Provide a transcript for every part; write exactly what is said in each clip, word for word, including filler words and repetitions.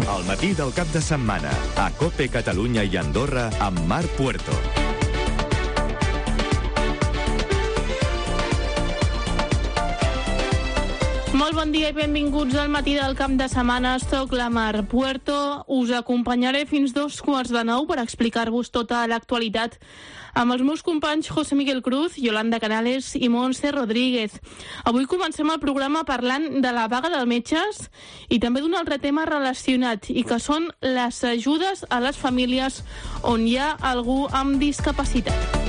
El matí del cap de setmana, a COPE Catalunya i Andorra, amb Marc Puerto. Molt bon dia i benvinguts al matí del cap de setmana. Soc la Mar Puerto. Us acompanyaré fins dos quarts de nou per explicar-vos tota l'actualitat amb els meus companys José Miguel Cruz, Yolanda Canales i Montse Rodríguez. Avui comencem el programa parlant de la vaga dels metges i també d'un altre tema relacionat, i que són les ajudes a les famílies on hi ha algú amb discapacitat.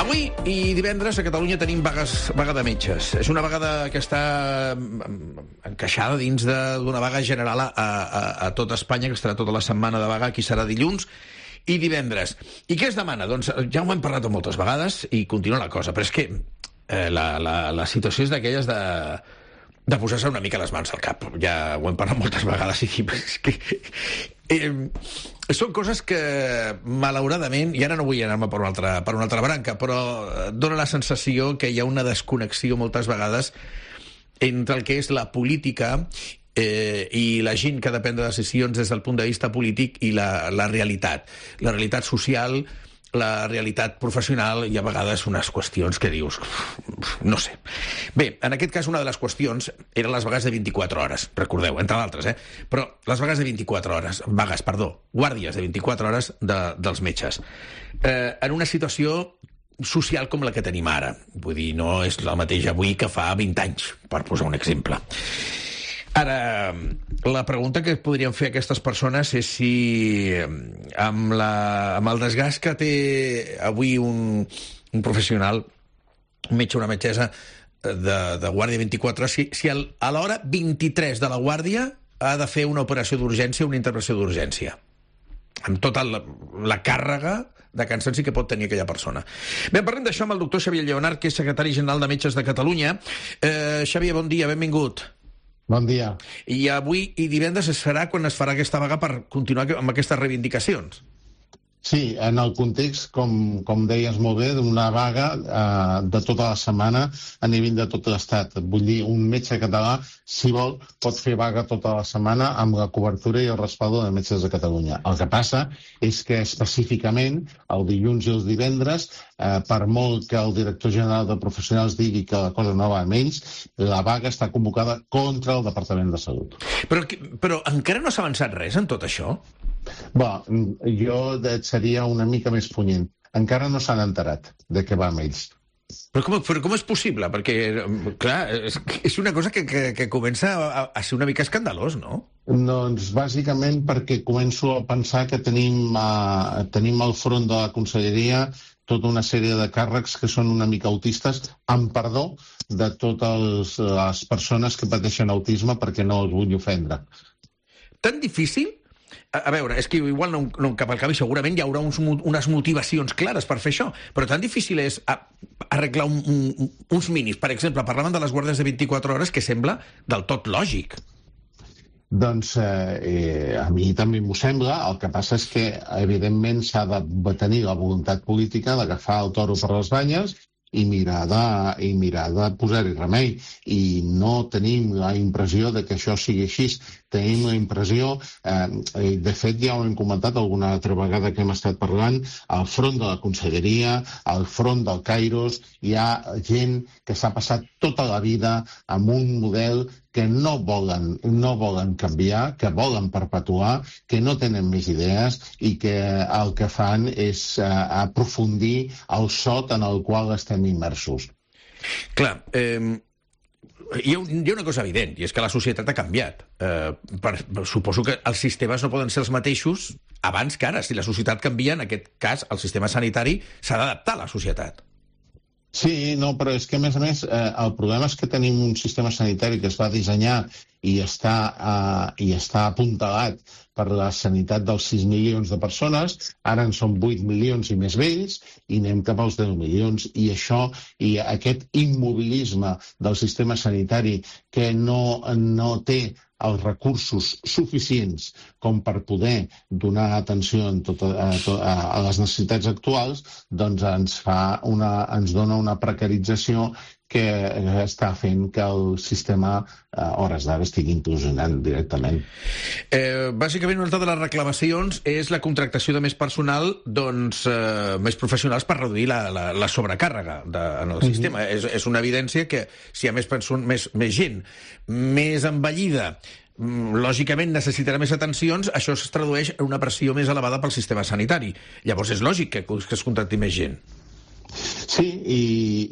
Avui i divendres a Catalunya tenim vagues, vaga de metges. És una vaga que està encaixada dins d'una vaga general a, a, a tot Espanya, que estarà tota la setmana de vaga. Aquí serà dilluns i divendres. I què es demana? Doncs ja ho hem parlat moltes vegades i continua la cosa, però és que eh, la, la, la situació és d'aquelles de, de posar-se una mica les mans al cap. Ja ho hem parlat moltes vegades i és que... Eh, són coses que, malauradament, i ara no vull anar-me per una altra, per una altra branca, però dona la sensació que hi ha una desconnexió moltes vegades entre el que és la política eh, i la gent que ha de prendre decisions des del punt de vista polític i la, la realitat. La realitat social, la realitat professional i a vegades unes qüestions que dius, no sé. Bé, en aquest cas una de les qüestions eren les vagues de vint-i-quatre hores, recordeu, entre d'altres, eh? Però les vagues de vint-i-quatre hores, vagues, perdó, guàrdies de vint-i-quatre hores de, dels metges. Eh, en una situació social com la que tenim ara. Vull dir, no és la mateixa avui que fa vint anys, per posar un exemple. Ara, la pregunta que podrien fer aquestes persones és si amb, la, amb el desgast que té avui un, un professional, un metge o una metgessa de, de guàrdia vint-i-quatre hores, si, si el, a l'hora vint-i-tres de la guàrdia ha de fer una operació d'urgència, una intervenció d'urgència, amb tota la, la càrrega de cansanci que pot tenir aquella persona. Bé, parlem d'això amb el doctor Xavier Lleonart, que és secretari general de Metges de Catalunya. Eh, Xavier, bon dia, benvingut. Bon dia. I avui i divendres es farà quan es farà aquesta vaga per continuar amb aquestes reivindicacions. Sí, en el context, com, com deies molt bé, d'una vaga eh, de tota la setmana a nivell de tot l'Estat. Vull dir, un metge català, si vol, pot fer vaga tota la setmana amb la cobertura i el respaldo de Metges de Catalunya. El que passa és que específicament, el dilluns i els divendres, eh, per molt que el director general de Professionals digui que la cosa no va amb ells, la vaga està convocada contra el Departament de Salut. Però, però encara no s'ha avançat res en tot això? Bé, jo seria una mica més punyent. Encara no s'han enterat de què va amb ells. Però com, però com és possible? Perquè, clar, és, és una cosa que, que, que comença a, a ser una mica escandalós, no? Doncs bàsicament perquè començo a pensar que tenim, uh, tenim al front de la conselleria tota una sèrie de càrrecs que són una mica autistes, amb perdó de totes les persones que pateixen autisme, perquè no els vull ofendre. Tan difícil? A veure, és que igual no, no cap al cap i segurament hi haurà uns, unes motivacions clares per fer això, però tan difícil és arreglar un, un, uns mínims. Per exemple, parlaven de les guàrdies de vint-i-quatre hores, que sembla del tot lògic. Doncs eh, a mi també m'ho sembla. El que passa és que, evidentment, s'ha de tenir la voluntat política d'agafar el toro per les banyes i mirar de, i mirar de posar-hi remei. I no tenim la impressió de que això sigui així. Tenim la impressió, eh, de fet ja ho hem comentat alguna altra vegada que hem estat parlant, al front de la conselleria, al front del Kairos, hi ha gent que s'ha passat tota la vida amb un model que no volen, no volen canviar, que volen perpetuar, que no tenen més idees i que el que fan és eh, aprofundir el sot en el qual estem immersos. Clar, eh, hi ha, hi ha una cosa evident, i és que la societat ha canviat. Eh, per, suposo que els sistemes no poden ser els mateixos abans que ara. Si la societat canvia, en aquest cas, el sistema sanitari s'ha d'adaptar a la societat. Sí, no, però és que, a més a més, eh, el problema és que tenim un sistema sanitari que es va dissenyar i està, eh, i està apuntalat per la sanitat dels sis milions de persones, ara en són vuit milions i més vells, i anem cap als deu milions, i això, i aquest immobilisme del sistema sanitari que no, no té els recursos suficients com per poder donar atenció en tot, a, a, a les necessitats actuals, doncs ens, fa una, ens dona una precarització que està fent que el sistema a hores d'ara estigui implosionant directament. Eh, bàsicament, una altra de les reclamacions és la contractació de més personal, doncs, eh, més professionals per reduir la, la, la sobrecàrrega de, en el sistema. Mm-hmm. és, és una evidència que si hi ha més, més, més gent, més envellida, lògicament necessitarà més atencions, això es tradueix en una pressió més elevada pel sistema sanitari. Llavors és lògic que, que es contracti més gent. Sí, i,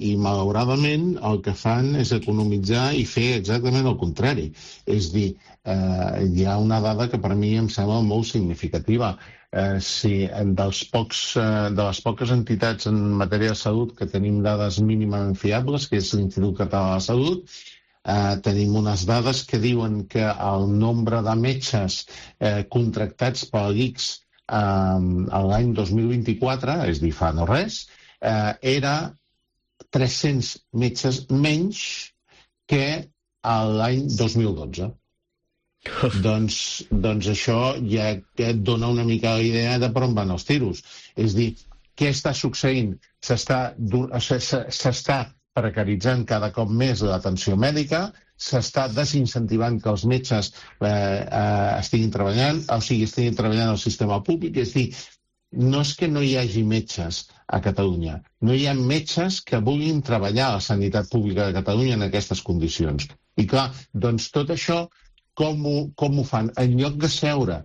i malauradament el que fan és economitzar i fer exactament el contrari. És dir, eh, hi ha una dada que per mi em sembla molt significativa. Eh, si dels pocs, eh, de les poques entitats en matèria de salut que tenim dades mínimament fiables, que és l'Institut Català de la Salut, eh, tenim unes dades que diuen que el nombre de metges eh, contractats per l'I C S eh, l'any dos mil vint-i-quatre, és dir, fa no res, Eh, era tres-cents metges menys que l'any dos mil dotze. doncs, doncs això ja et dona una mica la idea de per on van els tiros. És dir, què està succeint? S'està s'està precaritzant cada cop més l'atenció mèdica, s'està desincentivant que els metges eh, eh, estiguin treballant, o sigui, estiguin treballant al sistema públic. És dir, no és que no hi hagi metges a Catalunya, no hi ha metges que vulguin treballar a la sanitat pública de Catalunya en aquestes condicions. I clar, doncs tot això, com ho, com ho fan? En lloc de seure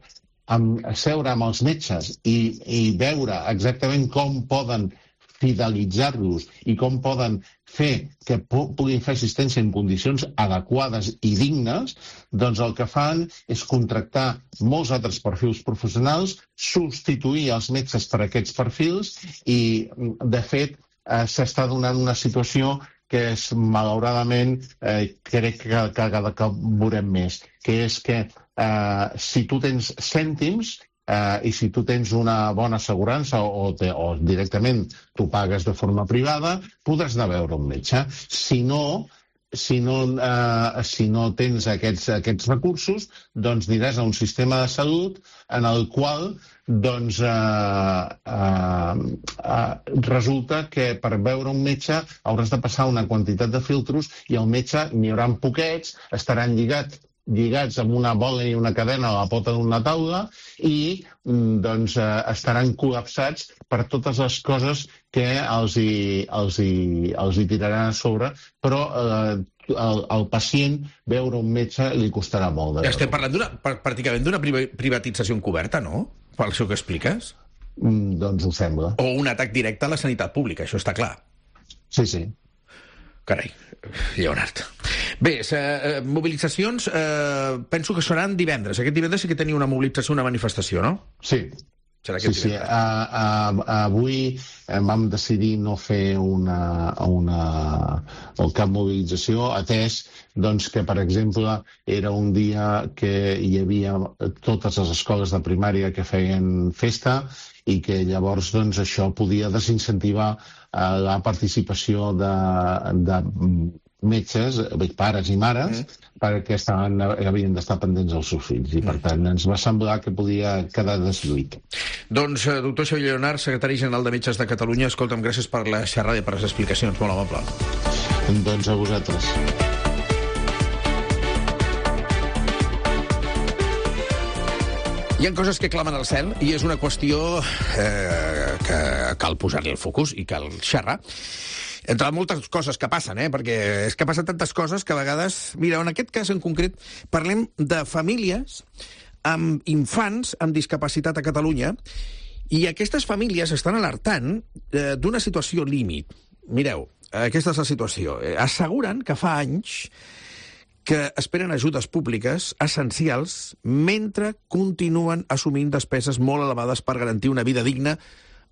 amb, seure amb els metges i, i veure exactament com poden fidelitzar-los i com poden fer que puguin fer assistència en condicions adequades i dignes, doncs el que fan és contractar molts altres perfils professionals, substituir els metges per aquests perfils i, de fet, eh, s'està donant una situació que és, malauradament, eh, crec que, que cada cop veurem més, que és que eh, si tu tens cèntims, Uh, i si tu tens una bona assegurança o, te, o directament tu pagues de forma privada, podràs anar a veure un metge. Si no, si no, uh, si no tens aquests, aquests recursos, doncs aniràs a un sistema de salut en el qual doncs, uh, uh, uh, resulta que per veure un metge hauràs de passar una quantitat de filtros i el metge n'hi haurà poquets, estaran lligats lligats amb una bola i una cadena a la pota d'una taula i doncs, eh, estaran col·lapsats per totes les coses que els hi, els hi, els hi tiraran a sobre, però eh, el, el pacient veure un metge li costarà molt. De Estem parlant d'una, pràcticament d'una privatització encoberta, no? Per això que expliques? Mm, doncs ho sembla. O un atac directe a la sanitat pública, això està clar. Sí, sí. Carai, Lleonard. Bé, eh, mobilitzacions, eh, penso que seran divendres. Aquest divendres sí que teniu una mobilització, una manifestació, no? Sí. Serà sí, sí. A, a, avui vam decidir no fer una, una, o cap mobilització, atès doncs, que, per exemple, era un dia que hi havia totes les escoles de primària que feien festa i que llavors doncs, això podia desincentivar eh, la participació de, de metges, pares i mares, mm. perquè estaven, havien d'estar pendents dels seus fills. I, per tant, ens va semblar que podia quedar deslluït. Doncs, doctor Xavier Lleonard, secretari general de Metges de Catalunya, escolta'm, gràcies per la xerrada i per les explicacions. Molt amable. Doncs a vosaltres. Hi ha coses que clamen al cel i és una qüestió eh, que cal posar-li el focus i cal xerrar. Entre moltes coses que passen, eh? Perquè és que passen tantes coses que a vegades... Mira, en aquest cas en concret parlem de famílies amb infants amb discapacitat a Catalunya i aquestes famílies estan alertant eh, d'una situació límit. Mireu, aquesta és la situació. Eh, asseguren que fa anys que esperen ajudes públiques essencials mentre continuen assumint despeses molt elevades per garantir una vida digna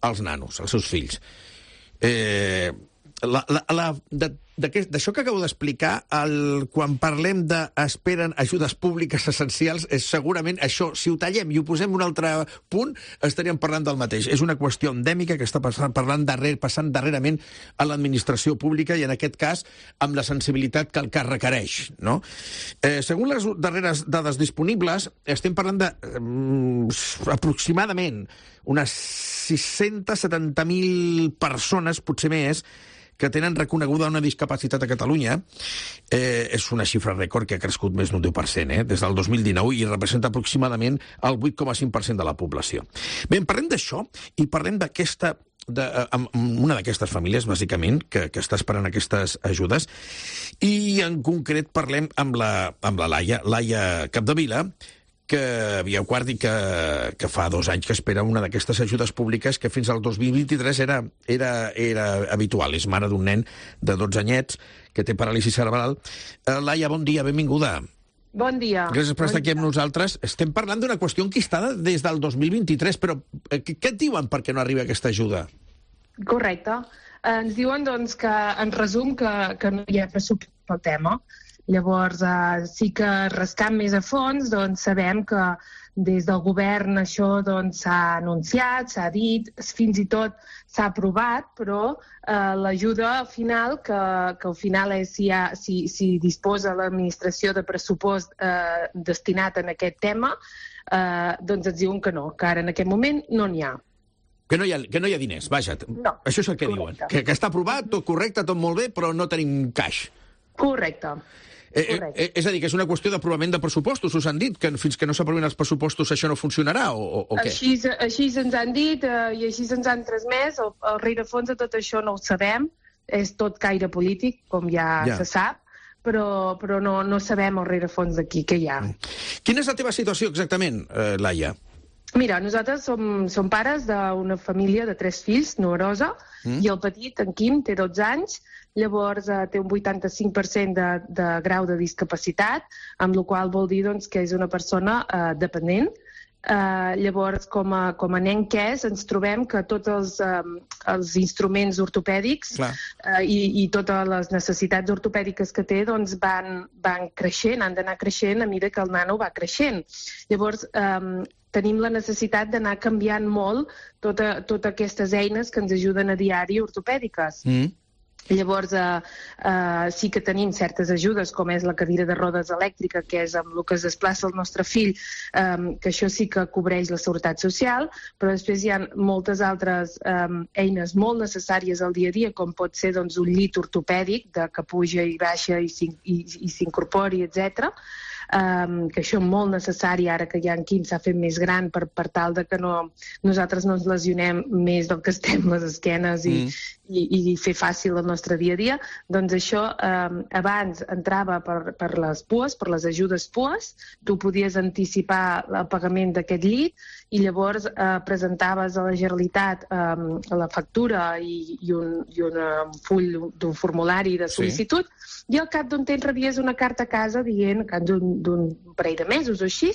als nanos, als seus fills. Eh... La, la, la, d'això que acabo d'explicar, el, quan parlem de esperen ajudes públiques essencials, és segurament això, si ho tallem i ho posem un altre punt, estaríem parlant del mateix. És una qüestió endèmica que està passant, parlant darrer, passant darrerament a l'administració pública i, en aquest cas, amb la sensibilitat que el cas requereix. No? Eh, segons les darreres dades disponibles, estem parlant de eh, aproximadament unes sis-cents setanta mil persones, potser més, que tenen reconeguda una discapacitat a Catalunya. Eh, és una xifra rècord que ha crescut més d'un deu per cent eh, des del dos mil dinou i representa aproximadament el vuit coma cinc per cent de la població. Bé, parlem d'això i parlem d'aquesta De, amb una d'aquestes famílies, bàsicament, que, que està esperant aquestes ajudes. I en concret parlem amb la, amb la Laia, Laia Capdevila, que via quart i que, que fa dos anys que espera una d'aquestes ajudes públiques que fins al dos mil vint-i-tres era, era, era habitual. És mare d'un nen de dotze anyets que té paràlisi cerebral. Uh, Laia, bon dia, benvinguda. Bon dia. Gràcies per estar aquí amb nosaltres. Estem parlant d'una qüestió enquistada des del dos mil vint-i-tres, però què, què et diuen perquè no arriba aquesta ajuda? Correcte. Ens diuen, doncs, que, en resum, que, que no hi ha pressupost pel tema. Llavors, eh, sí que rascant més a fons, doncs, sabem que des del govern això doncs, s'ha anunciat, s'ha dit, fins i tot s'ha aprovat, però eh, l'ajuda final, que, que al final és si, ha, si, si disposa l'administració de pressupost eh, destinat en aquest tema, eh, doncs ens diuen que no, que ara en aquest moment no n'hi ha. Que no hi ha, que no hi ha diners, vaja. No. Això és el que Correcte. diuen. Que, que està aprovat, tot correcte, tot molt bé, però no tenim caix. Correcte. Eh, eh, és a dir, que és una qüestió d'aprovament de pressupostos, us han dit que fins que no s'aprovin els pressupostos això no funcionarà, o, o, o què? Així, així ens han dit eh, i així ens han transmès. El, el rerefons de tot això no ho sabem, és tot caire polític, com ja, Ja. se sap, però, però no, no sabem el rerefons d'aquí què hi ha. Quina és la teva situació exactament, eh, Laia? Mira, nosaltres som, som pares d'una família de tres fills, numerosa, mm. i el petit, en Quim, té dotze anys, llavors eh, té un vuitanta-cinc per cent de, de grau de discapacitat, amb la qual vol dir doncs, que és una persona eh, dependent. Eh, llavors, com a, com a nen que és, ens trobem que tots els, eh, els instruments ortopèdics eh, i, i totes les necessitats ortopèdiques que té doncs, van, van creixent, han d'anar creixent a mesura que el nano va creixent. Llavors, eh, tenim la necessitat d'anar canviant molt totes tota aquestes eines que ens ajuden a diari ortopèdiques. Mm. Llavors, eh, eh, sí que tenim certes ajudes, com és la cadira de rodes elèctrica, que és amb el que es desplaça el nostre fill, eh, que això sí que cobreix la Seguretat Social, però després hi ha moltes altres eh, eines molt necessàries al dia a dia, com pot ser doncs, un llit ortopèdic de que puja i baixa i s'incorpori, etcètera. Um, que això és molt necessari ara que ja en Quim s'ha fet més gran per, per tal de que no, nosaltres no ens lesionem més del que estem les esquenes i, mm. i, i fer fàcil el nostre dia a dia. Doncs això um, abans entrava per, per les P U Es, per les ajudes P U Es, tu podies anticipar el pagament d'aquest llit i llavors eh, presentaves a la Generalitat um, la factura i, i, un, i un, un full d'un formulari de sol·licitud, sí. I al cap d'un temps rebies una carta a casa dient, que d'un parell de mesos o així,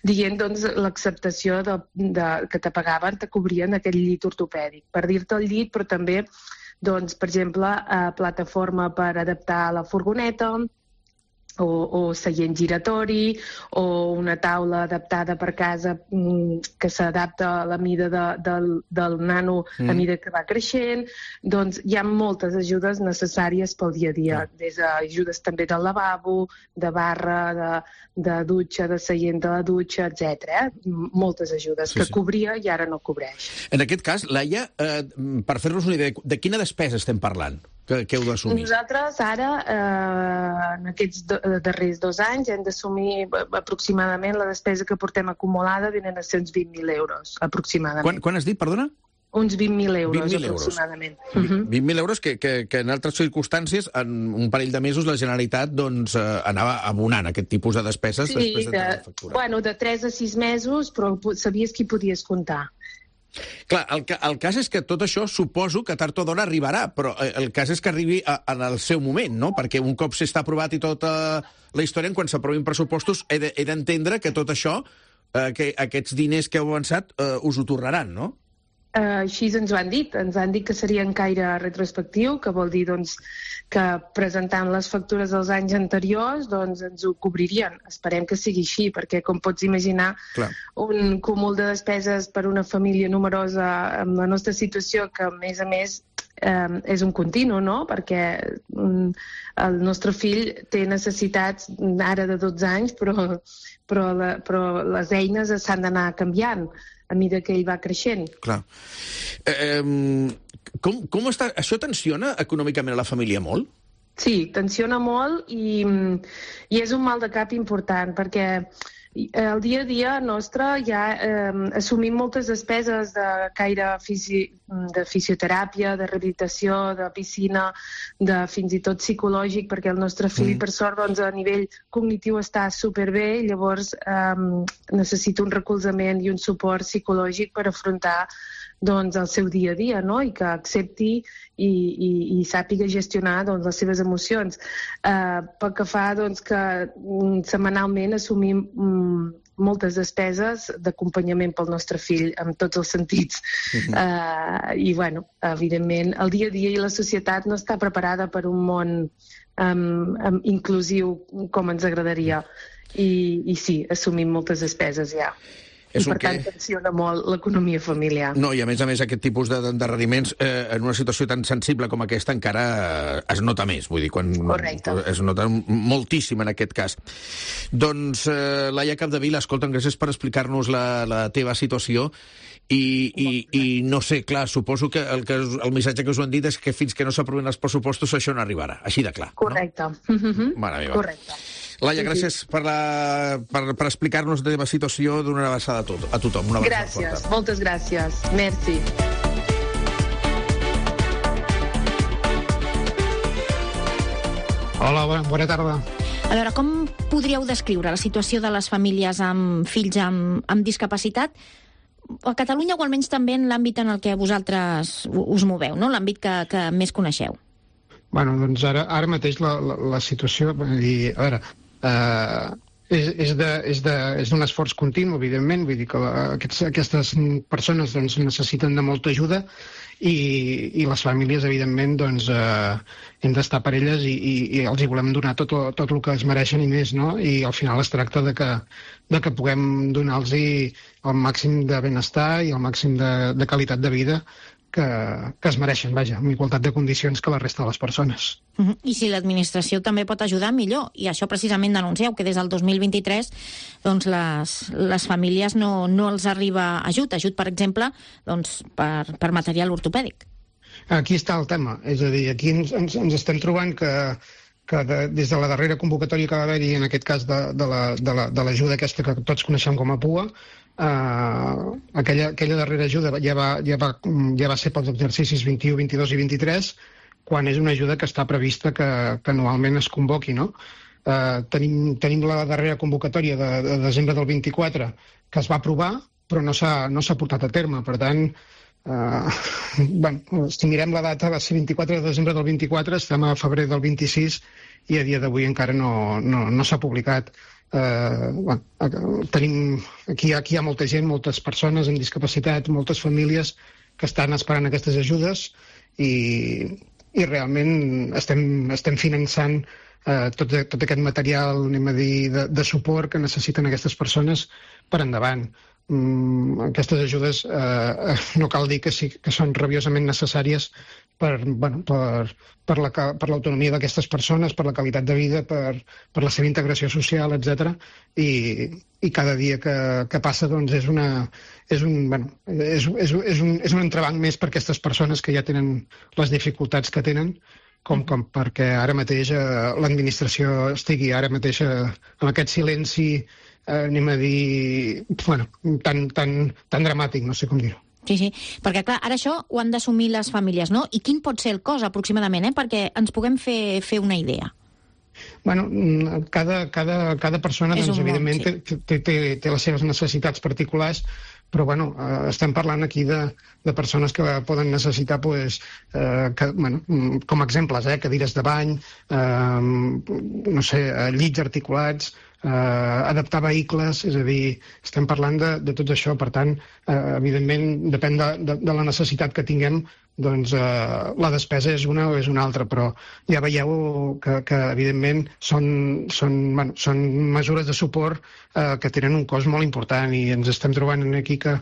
dient doncs, l'acceptació de, de, que te pagaven, te cobrien aquest llit ortopèdic. Per dir-te el llit, però també, doncs, per exemple, eh, plataforma per adaptar la furgoneta, o, o seient giratori, o una taula adaptada per casa que s'adapta a la mida de, del, del nano mm. a mida que va creixent. Doncs hi ha moltes ajudes necessàries pel dia a dia, mm. des d'ajudes també del lavabo, de barra, de, de dutxa, de seient de la dutxa, etcètera. Eh? Moltes ajudes sí, que sí. cobria i ara no cobreix. En aquest cas, Laia, eh, per fer-nos una idea, de quina despesa estem parlant? Que, que heu d'assumir? Nosaltres ara, eh, en aquests do, darrers dos anys, hem d'assumir aproximadament la despesa que portem acumulada venen a ser uns vint mil euros, aproximadament. Quan, quan has dit, perdona? Uns vint mil euros, vint mil aproximadament. Euros. Uh-huh. vint mil euros que, que, que en altres circumstàncies, en un parell de mesos, la Generalitat doncs, eh, anava abonant aquest tipus de despeses sí, després de, de la factura. Bueno, de tres a sis mesos, però sabies qui podies comptar. Clar, el, el cas és que tot això suposo que tard o d'hora arribarà, però el cas és que arribi a, en el seu moment, no? Perquè un cop s'està aprovat i tota la història, quan s'aprovin pressupostos, he d'entendre que tot això, eh, que aquests diners que heu avançat, eh, us ho tornaran, no? Uh, així ens ho han dit. Ens han dit que seria en caire retrospectiu, que vol dir doncs, que presentant les factures dels anys anteriors doncs, ens ho cobririen. Esperem que sigui així, perquè com pots imaginar, Clar. un cúmul de despeses per una família numerosa amb la nostra situació, que a més a més eh, és un continu, no? Perquè um, el nostre fill té necessitats ara de dotze anys, però, però, la, però les eines s'han d'anar canviant. a mesura que ell va creixent. Clar. Eh, com, com està? Això tensiona econòmicament a la família molt? Sí, tensiona molt i, i és un mal de cap important, perquè el dia a dia nostre ja eh, assumim moltes despeses de caire fisi, de fisioteràpia, de rehabilitació, de piscina, de fins i tot psicològic, perquè el nostre fill, mm. per sort, doncs, a nivell cognitiu està superbé, i llavors eh, necessita un recolzament i un suport psicològic per afrontar doncs, el seu dia a dia, no? I que accepti i, i, i sàpiga gestionar doncs, les seves emocions. Eh, pel que fa doncs, que mm, setmanalment assumim mm, moltes despeses d'acompanyament pel nostre fill en tots els sentits. Uh-huh. eh, I, bueno, evidentment, el dia a dia i la societat no està preparada per un món um, um, inclusiu com ens agradaria. I, i sí, assumim moltes despeses ja. I, per tant, tensiona molt l'economia familiar. No, i a més a més aquest tipus d'endarreriments eh, en una situació tan sensible com aquesta encara eh, es nota més, vull dir, quan Correcte. Es nota moltíssim en aquest cas. Doncs, eh, Laia Capdevila, escolta, gràcies per explicar-nos la, la teva situació. I, i, i no sé, clar, suposo que el, que el missatge que us ho han dit és que fins que no s'aprovin els pressupostos això no arribarà, així de clar. Correcte. No? Mm-hmm. Mare meva. Correcte. Laia, gràcies per, la, per, per explicar-nos la teva situació, d'una abraçada a, tot, a tothom. Una gràcies, forta. Moltes gràcies. Merci. Hola, bona, bona tarda. A veure, com podríeu descriure la situació de les famílies amb fills amb, amb discapacitat a Catalunya, o almenys també en l'àmbit en el que vosaltres us moveu, no? L'àmbit que, que més coneixeu? Bueno, doncs ara, ara mateix la, la, la situació... I, a veure, Uh, és, és, de, és, de, és d'un esforç continu, evidentment, vull dir que la, aquests, aquestes persones doncs, necessiten de molta ajuda i, i les famílies, evidentment, doncs, uh, hem d'estar per elles i, i, i els hi volem donar tot, tot el que es mereixen i més, no? I al final es tracta de que, de que puguem donar-los el màxim de benestar i el màxim de, de qualitat de vida que, que es mereixen, vaja, amb igualtat de condicions que la resta de les persones. Uh-huh. I si l'administració també pot ajudar, millor. I això precisament denuncieu, que des del dos mil vint-i-tres doncs les, les famílies no, no els arriba ajut. Ajut, per exemple, doncs, per, per material ortopèdic. Aquí està el tema. És a dir, aquí ens, ens, ens estem trobant que, que de, des de la darrera convocatòria que va haver-hi, en aquest cas de, de, la, de, la, de l'ajuda aquesta que tots coneixem com a P U A, Uh, aquella, aquella darrera ajuda ja va, ja, va, ja va ser pels exercicis vint-i-u, vint-i-dos i vint-i-tres, quan és una ajuda que està prevista que, que anualment es convoqui, no? Uh, tenim, tenim la darrera convocatòria de, de desembre del vint-i-quatre que es va aprovar, però no s'ha no s'ha portat a terme. Per tant, uh, bueno, si mirem la data, va ser vint-i-quatre de desembre del vint-i-quatre, estem a febrer del vint-i-sis i a dia d'avui encara no, no, no s'ha publicat. Uh, bueno, tenim, aquí, aquí hi ha molta gent, moltes persones amb discapacitat, moltes famílies que estan esperant aquestes ajudes i, i realment estem, estem finançant uh, tot, tot aquest material, anem a dir, de, de suport que necessiten aquestes persones per endavant. Mm, aquestes ajudes eh, no cal dir que sí que són rabiosament necessàries per, bueno, per, per, la, per l'autonomia d'aquestes persones, per la qualitat de vida, per, per la seva integració social, etcètera. I, i cada dia que, que passa doncs, és, una, és, un, bueno, és, és, és, un, és un entrebanc més per aquestes persones que ja tenen les dificultats que tenen, com, com perquè ara mateix eh, l'administració estigui ara mateix eh, amb aquest silenci, eh, anem a dir, bueno, tan, tan, tan dramàtic, no sé com dir-ho. Sí, sí, perquè clar, ara això ho han d'assumir les famílies, no? I quin pot ser el cost aproximadament, eh? Perquè ens puguem fer, fer una idea. Bueno, cada, cada, cada persona, doncs, evidentment, món, sí. té, té, té les seves necessitats particulars, però bueno, eh, estem parlant aquí de, de persones que poden necessitar, pues, eh, que, bueno, com a exemples, eh, cadires de bany, eh, no sé, llits articulats, eh, adaptar vehicles, és a dir, estem parlant de, de tot això. Per tant, eh, evidentment, depèn de, de, de la necessitat que tinguem, doncs eh, la despesa és una o és una altra, però ja veieu que, que evidentment, són, són, bueno, són mesures de suport eh, que tenen un cost molt important i ens estem trobant aquí que,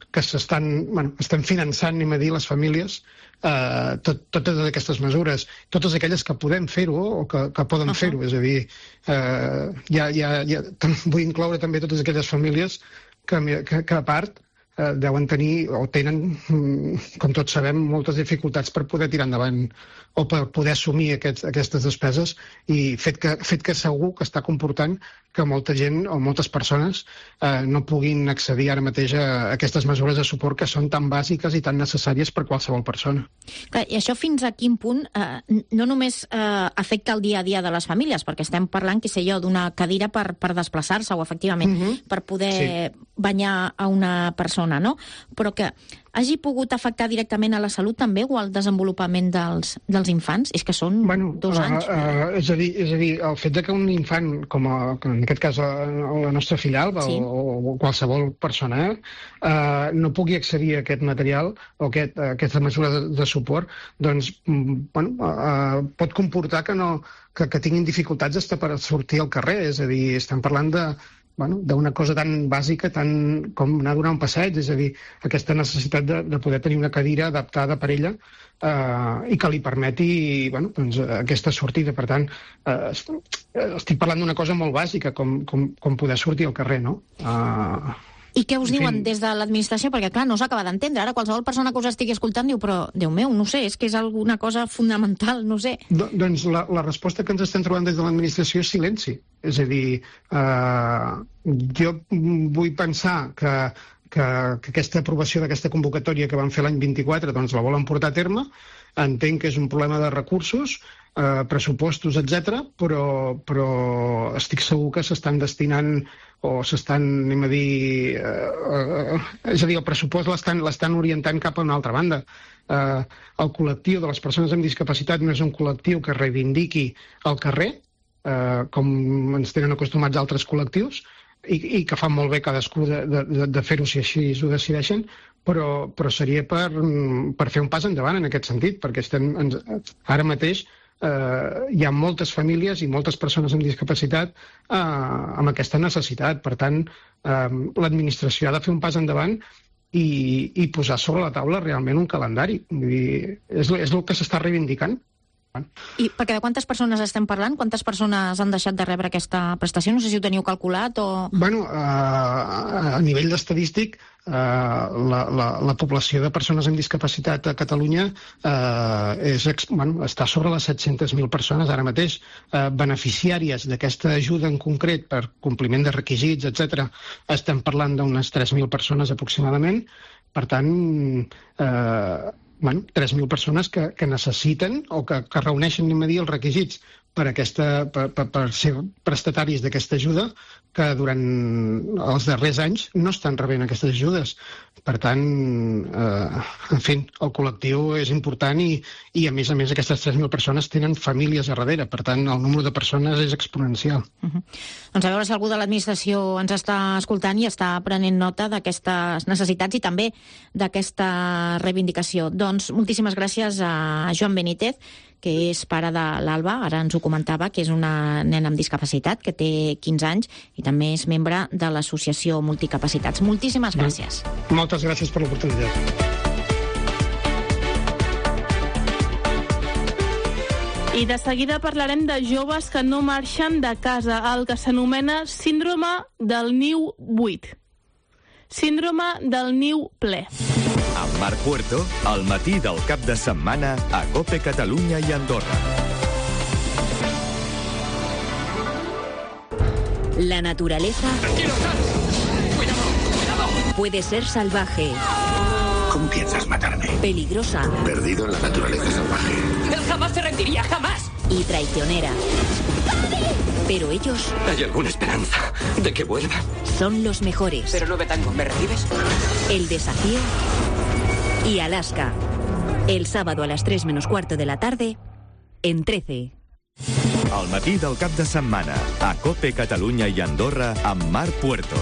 que s'estan, bueno, estem finançant, anem a dir, les famílies, eh, tot, totes aquestes mesures, totes aquelles que podem fer-ho o que, que poden uh-huh. fer-ho, és a dir, eh, ja, ja, ja, vull incloure també totes aquelles famílies que, que, que a part eh, deuen tenir, o tenen, com tots sabem, moltes dificultats per poder tirar endavant o per poder assumir aquests, aquestes despeses, i fet que, fet que segur que està comportant que molta gent o moltes persones eh, no puguin accedir ara mateix a aquestes mesures de suport que són tan bàsiques i tan necessàries per qualsevol persona. Clar, i això fins a quin punt eh, no només eh, afecta el dia a dia de les famílies, perquè estem parlant, què sé jo, d'una cadira per, per desplaçar-se o, efectivament, uh-huh. per poder sí. banyar a una persona, no? Però que hagi pogut afectar directament a la salut també o al desenvolupament dels, dels infants? És que són bueno, dos anys. Uh, uh, és, a dir, és a dir, el fet de que un infant, com a, en aquest cas la, la nostra filla Alba sí. o, o qualsevol persona, uh, no pugui accedir a aquest material o aquest, a aquesta mesura de, de suport, doncs bueno, uh, pot comportar que, no, que, que tinguin dificultats hasta per sortir al carrer. És a dir, estem parlant de Bueno, d'una cosa tan bàsica tan com anar a donar un passeig, és a dir, aquesta necessitat de, de poder tenir una cadira adaptada per ella eh, i que li permeti bueno, doncs, aquesta sortida. Per tant, eh, estic parlant d'una cosa molt bàsica, com, com, com poder sortir al carrer, no? Eh, I què us diuen des de l'administració? Perquè, clar, no s'acaba d'entendre. Ara qualsevol persona que us estigui escoltant diu, però, Déu meu, no sé, és que és alguna cosa fundamental, no sé. Do, doncs la, la resposta que ens estem trobant des de l'administració és silenci. És a dir, eh, jo vull pensar que, que, que aquesta aprovació d'aquesta convocatòria que van fer l'any vint-i-quatre doncs la volen portar a terme. Entenc que és un problema de recursos, eh, pressupostos, etcètera, però, però estic segur que s'estan destinant o s'estan, anem a dir, eh, eh, és a dir, el pressupost l'estan l'estan orientant cap a una altra banda. Eh, el col·lectiu de les persones amb discapacitat no és un col·lectiu que reivindiqui el carrer, eh, com ens tenen acostumats altres col·lectius, i, i que fan molt bé cadascú de, de, de fer-ho si així ho decideixen, però, però seria per, per fer un pas endavant en aquest sentit, perquè estem, ens, ara mateix eh, hi ha moltes famílies i moltes persones amb discapacitat eh, amb aquesta necessitat. Per tant, eh, l'administració ha de fer un pas endavant i, i posar sobre la taula realment un calendari. Vull dir, és, és el que s'està reivindicant. I perquè de quantes persones estem parlant? Quantes persones han deixat de rebre aquesta prestació? No sé si ho teniu calculat o... Bueno, uh, a nivell estadístic, uh, la, la, la població de persones amb discapacitat a Catalunya uh, és, bueno, està sobre les set-centes mil persones ara mateix. Uh, beneficiàries d'aquesta ajuda en concret per compliment de requisits, etcètera, estem parlant d'unes tres mil persones aproximadament. Per tant, eh, bueno, tres mil persones que, que necessiten o que, que reuneixen, anem a dir, els requisits per, aquesta, per, per, per ser prestataris d'aquesta ajuda, que durant els darrers anys no estan rebent aquestes ajudes. Per tant, eh, en fi, el col·lectiu és important i, i a més a més, aquestes tres mil persones tenen famílies a darrere. Per tant, el número de persones és exponencial. Uh-huh. Doncs a veure si algú de l'administració ens està escoltant i està prenent nota d'aquestes necessitats i també d'aquesta reivindicació. Doncs moltíssimes gràcies a Joan Benítez, que és pare de l'Alba, ara ens ho comentava, que és una nena amb discapacitat, que té quinze anys, i també és membre de l'associació Multicapacitats. Moltíssimes gràcies. Moltes gràcies per l'oportunitat. I de seguida parlarem de joves que no marxen de casa, el que s'anomena síndrome del niu buit. Síndrome del niu ple. Amb Marc Puerto, al matí del cap de setmana a COPE Catalunya i Andorra. La naturaleza puede ser salvaje. ¿Cómo piensas matarme? Peligrosa. Perdido en la naturaleza salvaje. Él jamás se rendiría, jamás. Y traicionera. Pero ellos... ¿Hay alguna esperanza de que vuelvan? Son los mejores. Pero no me tango, ¿me recibes? El desafío y Alaska. El sábado a las tres menos cuarto de la tarde en trece. Al matí del cap de setmana a COPE Catalunya i Andorra amb Marc Puerto.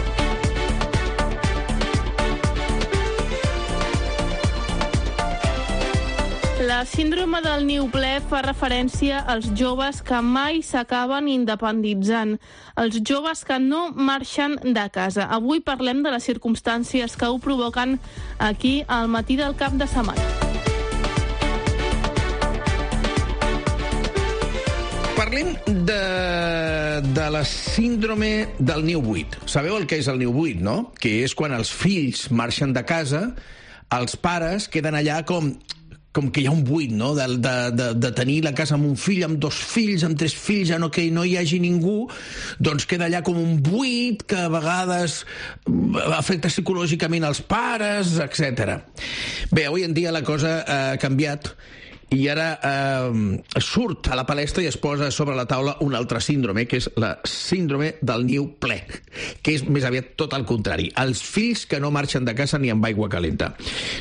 La síndrome del niu ple fa referència als joves que mai s'acaben independitzant, els joves que no marxen de casa. Avui parlem de les circumstàncies que ho provoquen aquí al matí del cap de setmana. Parlem de eh, de la síndrome del niu buit. Sabeu el que és el niu buit, no? Que és quan els fills marxen de casa, els pares queden allà com... com que hi ha un buit, no?, de, de, de, de tenir la casa amb un fill, amb dos fills, amb tres fills, ja no, que no hi hagi ningú, doncs queda allà com un buit que a vegades afecta psicològicament els pares, etcètera. Bé, avui en dia la cosa ha canviat i ara eh, surt a la palestra i es posa sobre la taula un altre síndrome, que és la síndrome del niu ple, que és més aviat tot al contrari. Els fills que no marxen de casa ni amb aigua calenta.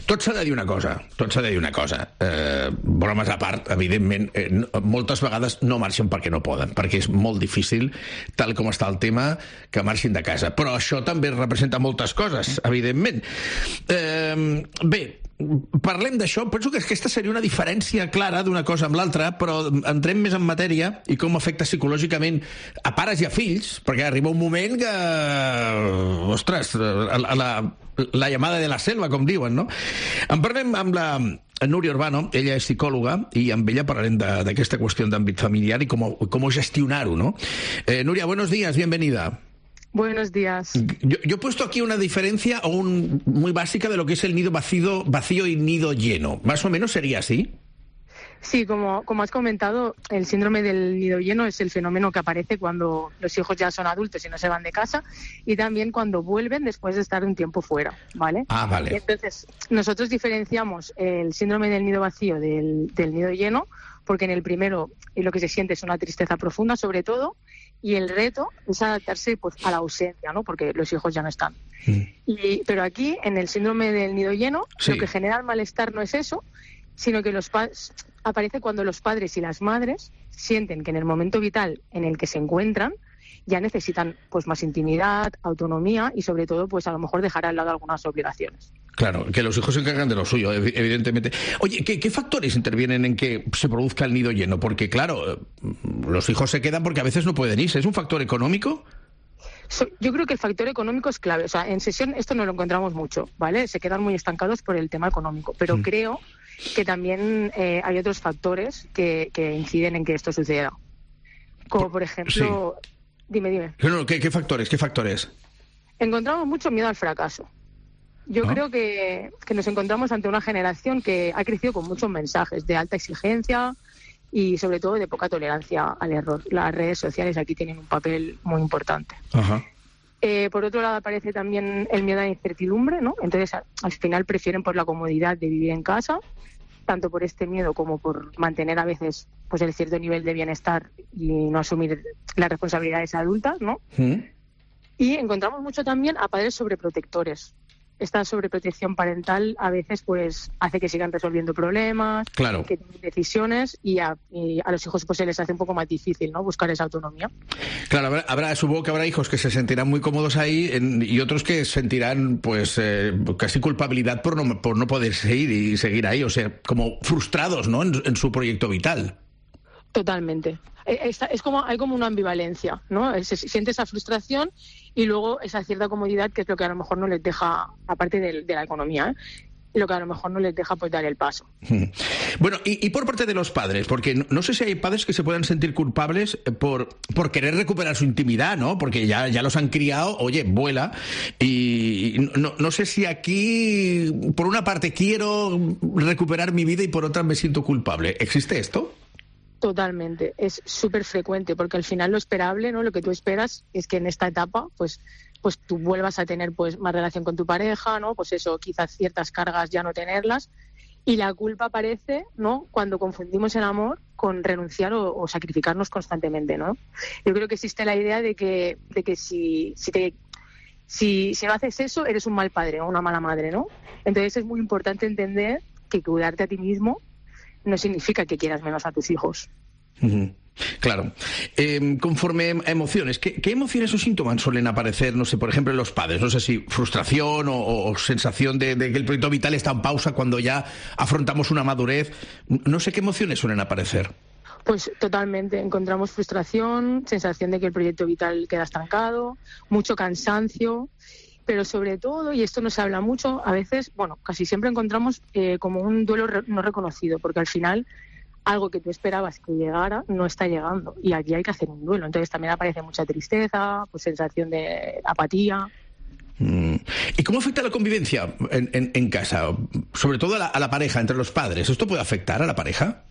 Tot s'ha de dir una cosa, tot s'ha de dir una cosa. Eh, bromes a part, evidentment, eh, moltes vegades no marxen perquè no poden, perquè és molt difícil, tal com està el tema, que marxin de casa. Però això també representa moltes coses, evidentment. Eh, bé, parlem d'això. Penso que aquesta seria una diferència clara d'una cosa amb l'altra, però entrem més en matèria i com afecta psicològicament a pares i a fills, perquè arriba un moment que... Ostres, la, la, la llamada de la selva, com diuen, no? En parlem amb la Núria Urbano, ella és psicòloga, i amb ella parlarem d'aquesta qüestió d'àmbit familiar i com, com gestionar-ho, no? Eh, Núria, buenos días, bienvenida. Buenos días. Yo, yo he puesto aquí una diferencia o un, muy básica de lo que es el nido vacío, vacío y nido lleno. ¿Más o menos sería así? Sí, como, como has comentado, el síndrome del nido lleno es el fenómeno que aparece cuando los hijos ya son adultos y no se van de casa, y también cuando vuelven después de estar un tiempo fuera, ¿vale? Ah, vale. Y entonces, nosotros diferenciamos el síndrome del nido vacío del, del nido lleno, porque en el primero lo que se siente es una tristeza profunda, sobre todo, y el reto es adaptarse pues a la ausencia, ¿no? Porque los hijos ya no están. Mm. Y, pero aquí, en el síndrome del nido lleno, sí, lo que genera el malestar no es eso, sino que los padres aparece cuando los padres y las madres sienten que en el momento vital en el que se encuentran ya necesitan pues más intimidad, autonomía y sobre todo pues a lo mejor dejar al lado algunas obligaciones. Claro, que los hijos se encargan de lo suyo, evidentemente. Oye, ¿qué, qué factores intervienen en que se produzca el nido lleno? Porque claro, los hijos se quedan porque a veces no pueden irse. ¿Es un factor económico? So, yo creo que el factor económico es clave. O sea, en sesión esto no lo encontramos mucho, ¿vale? Se quedan muy estancados por el tema económico, pero mm. creo que también eh, hay otros factores que, que inciden en que esto suceda. Como por ejemplo... Sí. Dime, dime. No, no, ¿qué, qué factores? ¿Qué factores? Encontramos mucho miedo al fracaso. Yo ¿no? creo que, que nos encontramos ante una generación que ha crecido con muchos mensajes de alta exigencia y sobre todo de poca tolerancia al error. Las redes sociales aquí tienen un papel muy importante. Ajá. Eh, por otro lado aparece también el miedo a la incertidumbre, ¿no? Entonces a, al final prefieren por la comodidad de vivir en casa, tanto por este miedo como por mantener a veces pues el cierto nivel de bienestar y no asumir las responsabilidades adultas, ¿no? ¿Mm? Y encontramos mucho también a padres sobreprotectores. Esta sobreprotección parental a veces pues hace que sigan resolviendo problemas, claro, que tomen decisiones y a, y a los hijos pues se les hace un poco más difícil, ¿no?, buscar esa autonomía. Claro, habrá, habrá supongo que habrá hijos que se sentirán muy cómodos ahí en, y otros que sentirán pues eh, casi culpabilidad por no, por no poder seguir y seguir ahí, o sea, como frustrados, ¿no?, en, en su proyecto vital. Totalmente. Es, es como hay como una ambivalencia, ¿no? Se siente esa frustración y luego esa cierta comodidad, que es lo que a lo mejor no les deja, aparte de, de la economía, ¿eh?, lo que a lo mejor no les deja pues dar el paso. Bueno, y, y por parte de los padres, porque no, no sé si hay padres que se puedan sentir culpables por, por querer recuperar su intimidad, ¿no? Porque ya, ya los han criado, oye, vuela, y no, no sé si aquí, por una parte quiero recuperar mi vida y por otra me siento culpable. ¿Existe esto? Totalmente, es súper frecuente, porque al final lo esperable, ¿no?, lo que tú esperas es que en esta etapa pues pues tú vuelvas a tener pues más relación con tu pareja, ¿no? Pues eso, quizás ciertas cargas ya no tenerlas, y la culpa aparece, ¿no?, cuando confundimos el amor con renunciar o, o sacrificarnos constantemente, ¿no? Yo creo que existe la idea de que de que si si te si, si no haces eso eres un mal padre o una mala madre, ¿no? Entonces es muy importante entender que cuidarte a ti mismo no significa que quieras menos a tus hijos. Uh-huh. Claro. Eh, conforme a emociones, ¿qué, ¿qué emociones o síntomas suelen aparecer, no sé, por ejemplo, en los padres? No sé si frustración o, o sensación de, de que el proyecto vital está en pausa cuando ya afrontamos una madurez. No sé qué emociones suelen aparecer. Pues totalmente. Encontramos frustración, sensación de que el proyecto vital queda estancado, mucho cansancio. Pero sobre todo, y esto no se habla mucho, a veces, bueno, casi siempre encontramos eh, como un duelo re- no reconocido, porque al final algo que tú esperabas que llegara no está llegando y aquí hay que hacer un duelo. Entonces también aparece mucha tristeza, pues sensación de apatía. Mm. ¿Y cómo afecta la convivencia en, en, en casa? Sobre todo a la, a la pareja, entre los padres. ¿Esto puede afectar a la pareja?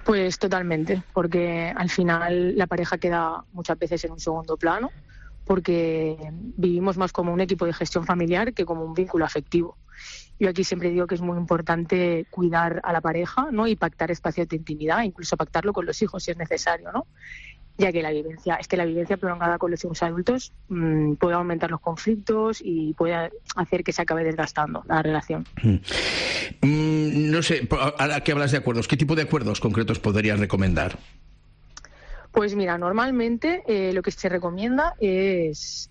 Pues totalmente, porque al final la pareja queda muchas veces en un segundo plano, porque vivimos más como un equipo de gestión familiar que como un vínculo afectivo. Yo aquí siempre digo que es muy importante cuidar a la pareja, ¿no? Y pactar espacios de intimidad, incluso pactarlo con los hijos si es necesario, ¿no? Ya que la vivencia, es que la vivencia prolongada con los hijos adultos mmm, puede aumentar los conflictos y puede hacer que se acabe desgastando la relación. Mm, no sé, ahora que hablas de acuerdos, ¿qué tipo de acuerdos concretos podrías recomendar? Pues mira, normalmente eh, lo que se recomienda es,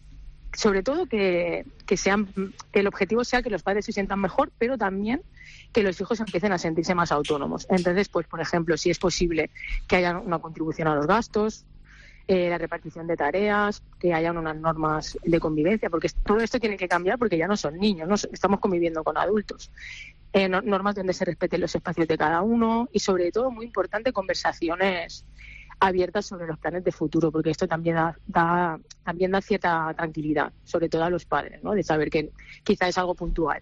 sobre todo, que, que, sean, que el objetivo sea que los padres se sientan mejor, pero también que los hijos empiecen a sentirse más autónomos. Entonces, pues por ejemplo, si es posible que haya una contribución a los gastos, eh, la repartición de tareas, que haya unas normas de convivencia, porque todo esto tiene que cambiar porque ya no son niños, ¿no? Estamos conviviendo con adultos. Eh, no, normas donde se respeten los espacios de cada uno y, sobre todo, muy importante, conversaciones abiertas sobre los planes de futuro, porque esto también da, da, también da cierta tranquilidad, sobre todo a los padres, ¿no? De saber que quizá es algo puntual.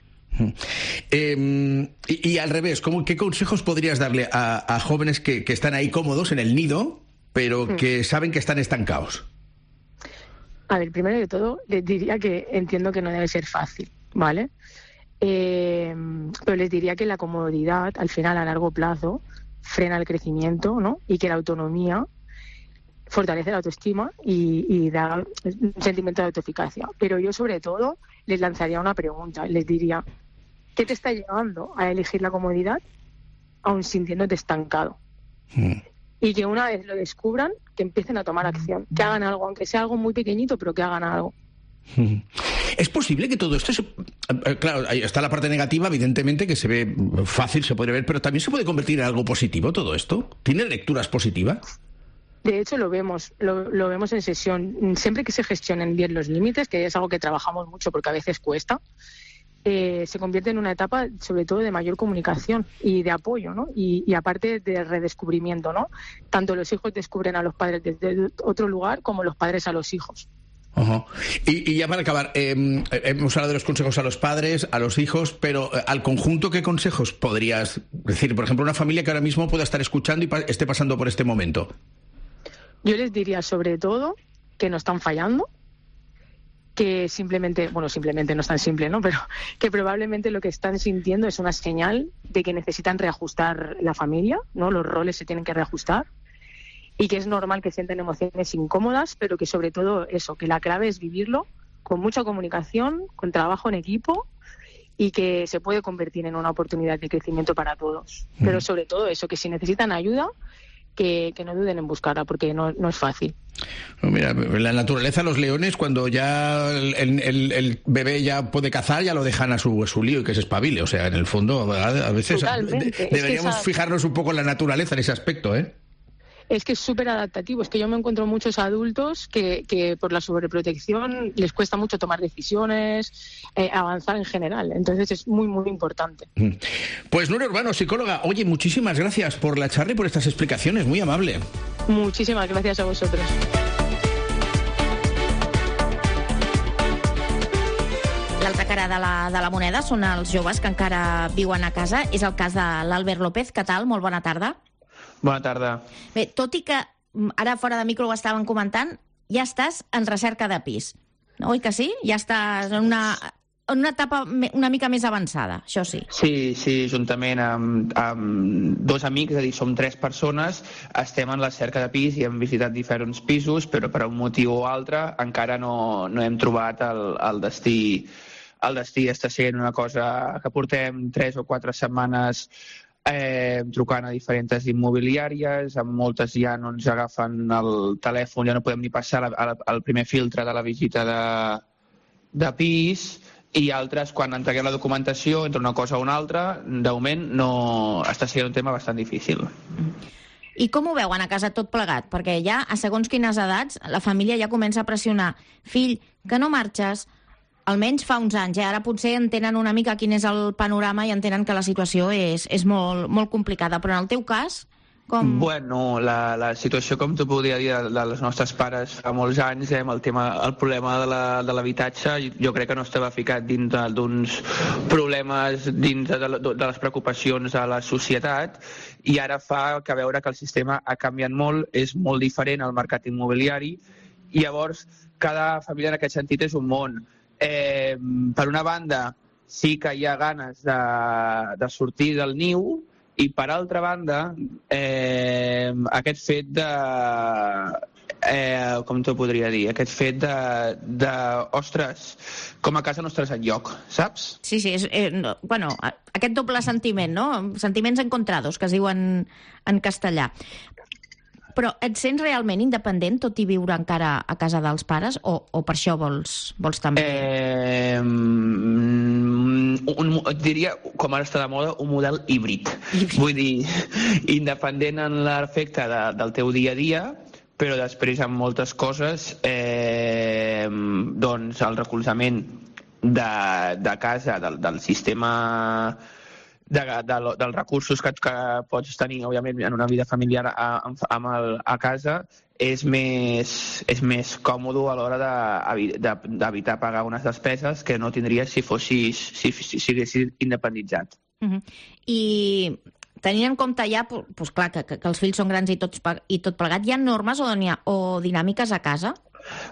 Eh, y, y al revés, ¿cómo, ¿qué consejos podrías darle a, a jóvenes que, que están ahí cómodos en el nido, pero mm. que saben que están estancados? A ver, primero de todo, les diría que entiendo que no debe ser fácil, ¿vale? Eh, pero les diría que la comodidad, al final, a largo plazo, frena el crecimiento, ¿no? Y que la autonomía fortalece la autoestima y, y da un sentimiento de autoeficacia. Pero yo, sobre todo, les lanzaría una pregunta. Les diría, ¿qué te está llevando a elegir la comodidad aun sintiéndote estancado? Mm. Y que una vez lo descubran, que empiecen a tomar acción, que hagan algo, aunque sea algo muy pequeñito, pero que hagan algo. ¿Es posible que todo esto se... Claro, ahí está la parte negativa, evidentemente, que se ve fácil, se puede ver, pero también se puede convertir en algo positivo todo esto? ¿Tiene lecturas positivas? De hecho, lo vemos, lo, lo vemos en sesión. Siempre que se gestionen bien los límites, que es algo que trabajamos mucho porque a veces cuesta, eh, se convierte en una etapa, sobre todo, de mayor comunicación y de apoyo, ¿no? Y, y aparte de redescubrimiento, ¿no? Tanto los hijos descubren a los padres desde otro lugar como los padres a los hijos. Uh-huh. Y, y ya para acabar, eh, hemos hablado de los consejos a los padres, a los hijos, pero eh, al conjunto, ¿qué consejos podrías decir? Por ejemplo, una familia que ahora mismo pueda estar escuchando y pa- esté pasando por este momento. Yo les diría, sobre todo, que no están fallando, que simplemente, bueno, simplemente no es tan simple, ¿no? Pero que probablemente lo que están sintiendo es una señal de que necesitan reajustar la familia, ¿no? Los roles se tienen que reajustar. Y que es normal que sientan emociones incómodas, pero que sobre todo eso, que la clave es vivirlo con mucha comunicación, con trabajo en equipo y que se puede convertir en una oportunidad de crecimiento para todos. Mm. Pero sobre todo eso, que si necesitan ayuda, que, que no duden en buscarla, porque no, no es fácil. Mira, en la naturaleza los leones, cuando ya el, el, el bebé ya puede cazar, ya lo dejan a su, a su lío y que se espabile. O sea, en el fondo, a veces de, deberíamos es esa... fijarnos un poco en la naturaleza en ese aspecto, ¿eh? Es que es súper adaptativo. Es que yo me encuentro muchos adultos que, que por la sobreprotección les cuesta mucho tomar decisiones, eh, avanzar en general. Entonces es muy, muy importante. Pues Nuria Urbano, psicóloga, oye, muchísimas gracias por la charla y por estas explicaciones. Muy amable. Muchísimas gracias a vosotros. L'altra cara de la, de la moneda són els joves que encara viuen a casa. És el cas de l'Albert López. Què tal? Molt bona tarda. Bona tarda. Bé, tot i que ara fora de micro ho estàvem comentant, ja estàs en recerca de pis. Oi que sí? Ja estàs en una, en una etapa una mica més avançada, això sí. Sí, sí, juntament amb, amb dos amics, és a dir, som tres persones, estem en la cerca de pis i hem visitat diferents pisos, però per un motiu o altre encara no, no hem trobat el, el destí. El destí està sent una cosa que portem tres o quatre setmanes Eh, trucant a diferents immobiliàries, amb moltes ja no ens agafen el telèfon, ja no podem ni passar la, la, el primer filtre de la visita de, de pis, i altres, quan entreguem la documentació entre una cosa o una altra, de moment no està sent un tema bastant difícil. I com ho veuen a casa tot plegat? Perquè ja, a segons quines edats, la família ja comença a pressionar. Fill, que no marxes? Almenys fa uns anys, eh? Ara potser entenen una mica quin és el panorama i entenen que la situació és, és molt, molt complicada. Però en el teu cas, Com... Bueno, la, la situació, com tu podria dir, de, de les nostres pares fa molts anys, eh, amb el, tema, el problema de l'habitatge, jo crec que no estava ficat dins d'uns problemes, dins de, de, de les preocupacions de la societat, i ara fa que veure que el sistema ha canviat molt, és molt diferent al mercat immobiliari, i llavors cada família en aquest sentit és un món. Eh, per una banda, sí que hi ha ganes de, de sortir del niu, i per altra banda, eh, aquest fet de... Eh, com t'ho podria dir? Aquest fet de, de... Ostres, com a casa no estàs enlloc, saps? Sí, sí, és, eh, no, bueno, aquest doble sentiment, no? Sentiments encontrados, que es diuen en castellà. Però et sents realment independent, tot i viure encara a casa dels pares, o, o per això vols, vols també? Eh, un, et diria, com ara està de moda, un model híbrid. híbrid. Vull dir, independent en l'efecte de, del teu dia a dia, però després en moltes coses, eh, doncs el recolzament de, de casa, del, del sistema... De, de, dels recursos que, que pots tenir, òbviament, en una vida familiar a, amb el, a casa, és més, és més còmode a l'hora d'evitar pagar unes despeses que no tindries si fossis, si, si siguessis independitzat. Uh-huh. I tenint en compte ja, pues, clar, que, que els fills són grans i, tots, i tot plegat, hi ha normes o, ha, o dinàmiques a casa?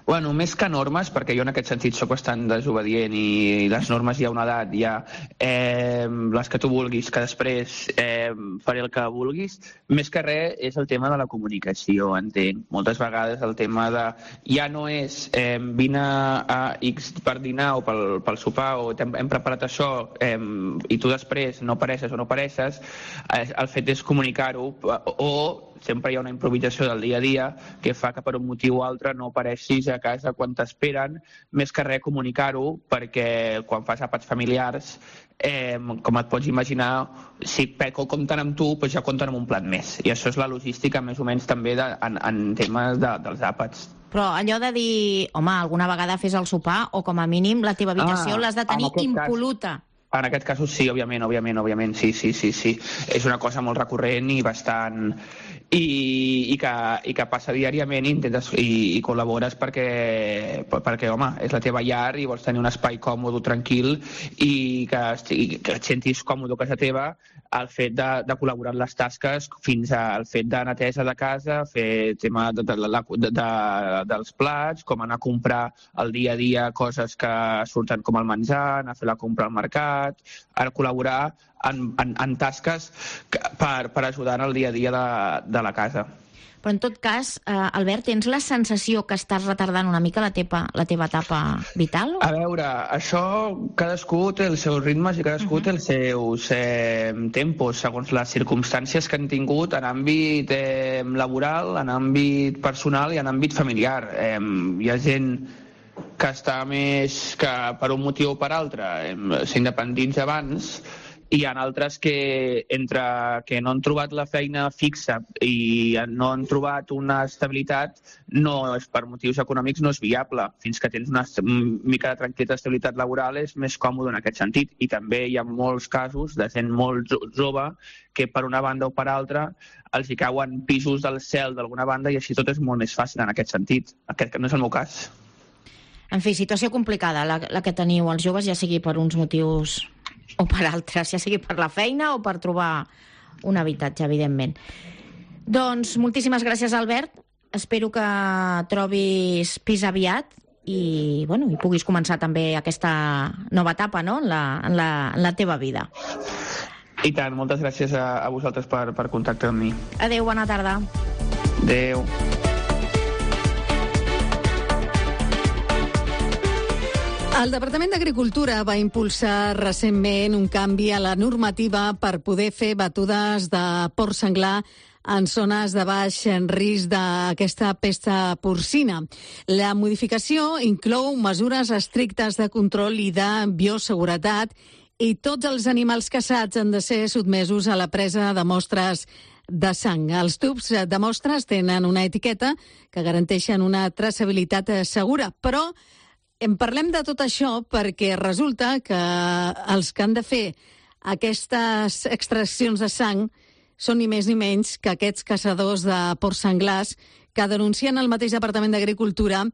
Bueno, més que normes, perquè jo en aquest sentit sóc bastant desobedient i les normes hi ha una edat, hi ha eh, les que tu vulguis, que després eh, faré el que vulguis, més que res és el tema de la comunicació, entenc. Moltes vegades el tema de... Ja no és eh, vine a X per dinar o pel, pel sopar o hem, hem preparat això eh, i tu després no apareixes o no apareixes, eh, el fet és comunicar-ho o sempre hi ha una improvisació del dia a dia que fa que per un motiu o altre no apareixis a casa quan t'esperen, més que res comunicar-ho, perquè quan fas àpats familiars, eh, com et pots imaginar, si Peco compten amb tu, doncs ja compten amb un plat més. I això és la logística més o menys també de, en, en temes de, dels àpats. Però allò de dir, home, alguna vegada fes el sopar, o com a mínim la teva habitació ah, l'has de tenir impol·luta. Cas... En aquest cas sí, òbviament, òbviament, òbviament, sí, sí, sí, sí. És una cosa molt recurrent i bastant... I, i, que, i que passa diàriament i, intentes, i, i col·labores perquè, perquè, home, és la teva llar i vols tenir un espai còmode, tranquil i que, i que et sentis còmode a casa teva, el fet de, de col·laborar en les tasques fins al fet de neteja de casa, fer tema de, de, de, de, dels plats, com anar a comprar el dia a dia coses que surten com el menjar, anar a fer la compra al mercat, a col·laborar en, en, en tasques per, per ajudar en el dia a dia de, de la casa. Però en tot cas, eh, Albert, tens la sensació que estàs retardant una mica la teva, la teva etapa vital? A veure, això cadascú té els seus ritmes i cadascú uh-huh. té els seus eh, tempos, segons les circumstàncies que han tingut en àmbit eh, laboral, en àmbit personal i en àmbit familiar. Eh, hi ha gent que està més que per un motiu o per altre eh, s'independitza abans, i hi ha altres que, entre que no han trobat la feina fixa i no han trobat una estabilitat, no és per motius econòmics, no és viable. Fins que tens una mica de tranquil·litat d'estabilitat laboral és més còmode en aquest sentit. I també hi ha molts casos de gent molt jove que per una banda o per altra els hi cauen pisos del cel d'alguna banda i així tot és molt més fàcil en aquest sentit. Aquest no és el meu cas. En fi, situació complicada la, la que teniu els joves, ja sigui per uns motius o per altres, ja sigui per la feina o per trobar un habitatge, evidentment. Doncs moltíssimes gràcies, Albert. Espero que trobis pis aviat i, bueno, i puguis començar també aquesta nova etapa, no?, en la, en la, en la teva vida. I tant, moltes gràcies a, a vosaltres per, per contactar amb mi. Adéu, bona tarda. Adéu. El Departament d'Agricultura va impulsar recentment un canvi a la normativa per poder fer batudes de porc senglar en zones de baix risc d'aquesta pesta porcina. La modificació inclou mesures estrictes de control i de bioseguretat i tots els animals caçats han de ser sotmesos a la presa de mostres de sang. Els tubs de mostres tenen una etiqueta que garanteixen una traçabilitat segura, però en parlem de tot això perquè resulta que els que han de fer aquestes extraccions de sang són ni més ni menys que aquests caçadors de porcs senglars que denuncien al mateix Departament d'Agricultura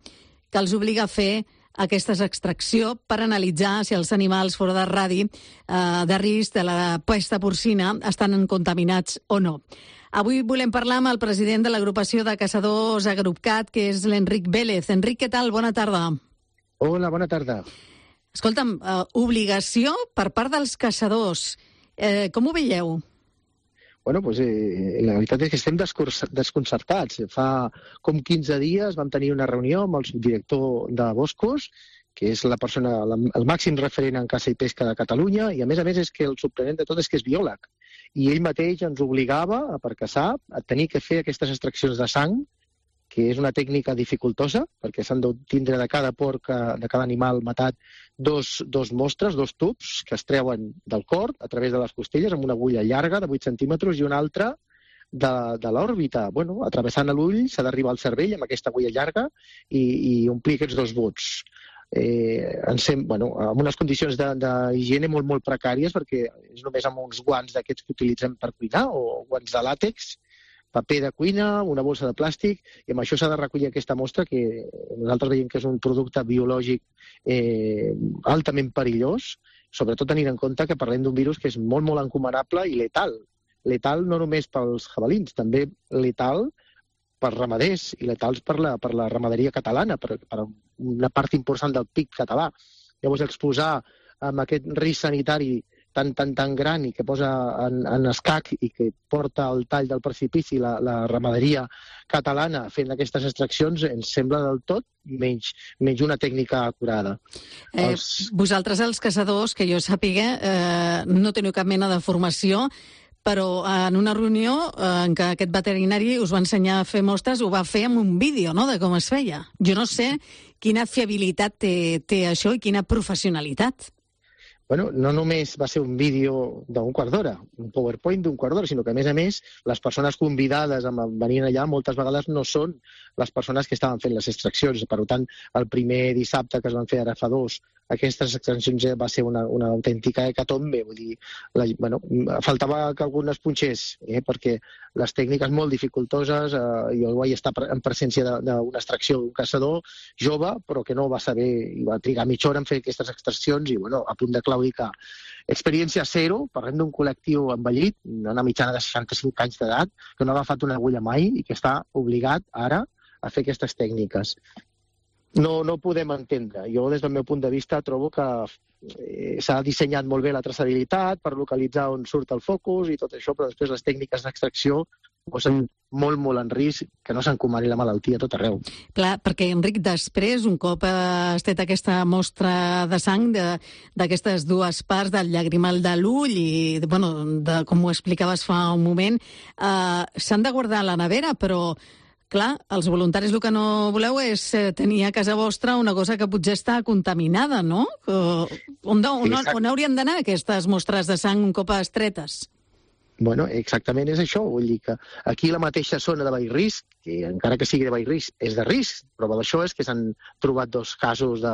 que els obliga a fer aquesta extracció per analitzar si els animals fora de radi eh, de risc de la pesta porcina estan contaminats o no. Avui volem parlar amb el president de l'agrupació de caçadors Agrupcat, que és l'Enric Vélez. Enric, què tal? Bona tarda. Hola, bona tarda. Escolta'm, eh, obligació per part dels caçadors. Eh, com ho veieu? Bueno, pues, eh, la veritat és que estem desconcertats. Fa com quinze dies vam tenir una reunió amb el subdirector de Boscos, que és la persona, el màxim referent en caça i pesca de Catalunya, i a més a més és que el sorprenent de tot és que és biòleg. I ell mateix ens obligava, per caçar, a tenir que fer aquestes extraccions de sang, que és una tècnica dificultosa, perquè s'han de tindre de cada porc, de cada animal matat, dos, dos mostres, dos tubs, que es treuen del cor a través de les costelles amb una agulla llarga de vuit centímetres i una altra de, de l'òrbita. Bueno, atravessant l'ull s'ha d'arribar al cervell amb aquesta agulla llarga i, i omplir aquests dos buts. Eh, sem, bueno, amb unes condicions d'higiene molt, molt precàries, perquè és només amb uns guants d'aquests que utilitzem per cuinar, o guants de làtex, paper de cuina, una bossa de plàstic, i amb això s'ha de recollir aquesta mostra, que nosaltres veiem que és un producte biològic eh, altament perillós, sobretot tenint en compte que parlem d'un virus que és molt, molt encomanable i letal. Letal no només pels jabalins, també letal pels ramaders i letals per la, per la ramaderia catalana, per, per una part important del P I B català. Llavors, exposar amb aquest risc sanitari tan, tan, tan gran i que posa en, en escac i que porta al tall del precipici la, la ramaderia catalana fent aquestes extraccions ens sembla del tot menys, menys una tècnica acurada. Eh, els... Vosaltres, els caçadors, que jo sàpiga, eh, no teniu cap mena de formació, però en una reunió en què aquest veterinari us va ensenyar a fer mostres, ho va fer amb un vídeo, no?, de com es feia. Jo no sé quina fiabilitat té, té això i quina professionalitat. Bueno, no només va ser un vídeo d'un quart d'hora, un PowerPoint d'un quart d'hora, sinó que, a més a més, les persones convidades a venir allà moltes vegades no són les persones que estaven fent les extraccions. Per tant, el primer dissabte que es van fer ara fa dos, aquestes extraccions va ser una, una autèntica hecatombe. Vull dir, la, bueno, faltava que algun es punxés, eh, perquè les tècniques molt dificultoses, eh, jo vaig estar en presència d'una extracció d'un caçador jove, però que no va saber, i va trigar mitja hora en fer aquestes extraccions, i bueno, a punt de claudicar. Experiència zero, parlem d'un col·lectiu envellit, una mitjana de seixanta-cinc anys d'edat, que no ha agafat una agulla mai i que està obligat ara a fer aquestes tècniques. No, no podem entendre. Jo, des del meu punt de vista, trobo que eh, s'ha dissenyat molt bé la traçabilitat per localitzar on surt el focus i tot això, però després les tècniques d'extracció posen molt, molt en risc que no s'encomani la malaltia a tot arreu. Clar, perquè, Enric, després, un cop has fet aquesta mostra de sang d'aquestes dues parts del llagrimal de l'ull i, bueno, de, com ho explicaves fa un moment, eh, s'han de guardar a la nevera, però clar, els voluntaris el que no voleu és tenir a casa vostra una cosa que potser està contaminada, no? On, on, on haurien d'anar aquestes mostres de sang un cop estretes? Bueno, exactament és això. Vull dir que aquí la mateixa zona de baix risc, que encara que sigui de baix risc, és de risc. Prova d'això és que s'han trobat dos casos, de,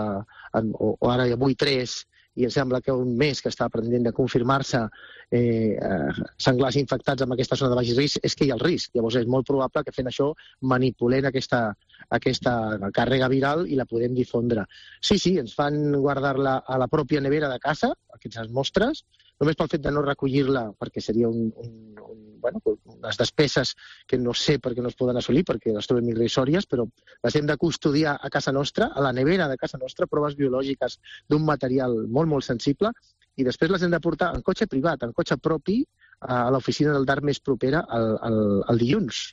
o, o ara avui tres, i em sembla que un mes que està pendent de confirmar-se eh, senglars infectats amb aquesta zona de baix risc, és que hi ha el risc. Llavors és molt probable que fent això manipulem aquesta, aquesta càrrega viral i la podem difondre. Sí, sí, ens fan guardar-la a la pròpia nevera de casa, aquestes mostres, només pel fet de no recollir-la, perquè seria un, un, un, bueno, unes despeses que no sé per què no es poden assolir, perquè les trobem irrisòries, però les hem de custodiar a casa nostra, a la nevera de casa nostra, proves biològiques d'un material molt, molt sensible, i després les hem de portar en cotxe privat, en cotxe propi, a l'oficina del D A R més propera el, el, el dilluns.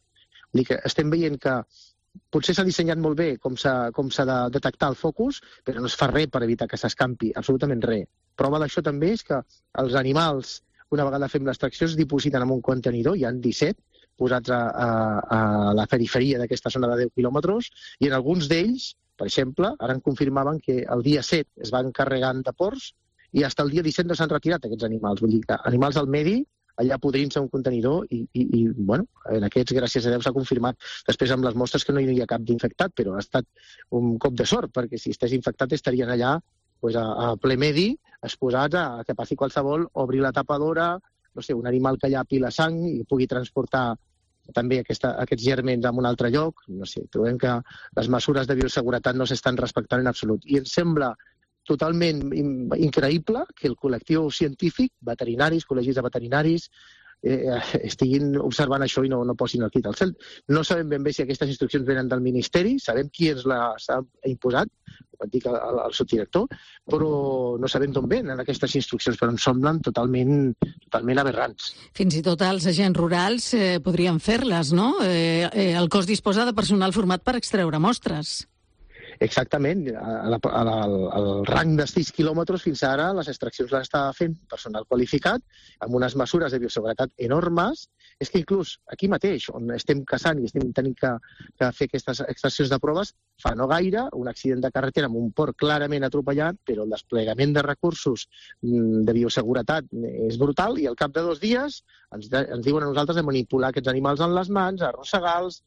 Vull dir que estem veient que potser s'ha dissenyat molt bé com s'ha com s'ha de detectar el focus, però no es fa res per evitar que s'escampi, absolutament res. Prova d'això també és que els animals, una vegada fem l'extracció, es dipositen en un contenidor, hi ha disset posats a, a, a la periferia d'aquesta zona de deu quilòmetres, i en alguns d'ells, per exemple, ara em confirmaven que el dia set es van carregant de porcs i fins el dia disset no s'han retirat aquests animals. Vull dir que animals al medi, allà podrint-se un contenidor i, i, i bueno, en aquests, gràcies a Déu, s'ha confirmat després amb les mostres que no hi havia cap d'infectat, però ha estat un cop de sort, perquè si estigués infectat estarien allà pues, a, a ple medi, exposats a que passi qualsevol, obrir la tapadora, no sé, un animal que llapi la sang i pugui transportar també aquesta, aquests gèrmens a un altre lloc. No sé, trobem que les mesures de bioseguretat no s'estan respectant en absolut. I ens sembla totalment increïble que el col·lectiu científic, veterinaris, col·legis de veterinaris, eh, estiguin observant això i no, no posin el crit al cel. No sabem ben bé si aquestes instruccions venen del Ministeri, sabem qui ens les ha imposat, ho dic al, al subdirector, però no sabem d'on venen aquestes instruccions, però ens semblen totalment, totalment aberrants. Fins i tot els agents rurals eh, podrien fer-les, no? Eh, eh, el cos disposa de personal format per extreure mostres. Exactament. A la, a la, al rang de sis quilòmetres fins ara les extraccions les està fent personal qualificat amb unes mesures de bioseguretat enormes. És que inclús aquí mateix, on estem caçant i estem tenint que, que fer aquestes extraccions de proves, fa no gaire un accident de carretera amb un porc clarament atropellat, però el desplegament de recursos de bioseguretat és brutal i al cap de dos dies ens, de, ens diuen a nosaltres de manipular aquests animals en les mans, arrossegar-los,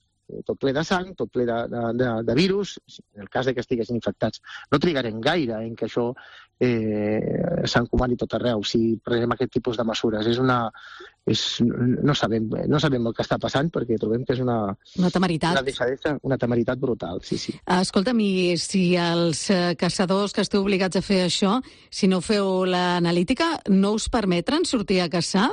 tot ple de sang, tot ple de, de, de virus, en el cas de que estiguessin infectats. No trigarem gaire en que això eh, s'encomani tot arreu si prenem aquest tipus de mesures. És una... És, no, sabem, no sabem el que està passant perquè trobem que és una... Una temeritat. Una deixadesa, una temeritat brutal, sí, sí. Escolta'm, i si els caçadors que esteu obligats a fer això, si no feu l'analítica, no us permetran sortir a caçar?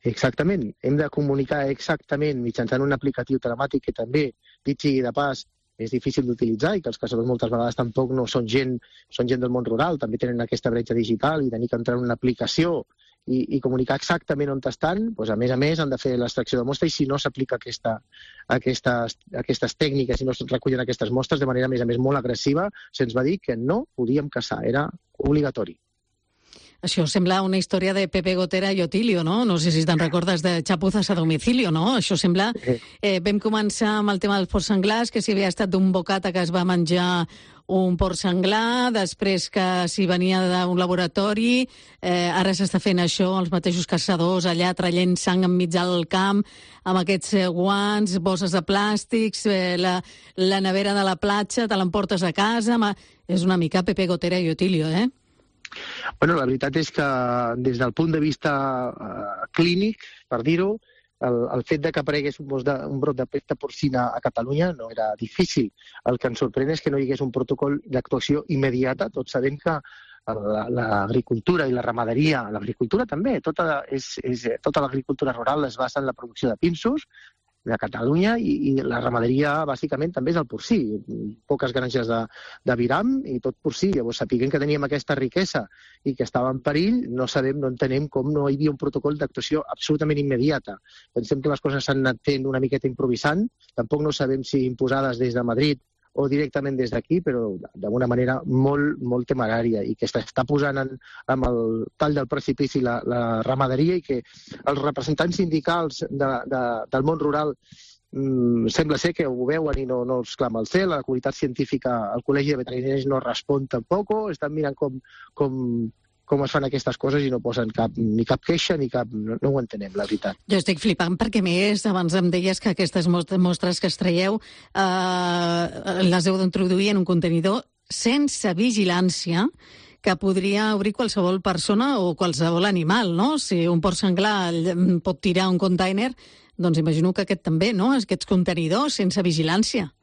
Exactament. Hem de comunicar exactament mitjançant un aplicatiu telemàtic que també, dit sigui de pas, és difícil d'utilitzar i que els caçadors moltes vegades tampoc no són gent, són gent del món rural, també tenen aquesta bretxa digital i tenir que entrar en una aplicació i, i comunicar exactament on estan, doncs a més a més han de fer l'extracció de mostra i si no s'aplica aquesta, aquestes, aquestes tècniques i no es recullen aquestes mostres de manera a més a més molt agressiva, se'ns va dir que no podíem caçar, era obligatori. Això sembla una història de Pepe Gotera i Otilio, no? No sé si te'n recordes de Chapuzas a domicilio, no? Això sembla... Eh, vam començar amb el tema dels porcs senglars, que si havia estat d'un bocata que es va menjar un porc senglar, després que si venia d'un laboratori, eh, ara s'està fent això, els mateixos caçadors allà traient sang enmig del camp, amb aquests eh, guants, bosses de plàstics, eh, la, la nevera de la platja, te l'emportes a casa... Ma... És una mica Pepe Gotera i Otilio, eh? Bueno, la veritat és que des del punt de vista uh, clínic, per dir-ho, el, el fet de que aparegués un, de, un brot de pesta porcina a Catalunya no era difícil. El que ens sorprèn és que no hi hagués un protocol d'actuació immediata. Tots sabem que l'agricultura i la ramaderia, l'agricultura també, tota, és, és, tota l'agricultura rural es basa en la producció de pinsos, de Catalunya i, i la ramaderia bàsicament també és el porcí. Poques granges de, de viram i tot porcí. Llavors, sapiguem que teníem aquesta riquesa i que estava en perill, no sabem, no entenem com no hi havia un protocol d'actuació absolutament immediata. Pensem que les coses s'han anat fent una miqueta improvisant, tampoc no sabem si imposades des de Madrid o directament des d'aquí, però d'una manera molt, molt temerària i que està posant en, amb el tall del precipici la, la ramaderia i que els representants sindicals de, de, del món rural mmm, sembla ser que ho veuen i no, no els clama el cel, la comunitat científica, el Col·legi de Veterinaris no respon tampoc, estan mirant com, com, com es fan aquestes coses i no posen cap, ni cap queixa ni cap... No, no ho entenem, la veritat. Jo estic flipant perquè, més, abans em deies que aquestes mostres que es traieu eh, les heu d'introduir en un contenidor sense vigilància que podria obrir qualsevol persona o qualsevol animal, no? Si un porc senglar pot tirar un container, doncs imagino que aquest també, no? Aquests contenidors sense vigilància.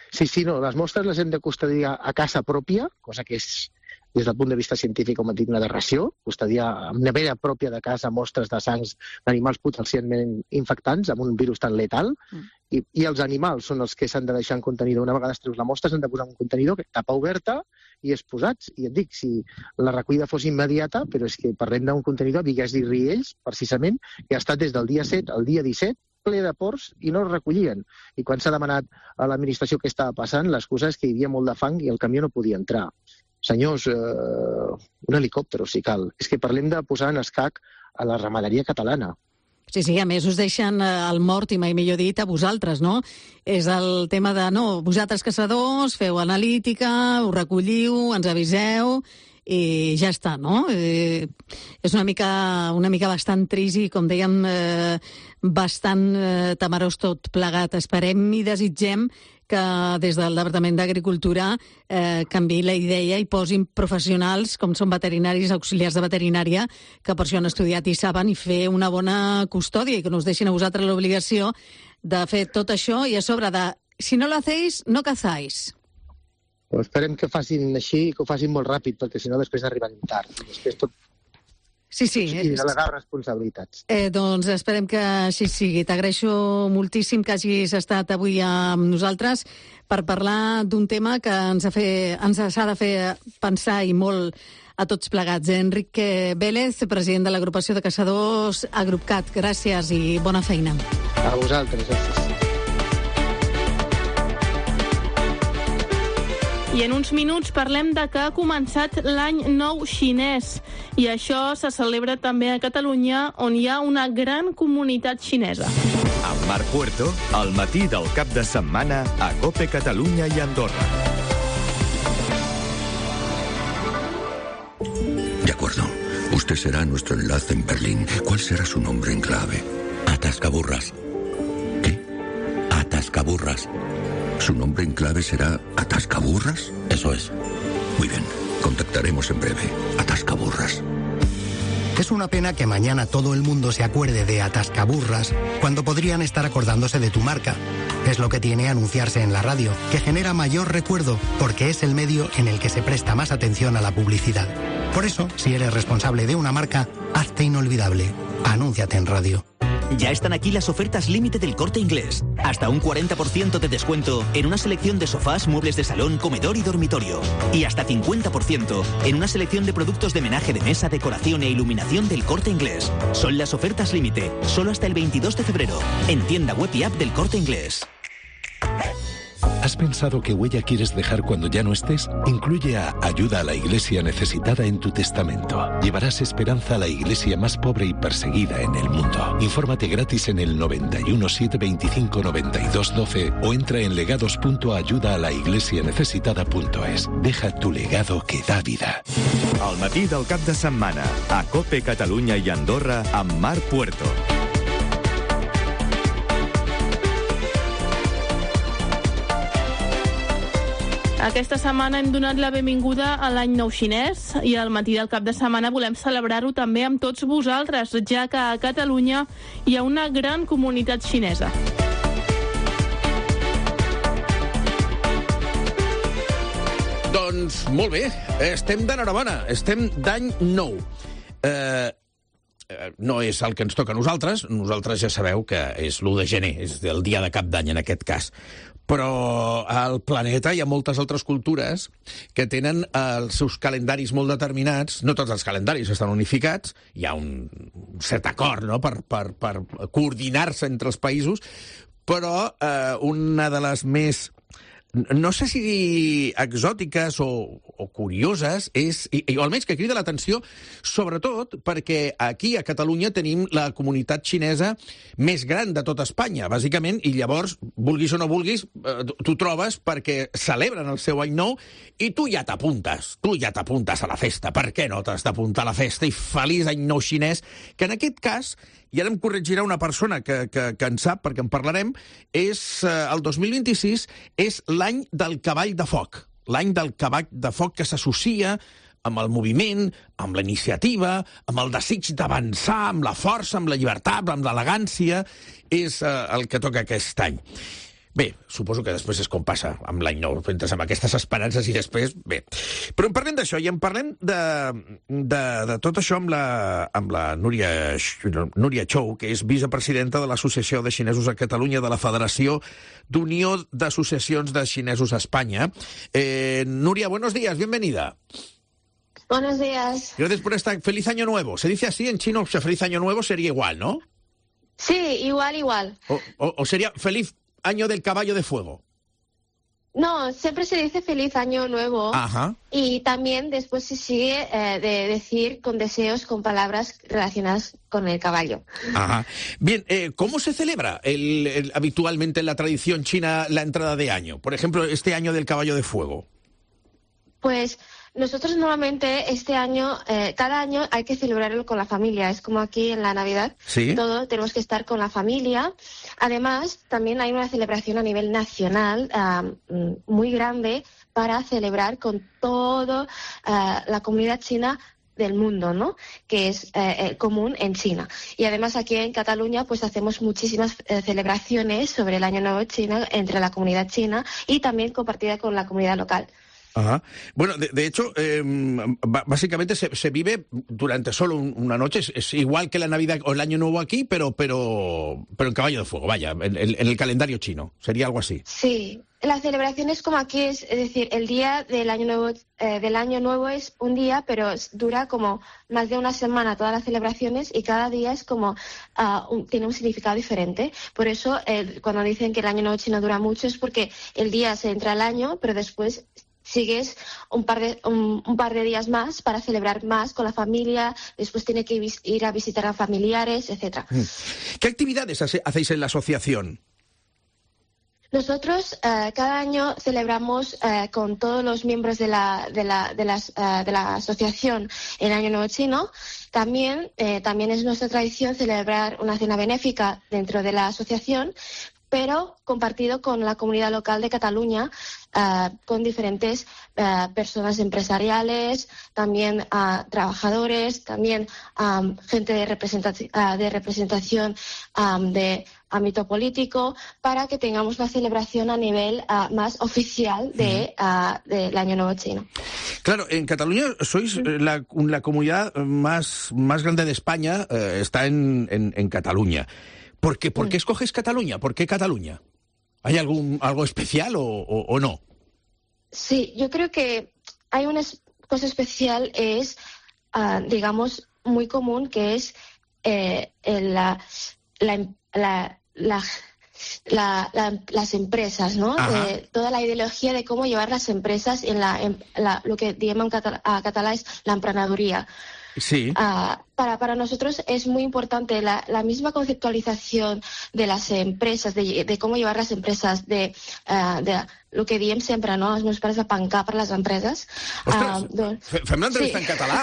Sí, sí, no, les mostres les hem de custodiar a casa pròpia, cosa que és... des del punt de vista científic, com hem dit, una aberració, custodiar amb nevera pròpia de casa mostres de sangs d'animals potencialment infectants amb un virus tan letal, mm. i, i els animals són els que s'han de deixar en contenidor. Una vegada es treus la mostra, s'han de posar en un contenidor, tapa oberta i exposats. I et dic, si la recollida fos immediata, però és que parlem d'un contenidor, Bigues i Riells, precisament, que ha estat des del dia set al dia disset, ple de porcs i no es recollien. I quan s'ha demanat a l'administració què estava passant, l'excusa és que hi havia molt de fang i el camió no podia entrar. Senyors, eh, un helicòpter, si cal. És que parlem de posar en escac a la ramaderia catalana. Sí, sí, a més us deixen el mort, i mai millor dit, a vosaltres, no? És el tema de, no, vosaltres caçadors, feu analítica, ho recolliu, ens aviseu, i ja està, no? Eh, és una mica, una mica bastant trist i, com dèiem, eh, bastant eh, temerós tot plegat. Esperem i desitgem que des del Departament d'Agricultura eh, canviï la idea i posin professionals, com són veterinaris, auxiliars de veterinària, que per això han estudiat i saben, i fer una bona custòdia i que no us deixin a vosaltres l'obligació de fer tot això i a sobre de, si no lo hacéis, no cazáis. Però esperem que facin així i que ho facin molt ràpid, perquè si no després arribarem tard. Després tot... Sí, sí. I delegar responsabilitats. Eh, doncs esperem que així sigui. T'agraeixo moltíssim que hagis estat avui amb nosaltres per parlar d'un tema que ens ha, fe, ens ha de fer pensar i molt a tots plegats. Enrique Vélez, president de l'agrupació de caçadors Agrupcat. Gràcies i bona feina. A vosaltres, gràcies. I en uns minuts parlem de que ha començat l'any nou xinès. I això se celebra també a Catalunya, on hi ha una gran comunitat xinesa. Amb Marc Puerto, al matí del cap de setmana a COPE Catalunya i Andorra. De acuerdo. Usted será nuestro enlace en Berlín. ¿Cuál será su nombre en clave? Atascaburras. ¿Qué? Atascaburras. ¿Su nombre en clave será Atascaburras? Eso es. Muy bien. Contactaremos en breve. Atascaburras. Es una pena que mañana todo el mundo se acuerde de Atascaburras cuando podrían estar acordándose de tu marca. Es lo que tiene anunciarse en la radio, que genera mayor recuerdo porque es el medio en el que se presta más atención a la publicidad. Por eso, si eres responsable de una marca, hazte inolvidable. Anúnciate en radio. Ya están aquí las ofertas límite del Corte Inglés. Hasta un cuarenta por ciento de descuento en una selección de sofás, muebles de salón, comedor y dormitorio. Y hasta cincuenta por ciento en una selección de productos de menaje de mesa, decoración e iluminación del Corte Inglés. Son las ofertas límite, solo hasta el veintidós de febrero, en tienda web y app del Corte Inglés. ¿Has pensado qué huella quieres dejar cuando ya no estés? Incluye a Ayuda a la Iglesia Necesitada en tu testamento. Llevarás esperanza a la iglesia más pobre y perseguida en el mundo. Infórmate gratis en el noventa y uno, setecientos veinticinco, noventa y dos, doce o entra en legados punto ayuda a la iglesia necesitada punto es. Deja tu legado que da vida. Al matí del cap de setmana, a COPE Catalunya i Andorra, amb Marc Puerto. Aquesta setmana hem donat la benvinguda a l'any nou xinès i al matí del cap de setmana volem celebrar-ho també amb tots vosaltres, ja que a Catalunya hi ha una gran comunitat xinesa. Doncs molt bé, estem d'enhorabona, estem d'any nou. Eh, no és el que ens toca a nosaltres, nosaltres ja sabeu que és l'u de gener, és el dia de cap d'any en aquest cas. Però al planeta hi ha moltes altres cultures que tenen els seus calendaris molt determinats. No tots els calendaris estan unificats, hi ha un cert acord, no?, per, per, per coordinar-se entre els països, però eh, una de les més, no sé si exòtiques o, o curioses, és, i, i almenys que crida l'atenció, sobretot perquè aquí a Catalunya tenim la comunitat xinesa més gran de tota Espanya, bàsicament, i llavors, vulguis o no vulguis, t'ho trobes perquè celebren el seu any nou i tu ja t'apuntes, tu ja t'apuntes a la festa. Per què no t'has d'apuntar a la festa? I feliç any nou xinès, que en aquest cas, i ara em corregirà una persona que, que, que en sap, perquè en parlarem, és eh, el dos mil vint-i-sis és l'any del cavall de foc. L'any del cavall de foc que s'associa amb el moviment, amb la iniciativa, amb el desig d'avançar, amb la força, amb la llibertat, amb l'elegància, és eh, el que toca aquest any. Bé, suposo que després és com passa amb l'any nou, entres amb aquestes esperances i després, bé. Però en parlem d'això i en parlem de, de, de tot això amb la, amb la Núria, Núria Chou, que és vicepresidenta de l'Associació de Xinesos a Catalunya, de la Federació d'Unió d'Associacions de Xinesos a Espanya. Eh, Núria, buenos días, bienvenida. Buenos días. Gracias por esta. Feliz Año Nuevo. Se dice así en chino, o sea, Feliz Año Nuevo sería igual, ¿no? Sí, igual, igual. O, o, o sería Feliz Año del Caballo de Fuego. No, siempre se dice Feliz Año Nuevo. Ajá. Y también después se sigue eh, de decir con deseos, con palabras relacionadas con el caballo. Ajá. Bien, eh, ¿cómo se celebra el, el, habitualmente en la tradición china la entrada de año? Por ejemplo, este año del Caballo de Fuego. Pues nosotros normalmente este año, eh, cada año hay que celebrarlo con la familia. Es como aquí en la Navidad. ¿Sí? Todo tenemos que estar con la familia. Además, también hay una celebración a nivel nacional uh, muy grande para celebrar con toda uh, la comunidad china del mundo, ¿no? Que es eh, común en China. Y además aquí en Cataluña pues hacemos muchísimas eh, celebraciones sobre el Año Nuevo Chino entre la comunidad china y también compartida con la comunidad local. Ajá. Bueno, de, de hecho, eh, básicamente se, se vive durante solo un, una noche. Es, es igual que la Navidad o el Año Nuevo aquí, pero pero pero en caballo de fuego, vaya, en, en, en el calendario chino. Sería algo así. Sí. La celebración es como aquí, es, es decir, el día del año nuevo eh, del año nuevo es un día, pero dura como más de una semana todas las celebraciones y cada día es como uh, un, tiene un significado diferente. Por eso eh, cuando dicen que el año nuevo chino dura mucho es porque el día se entra el año, pero después sigues un par de un, un par de días más para celebrar más con la familia, después tiene que ir a visitar a familiares, etcétera. ¿Qué actividades hace, hacéis en la asociación? Nosotros uh, cada año celebramos uh, con todos los miembros de la, de la, de las, uh, de la asociación el Año Nuevo Chino. También, eh, también es nuestra tradición celebrar una cena benéfica dentro de la asociación, pero compartido con la comunidad local de Cataluña, uh, con diferentes uh, personas empresariales, también uh, trabajadores, también um, gente de, representaci- uh, de representación um, de ámbito político, para que tengamos una celebración a nivel uh, más oficial de, uh, del Año Nuevo Chino. Claro, en Cataluña sois la, la comunidad más, más grande de España, eh, está en, en, en Cataluña. ¿Por qué, ¿Por qué escoges Cataluña? ¿Por qué Cataluña? ¿Hay algún algo especial o, o, o no? Sí, yo creo que hay una cosa especial, es, uh, digamos, muy común, que es eh, la, la, la, la, la, la, las empresas, ¿no? Eh, toda la ideología de cómo llevar las empresas en, la, en la, lo que llaman català, a català es la emprenedoría. Sí. Uh, para, para nosotros es muy importante la, la misma conceptualización de las empresas, de, de cómo llevar las empresas, de, uh, de lo que diem sempre, no? Els meus pares de pencar per les empreses. Ostres, uh, doncs, fem l'entrevista sí. en català.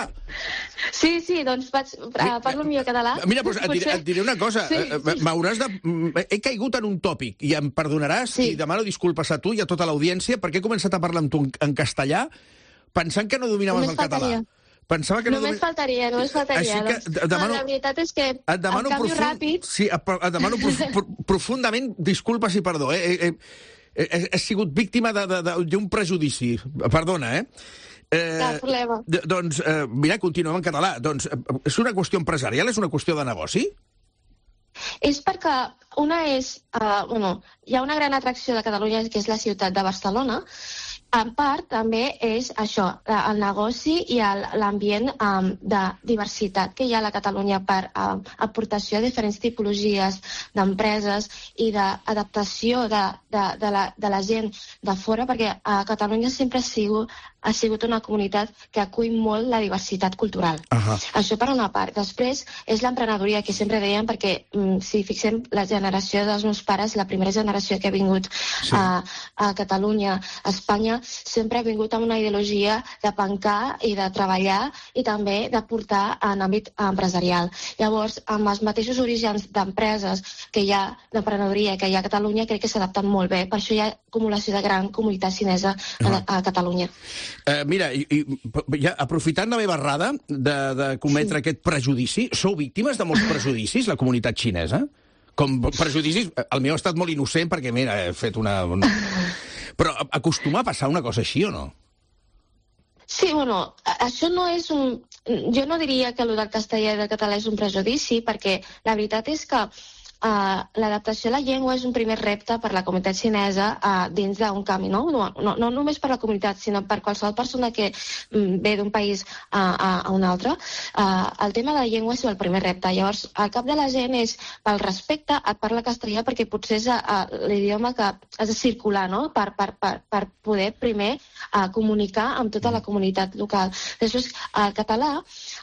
Sí, sí, doncs vaig, uh, parlo millor català. Mira, doncs et diré, et diré una cosa. Sí, sí. M'hauràs de... He caigut en un tòpic i em perdonaràs sí. i demano disculpes a tu i a tota l'audiència perquè he començat a parlar amb tu en castellà pensant que no dominaves el català. Pensava que no només domin... faltaria, només faltaria. Doncs, demano... La veritat és que et demano el canvi profund... ràpid... Sí, et demano prof... profundament disculpes i perdó. Eh? He, he, he, he sigut víctima d'un prejudici. Perdona, eh? eh Cap problema. Doncs, eh, mira, continuem en català. Doncs, és una qüestió empresarial? És una qüestió de negoci? És perquè una és... Uh, bueno, hi ha una gran atracció de Catalunya, que és la ciutat de Barcelona. En part, també és això, el negoci i l'ambient um, de diversitat que hi ha a la Catalunya per um, aportació de diferents tipologies d'empreses i d'adaptació de, de, de, la, de la gent de fora, perquè a Catalunya sempre ha sigut, ha sigut una comunitat que acull molt la diversitat cultural. Uh-huh. Això per una part. Després és l'emprenedoria, que sempre dèiem, perquè um, si fixem la generació dels meus pares, la primera generació que ha vingut sí. a, a Catalunya, a Espanya, sempre ha vingut amb una ideologia de pencar i de treballar i també de portar en àmbit empresarial. Llavors, amb els mateixos orígens d'empreses que hi ha, d'emprenedoria que hi ha a Catalunya, crec que s'adapten molt bé. Per això hi ha acumulació de gran comunitat xinesa a, a Catalunya. Uh, mira, i, i ja, aprofitant la meva errada de, de cometre sí. aquest prejudici, sou víctimes de molts prejudicis, la comunitat xinesa? Com prejudicis, el meu ha estat molt innocent perquè, mira, he fet una... una... Però acostuma a passar una cosa així o no? Sí, bueno, això no és un... Jo no diria que el del castellà i del català és un prejudici, perquè la veritat és que Uh, l'adaptació a la llengua és un primer repte per la comunitat xinesa uh, dins d'un canvi, no? No, no? No només per la comunitat, sinó per qualsevol persona que um, ve d'un país uh, a, a un altre. Uh, el tema de la llengua és el primer repte. Llavors, al cap de la gent és, pel respecte, et parla castellà perquè potser és uh, l'idioma que has de circular, no? Per, per, per, per poder primer uh, comunicar amb tota la comunitat local. Després, el català,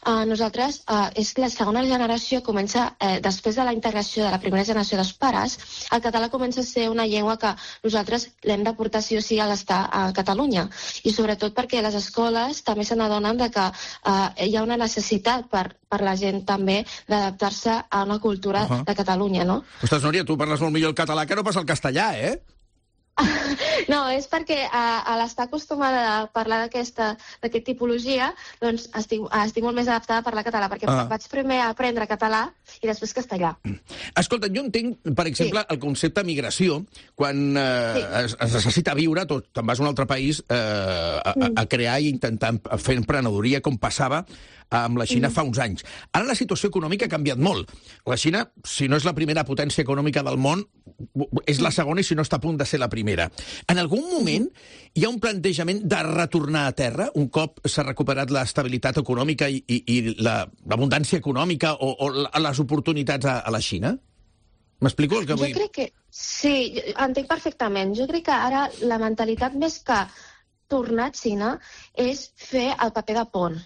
uh, nosaltres, uh, és que la segona generació comença, eh, després de la integració de la primera generació dels pares, el català comença a ser una llengua que nosaltres l'hem de portar sí o sí a l'estar a Catalunya. I sobretot perquè les escoles també se n'adonen de que uh, hi ha una necessitat per, per la gent també d'adaptar-se a una cultura uh -huh. de Catalunya, no? Ostres, Núria, tu parles molt millor el català que no pas el castellà, eh? No, és perquè a, a l'estar acostumada a parlar d'aquesta d'aquesta tipologia, doncs estic, estic molt més adaptada a parlar català, perquè ah. vaig primer aprendre català i després castellà. Escolta, jo entenc, per exemple, sí. el concepte migració, quan eh, sí. es, es necessita viure, tu te'n vas a un altre país eh, a, a crear i intentar fer emprenedoria, com passava amb la Xina mm. fa uns anys. Ara la situació econòmica ha canviat molt. La Xina, si no és la primera potència econòmica del món, és la segona i si no està a punt de ser la primera. En algun moment hi ha un plantejament de retornar a terra, un cop s'ha recuperat l'estabilitat econòmica i, i, i l'abundància econòmica o, o les oportunitats a, a la Xina? M'explico el que vull? Jo crec que sí, entenc perfectament. Jo crec que ara la mentalitat més que tornar a Xina és fer el paper de pont.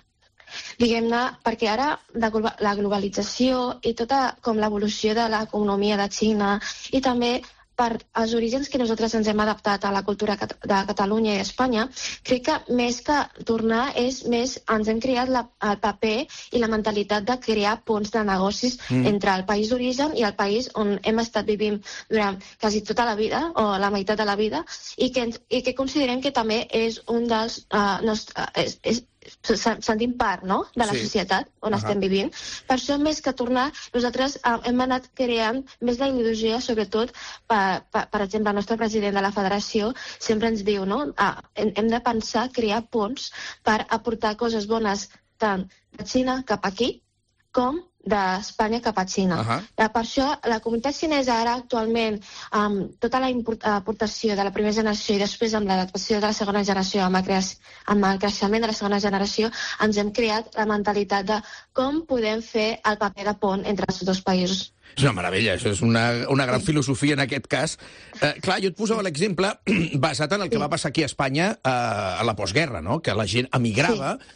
Diguem-ne, perquè ara la globalització i tota com l'evolució de l'economia de Xina i també per als orígens que nosaltres ens hem adaptat a la cultura de Catalunya i Espanya, crec que més que tornar és més, ens hem creat la, el paper i la mentalitat de crear ponts de negocis mm. entre el país d'origen i el país on hem estat vivint durant quasi tota la vida, o la meitat de la vida, i que, i que considerem que també és un dels uh, nostres... És, és, sentim part, no?, de la sí. societat on uh -huh. estem vivint. Per això, més que tornar, nosaltres uh, hem anat creant més la ideologia, sobretot, per, per, per exemple, el nostre president de la federació sempre ens diu, no?, uh, hem, hem de pensar, crear ponts per aportar coses bones tant de Xina cap aquí, com d'Espanya cap a Xina. Uh -huh. Per això, la comunitat xinesa ara actualment, amb tota la aportació de la primera generació i després amb l'adaptació de la segona generació, amb el, creix, amb el creixement de la segona generació, ens hem creat la mentalitat de com podem fer el paper de pont entre els dos països. És una meravella, això és una, una gran filosofia en aquest cas. Eh, clar, jo et posava l'exemple basat en el que va passar aquí a Espanya eh, a la postguerra, no?, que la gent emigrava, sí.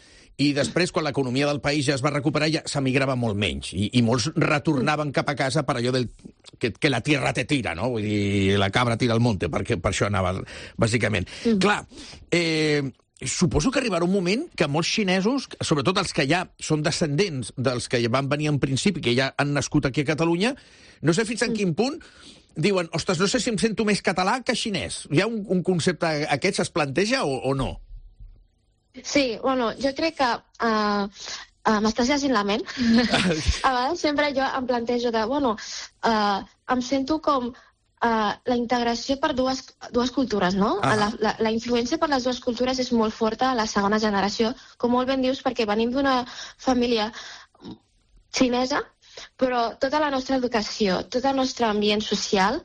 I després, quan l'economia del país ja es va recuperar, ja s'emigrava molt menys. I, i molts retornaven cap a casa per allò del, que, que la tierra te tira, no? Vull dir, la cabra tira al monte, perquè per això anava, bàsicament. Mm. Clar, eh, suposo que arribarà un moment que molts xinesos, sobretot els que ja són descendents dels que van venir en principi, que ja han nascut aquí a Catalunya, no sé fins en quin punt, diuen, ostres, no sé si em sento més català que xinès. Hi ha un, un concepte aquest, es planteja o, o no? Sí, bueno, jo crec que uh, uh, m'estàs llegint la ment. A vegades sempre jo em plantejo de, bueno, uh, em sento com uh, la integració per dues, dues cultures, no? Ah. La, la, la influència per les dues cultures és molt forta a la segona generació, com molt ben dius, perquè venim d'una família xinesa, però tota la nostra educació, tot el nostre ambient social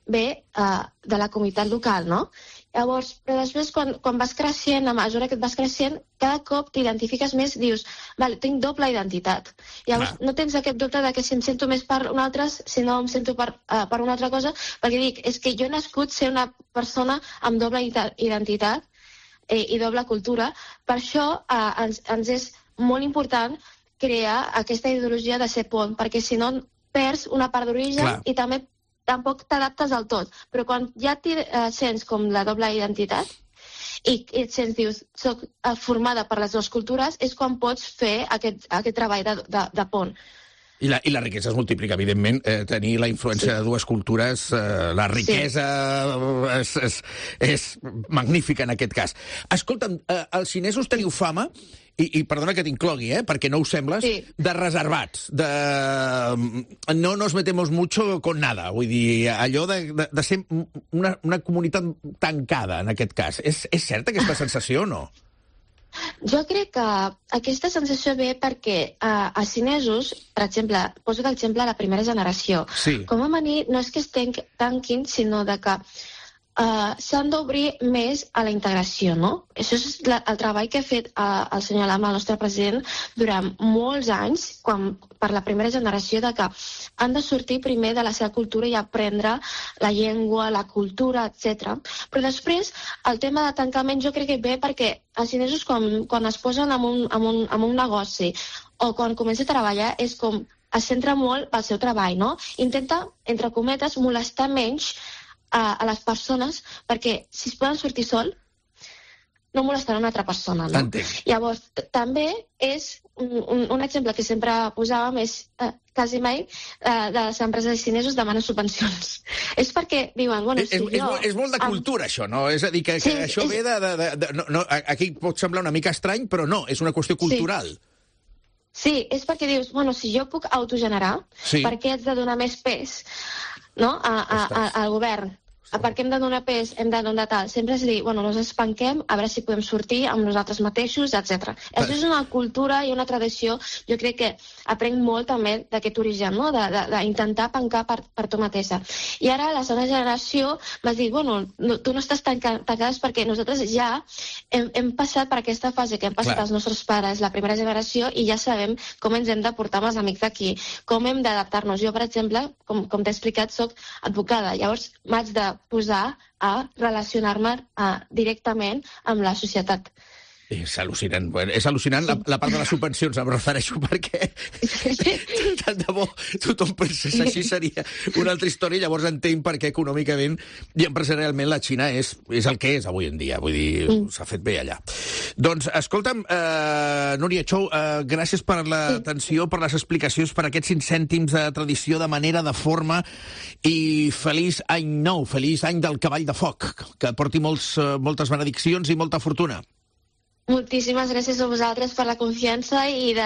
ve uh, de la comunitat local, no? Llavors, però després, quan, quan vas creixent, a mesura que et vas creixent, cada cop t'identifiques més, dius, vale, tinc doble identitat. Llavors, ah. no tens aquest dubte de que si em sento més per un altre, si no em sento per, uh, per una altra cosa, perquè dic, és que jo he nascut ser una persona amb doble identitat eh, i doble cultura. Per això uh, ens, ens és molt important crear aquesta ideologia de ser pont, perquè si no perds una part d'origen i també tampoc t'adaptes del tot, però quan ja t'hi eh, sents com la doble identitat i, i et sents, dius, soc formada per les dues cultures, és quan pots fer aquest, aquest treball de, de, de pont. I la, I la riquesa es multiplica, evidentment. Eh, tenir la influència sí. de dues cultures, eh, la riquesa sí. és, és, és magnífica en aquest cas. Escolta'm, eh, els xinesos teniu fama, i, i perdona que t'inclogui, eh, perquè no ho sembles, sí. de reservats, de no nos metemos mucho con nada, vull dir, allò de, de, de ser una, una comunitat tancada, en aquest cas. És, és certa aquesta sensació o no? Jo crec que aquesta sensació ve perquè uh, els xinesos, per exemple, poso l'exemple de la primera generació, sí. com a venir no és que es tanquin, sinó de que Uh, s'han d'obrir més a la integració, no? Això és la, el treball que ha fet uh, el senyor Lama, el nostre president, durant molts anys, quan, per la primera generació, de que han de sortir primer de la seva cultura i aprendre la llengua, la cultura, etcètera. Però després, el tema de tancament jo crec que ve perquè els xinesos, quan, quan es posen en un, en, un, en un negoci o quan comença a treballar, és com es centra molt pel seu treball, no? Intenta, entre cometes, molestar menys a, a les persones, perquè si es poden sortir sol, no molestaran una altra persona, no? Entenc. Llavors, també és un, un, un exemple que sempre posàvem, és eh, quasi mai eh, de les empreses xinesos demanen subvencions. És perquè diuen, bueno, és, si és, jo... és, molt, és molt de cultura, això, no? És a dir, que, que Sí, això és- ve de... de, de, de no, no, aquí pot semblar una mica estrany, però no, és una qüestió cultural. Sí, és perquè dius, bueno, si jo puc autogenerar, Sí. per què haig de donar més pes, no?, a, a, a, al govern? Per què hem de donar pes, hem de donar tal? Sempre és dir, bueno, nos espanquem, a veure si podem sortir amb nosaltres mateixos, etcètera. Això és una cultura i una tradició, jo crec que aprenc molt també d'aquest origen, no?, d'intentar pencar per, per tu mateixa. I ara la segona generació va dir, bueno, no, tu no estàs tanca, tancades perquè nosaltres ja hem, hem passat per aquesta fase que hem passat Clar. els nostres pares, la primera generació, i ja sabem com ens hem de portar amb els amics d'aquí, com hem d'adaptar-nos. Jo, per exemple, com, com t'he explicat, soc advocada, llavors m'haig de posar a relacionar-me uh, directament amb la societat. És al·lucinant. Bueno, és al·lucinant la, la part de les subvencions, em refereixo, perquè tant de bo tothom pensés així, seria una altra història, llavors entenc per què econòmicament i empresarialment la Xina és, és el que és avui en dia, vull dir, mm. s'ha fet bé allà. Doncs, escolta'm, eh, Núria Chou, eh, gràcies per l'atenció, per les explicacions, per aquests cinc cèntims de tradició, de manera, de forma, i feliç any nou, feliç any del cavall de foc, que porti molts, eh, moltes benediccions i molta fortuna. Moltíssimes gràcies a vosaltres per la confiança i de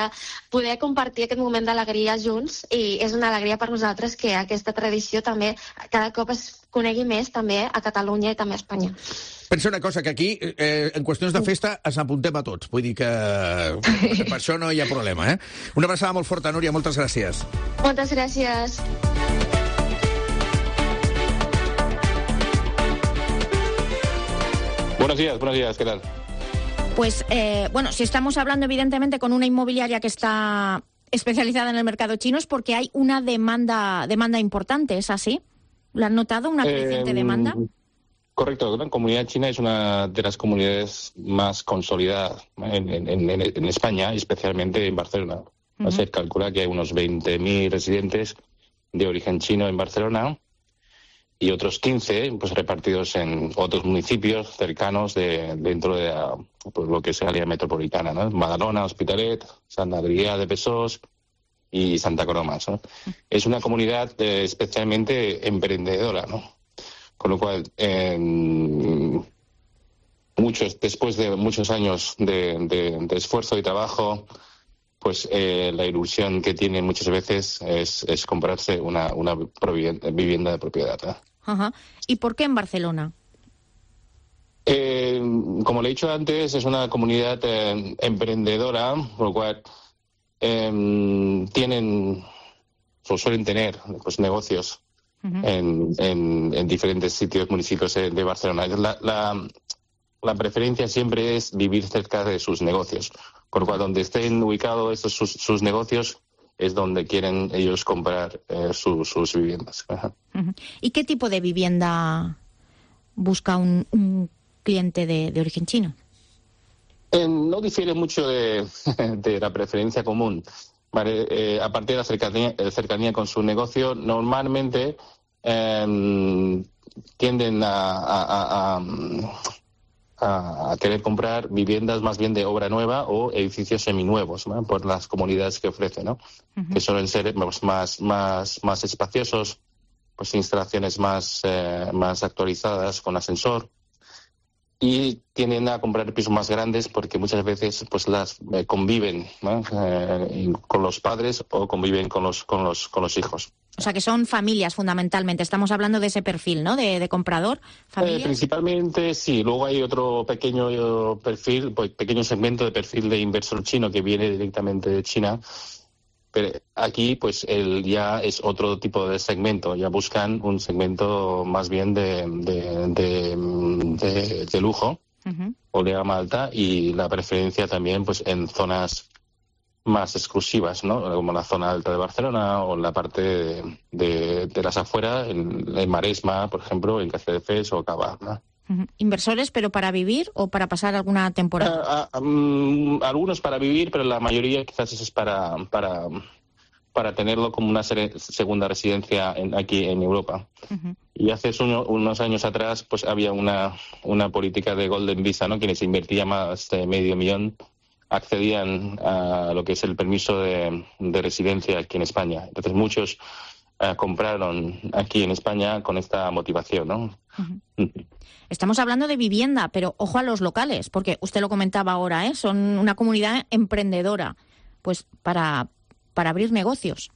poder compartir aquest moment d'alegria junts, i és una alegria per nosaltres que aquesta tradició també cada cop es conegui més també a Catalunya i també a Espanya. Pensa una cosa, que aquí, eh, en qüestions de festa, ens apuntem a tots. Vull dir que per això no hi ha problema, eh? Una abraçada molt forta, Núria, moltes gràcies. Moltes gràcies. Buenos días, buenos días, ¿qué tal? Pues, eh, bueno, si estamos hablando evidentemente con una inmobiliaria que está especializada en el mercado chino es porque hay una demanda, demanda importante, ¿es así? ¿Lo han notado, una creciente Eh, demanda? Correcto, la comunidad china es una de las comunidades más consolidadas en, en, en, en España, especialmente en Barcelona. Uh-huh. Se calcula que hay unos veinte mil residentes de origen chino en Barcelona y otros quince pues, repartidos en otros municipios cercanos de, dentro de la, pues, lo que es el área metropolitana, ¿no? Badalona, Hospitalet, Sant Adrià de Besòs y Santa Coloma, ¿no? Es una comunidad eh, especialmente emprendedora, ¿no? Con lo cual, eh, muchos, después de muchos años de, de, de esfuerzo y trabajo, pues eh, la ilusión que tienen muchas veces es, es comprarse una, una vivienda de propiedad, ¿eh? Ajá. ¿Y por qué en Barcelona? Eh, como le he dicho antes, es una comunidad eh, emprendedora, por lo cual eh, tienen o suelen tener pues, negocios uh-huh. en, en, en diferentes sitios, municipios de Barcelona. La, la, la preferencia siempre es vivir cerca de sus negocios, por lo cual donde estén ubicados estos sus, sus negocios es donde quieren ellos comprar eh, su, sus viviendas. Ajá. Uh-huh. ¿Y qué tipo de vivienda busca un, un cliente de, de origen chino? Eh, no difiere mucho de, de la preferencia común. Vale, eh, a partir de la cercanía, cercanía con su negocio, normalmente eh, tienden a, a, a, a, a querer comprar viviendas más bien de obra nueva o edificios seminuevos, ¿no? Por las comunidades que ofrecen, ¿no? Uh-huh. Que suelen ser pues, más, más, más espaciosos, pues instalaciones más, eh, más actualizadas con ascensor. Y tienden a comprar pisos más grandes porque muchas veces pues las eh, conviven, ¿no? eh, con los padres o conviven con los con los con los hijos. O sea que son familias fundamentalmente. Estamos hablando de ese perfil, ¿no? De, de comprador, familias. Eh, principalmente sí. Luego hay otro pequeño perfil, pues, pequeño segmento de perfil de inversor chino que viene directamente de China Pero aquí, pues, el, ya es otro tipo de segmento. Ya buscan un segmento más bien de, de, de, de, de lujo, uh-huh. o de gama alta, y la preferencia también, pues, en zonas más exclusivas, ¿no? Como la zona alta de Barcelona o en la parte de, de, de las afueras, en, en Maresma, por ejemplo, en Castelldefels o Cava, ¿no? Uh-huh. ¿Inversores, pero para vivir o para pasar alguna temporada? Uh, uh, um, algunos para vivir, pero la mayoría quizás es para para, para tenerlo como una ser- segunda residencia en, aquí en Europa. Uh-huh. Y hace uno, unos años atrás pues había una, una política de Golden Visa, ¿no? Quienes invertían más de medio millón accedían a lo que es el permiso de, de residencia aquí en España. Entonces muchos uh, compraron aquí en España con esta motivación, ¿no? Uh-huh. Estamos hablando de vivienda, pero ojo a los locales, porque usted lo comentaba ahora, ¿eh? Son una comunidad emprendedora, pues para, para abrir negocios.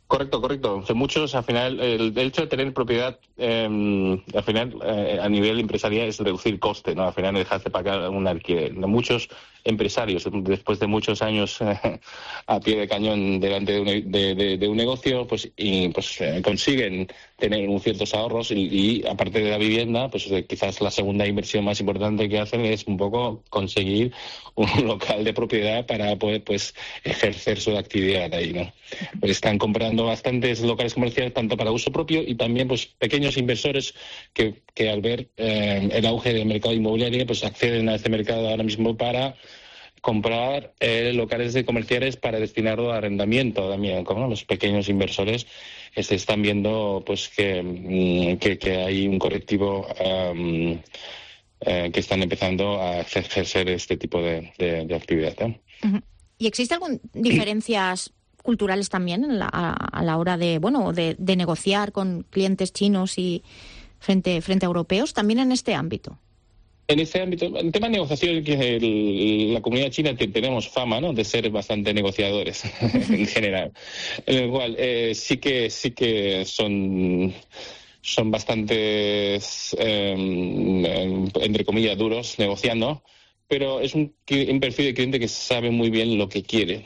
Correcto, correcto. O sea, muchos, al final, el, el hecho de tener propiedad, eh, al final, eh, a nivel empresarial es reducir coste, ¿no? Al final, dejar de pagar un alquiler. Muchos empresarios, después de muchos años eh, a pie de cañón delante de un, de, de, de un negocio, pues, y, pues eh, consiguen tener un ciertos ahorros y, y, aparte de la vivienda, pues eh, quizás la segunda inversión más importante que hacen es un poco conseguir un local de propiedad para poder, pues, ejercer su actividad ahí, ¿no? Pues están comprando bastantes locales comerciales tanto para uso propio y también, pues, pequeños inversores que, que al ver eh, el auge del mercado inmobiliario, pues acceden a este mercado ahora mismo para comprar eh, locales de comerciales para destinarlo a arrendamiento también. Como los pequeños inversores eh, se están viendo pues que, que, que hay un colectivo um, eh, que están empezando a ejercer este tipo de, de, de actividad, ¿eh? Uh-huh. ¿Y existe alguna diferencias culturales también en la, a, a la hora de bueno de, de negociar con clientes chinos y frente frente a europeos también en este ámbito? En este ámbito, en tema de negociación, que el, la comunidad china que tenemos fama, ¿no?, de ser bastante negociadores en general, en el cual eh, sí que sí que son son bastante eh, entre comillas duros negociando, pero es un, un perfil de cliente que sabe muy bien lo que quiere.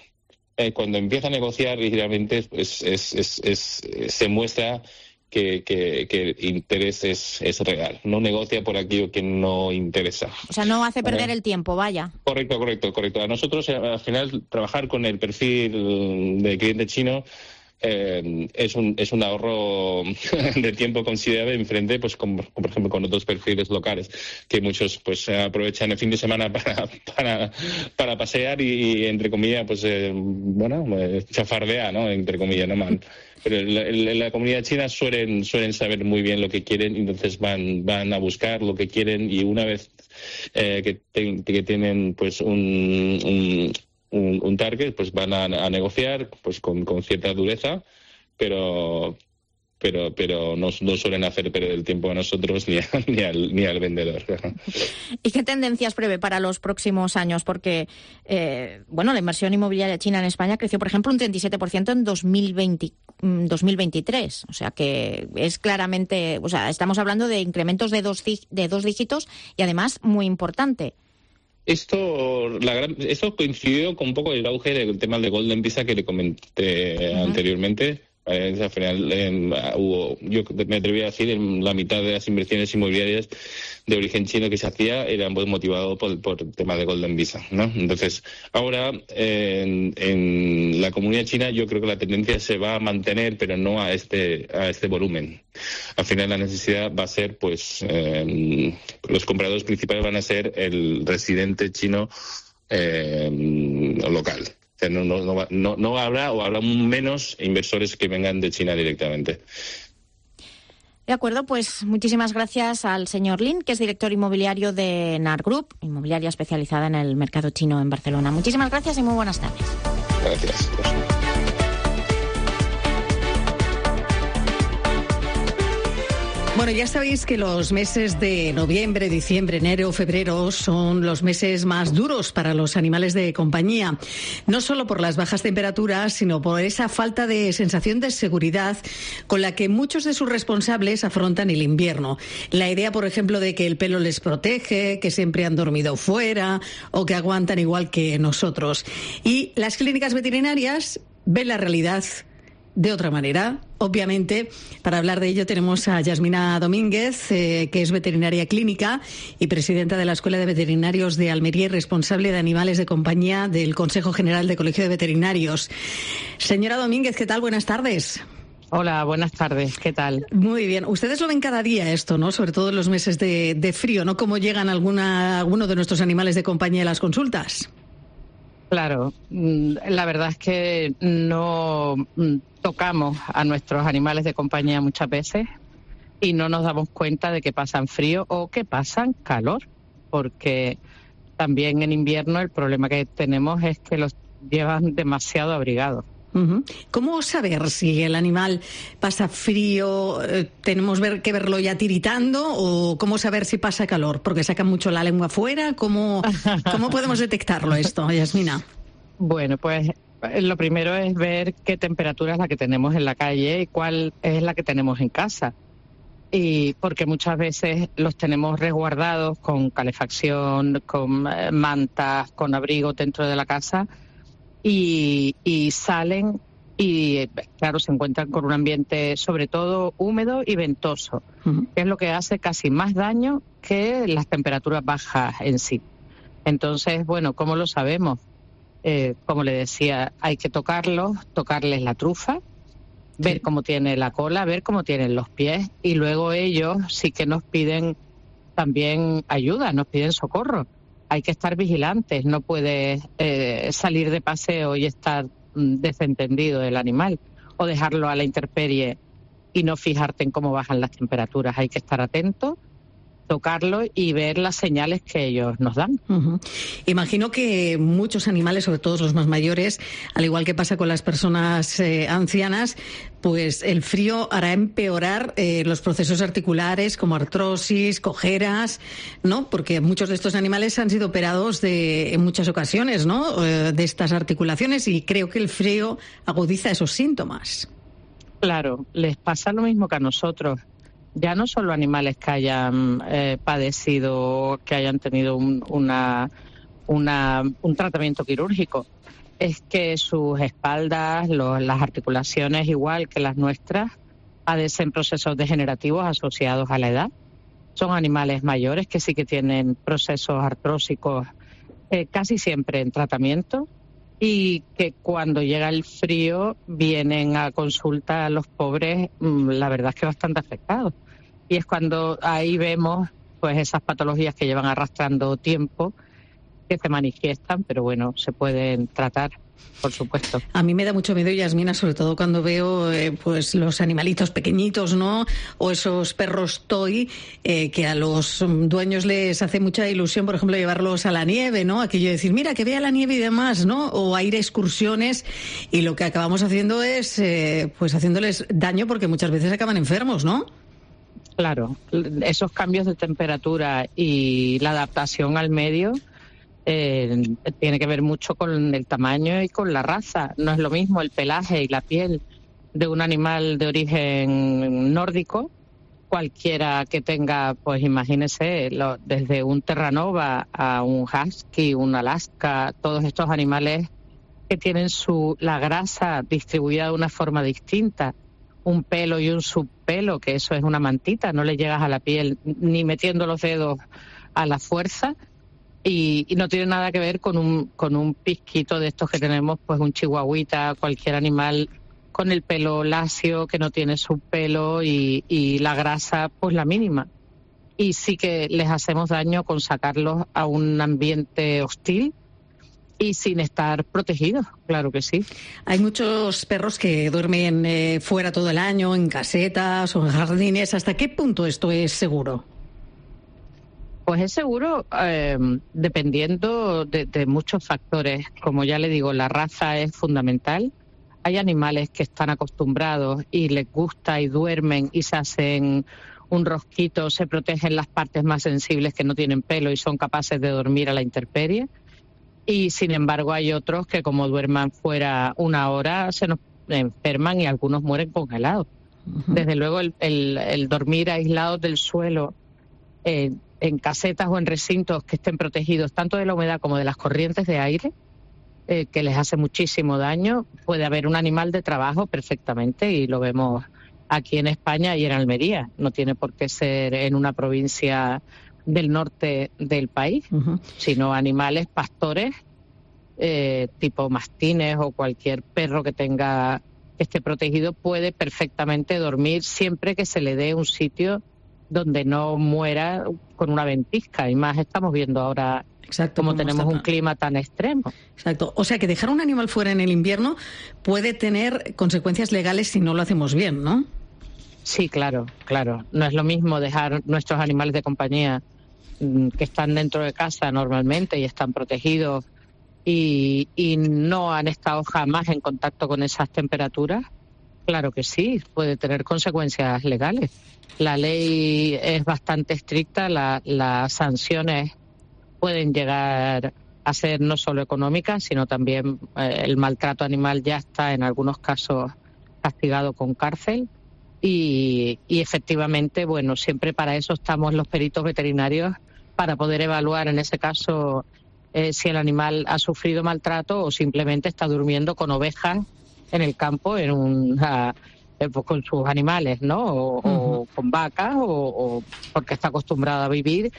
Eh, cuando empieza a negociar, realmente es, es, es, es, se muestra que, que, que el interés es, es real. No negocia por aquello que no interesa. O sea, no hace perder eh, el tiempo, vaya. Correcto, correcto, correcto. A nosotros, al final, trabajar con el perfil de cliente chino eh, es un es un ahorro de tiempo considerable en frente, pues, con, por ejemplo, con otros perfiles locales que muchos pues aprovechan el fin de semana para para, para pasear y, entre comillas, pues, eh, bueno, chafardear, ¿no? Entre comillas, no mal. Pero en la, la comunidad china suelen suelen saber muy bien lo que quieren y entonces van van a buscar lo que quieren y una vez eh, que, te, que tienen pues un, un Un, un target, pues van a, a negociar pues con, con cierta dureza, pero pero pero no, no suelen hacer perder el tiempo a nosotros ni, a, ni, al, ni al vendedor. ¿Y qué tendencias prevé para los próximos años? Porque eh, bueno, la inversión inmobiliaria china en España creció, por ejemplo, un treinta y siete por ciento en dos mil veinte, dos mil veintitrés. O sea que es claramente, o sea, estamos hablando de incrementos de dos, de dos dígitos y además muy importante. Esto, la gran, esto coincidió con un poco el auge del tema de Golden Visa que le comenté uh-huh. anteriormente. Eh, al final eh, hubo, yo me atreví a decir, en la mitad de las inversiones inmobiliarias de origen chino que se hacía eran pues, motivados por, por el tema de Golden Visa, ¿no? Entonces, ahora eh, en, en la comunidad china yo creo que la tendencia se va a mantener, pero no a este a este volumen. Al final la necesidad va a ser, pues, eh, los compradores principales van a ser el residente chino eh, local. O sea, no, no, no, no habrá o habrá menos inversores que vengan de China directamente. De acuerdo, pues muchísimas gracias al señor Lin, que es director inmobiliario de NAR Group, inmobiliaria especializada en el mercado chino en Barcelona. Muchísimas gracias y muy buenas tardes. Gracias. Bueno, ya sabéis que los meses de noviembre, diciembre, enero, febrero son los meses más duros para los animales de compañía. No solo por las bajas temperaturas, sino por esa falta de sensación de seguridad con la que muchos de sus responsables afrontan el invierno. La idea, por ejemplo, de que el pelo les protege, que siempre han dormido fuera o que aguantan igual que nosotros. Y las clínicas veterinarias ven la realidad de otra manera. Obviamente, para hablar de ello tenemos a Yasmina Domínguez, eh, que es veterinaria clínica y presidenta de la Escuela de Veterinarios de Almería y responsable de animales de compañía del Consejo General de Colegio de Veterinarios. Señora Domínguez, ¿qué tal? Buenas tardes. Hola, buenas tardes. ¿Qué tal? Muy bien. Ustedes lo ven cada día esto, ¿no? Sobre todo en los meses de, de frío, ¿no? ¿Cómo llegan alguna, algunos de nuestros animales de compañía a las consultas? Claro, la verdad es que no tocamos a nuestros animales de compañía muchas veces y no nos damos cuenta de que pasan frío o que pasan calor, porque también en invierno el problema que tenemos es que los llevan demasiado abrigados. Uh-huh. ¿Cómo saber si el animal pasa frío? ¿Tenemos ver, que verlo ya tiritando o cómo saber si pasa calor? Porque sacan mucho la lengua afuera. ¿Cómo, cómo podemos detectarlo esto, Yasmina? Bueno, pues lo primero es ver qué temperatura es la que tenemos en la calle y cuál es la que tenemos en casa. Y porque muchas veces los tenemos resguardados con calefacción, con mantas, con abrigo dentro de la casa. Y, y salen y, claro, se encuentran con un ambiente sobre todo húmedo y ventoso, uh-huh. que es lo que hace casi más daño que las temperaturas bajas en sí. Entonces, bueno, ¿cómo lo sabemos? Eh, como le decía, hay que tocarlos, tocarles la trufa, ver sí. cómo tiene la cola, ver cómo tienen los pies y luego ellos sí que nos piden también ayuda, nos piden socorro. Hay que estar vigilantes, no puedes eh, salir de paseo y estar mm, desentendido del animal o dejarlo a la intemperie y no fijarte en cómo bajan las temperaturas. Hay que estar atento, tocarlo y ver las señales que ellos nos dan. Uh-huh. Imagino que muchos animales, sobre todo los más mayores, al igual que pasa con las personas eh, ancianas, pues el frío hará empeorar eh, los procesos articulares como artrosis, cojeras, ¿no? Porque muchos de estos animales han sido operados de, en muchas ocasiones, ¿no? Eh, de estas articulaciones y creo que el frío agudiza esos síntomas. Claro, les pasa lo mismo que a nosotros. Ya no solo animales que hayan eh, padecido, que hayan tenido un, una, una, un tratamiento quirúrgico, es que sus espaldas, los, las articulaciones, igual que las nuestras, padecen procesos degenerativos asociados a la edad. Son animales mayores que sí que tienen procesos artrósicos eh, casi siempre en tratamiento y que cuando llega el frío vienen a consulta a los pobres, la verdad es que bastante afectados. Y es cuando ahí vemos pues esas patologías que llevan arrastrando tiempo, que se manifiestan, pero bueno, se pueden tratar, por supuesto. A mí me da mucho miedo, Yasmina, sobre todo cuando veo eh, pues los animalitos pequeñitos, ¿no? O esos perros toy, eh, que a los dueños les hace mucha ilusión, por ejemplo, llevarlos a la nieve, ¿no? Aquello de decir, mira, que vea la nieve y demás, ¿no? O a ir a excursiones, y lo que acabamos haciendo es, eh, pues haciéndoles daño porque muchas veces acaban enfermos, ¿no? Claro, esos cambios de temperatura y la adaptación al medio eh, tiene que ver mucho con el tamaño y con la raza. No es lo mismo el pelaje y la piel de un animal de origen nórdico, cualquiera que tenga, pues imagínese, lo, desde un terranova a un husky, un alaska, todos estos animales que tienen su la grasa distribuida de una forma distinta. Un pelo y un subpelo, que eso es una mantita, no le llegas a la piel ni metiendo los dedos a la fuerza y, y no tiene nada que ver con un con un pizquito de estos que tenemos, pues un chihuahuita, cualquier animal con el pelo lacio que no tiene subpelo y, y la grasa pues la mínima. Y sí que les hacemos daño con sacarlos a un ambiente hostil y sin estar protegidos, claro que sí. Hay muchos perros que duermen eh, fuera todo el año, en casetas o en jardines. ¿Hasta qué punto esto es seguro? Pues es seguro eh, dependiendo de, de muchos factores. Como ya le digo, la raza es fundamental. Hay animales que están acostumbrados y les gusta y duermen y se hacen un rosquito, se protegen las partes más sensibles que no tienen pelo y son capaces de dormir a la intemperie. Y sin embargo hay otros que como duerman fuera una hora se nos enferman y algunos mueren congelados. Uh-huh. Desde luego el, el, el dormir aislados del suelo eh, en casetas o en recintos que estén protegidos tanto de la humedad como de las corrientes de aire eh, que les hace muchísimo daño. Puede haber un animal de trabajo perfectamente y lo vemos aquí en España y en Almería. No tiene por qué ser en una provincia del norte del país, uh-huh. sino animales pastores, eh, tipo mastines o cualquier perro que tenga que esté protegido puede perfectamente dormir siempre que se le dé un sitio donde no muera con una ventisca. Y más estamos viendo ahora Exacto, como tenemos un clima tan extremo. Exacto. O sea que dejar un animal fuera en el invierno puede tener consecuencias legales si no lo hacemos bien, ¿no? Sí, claro, claro. No es lo mismo dejar nuestros animales de compañía que están dentro de casa normalmente y están protegidos y, y no han estado jamás en contacto con esas temperaturas. Claro que sí, puede tener consecuencias legales. La ley es bastante estricta, la, las sanciones pueden llegar a ser no solo económicas, sino también eh, el maltrato animal ya está en algunos casos castigado con cárcel. Y, y efectivamente, bueno, siempre para eso estamos los peritos veterinarios, para poder evaluar en ese caso eh, si el animal ha sufrido maltrato o simplemente está durmiendo con ovejas en el campo en un, uh, eh, pues con sus animales, ¿no? O, uh-huh. o con vacas o, o porque está acostumbrado a vivir.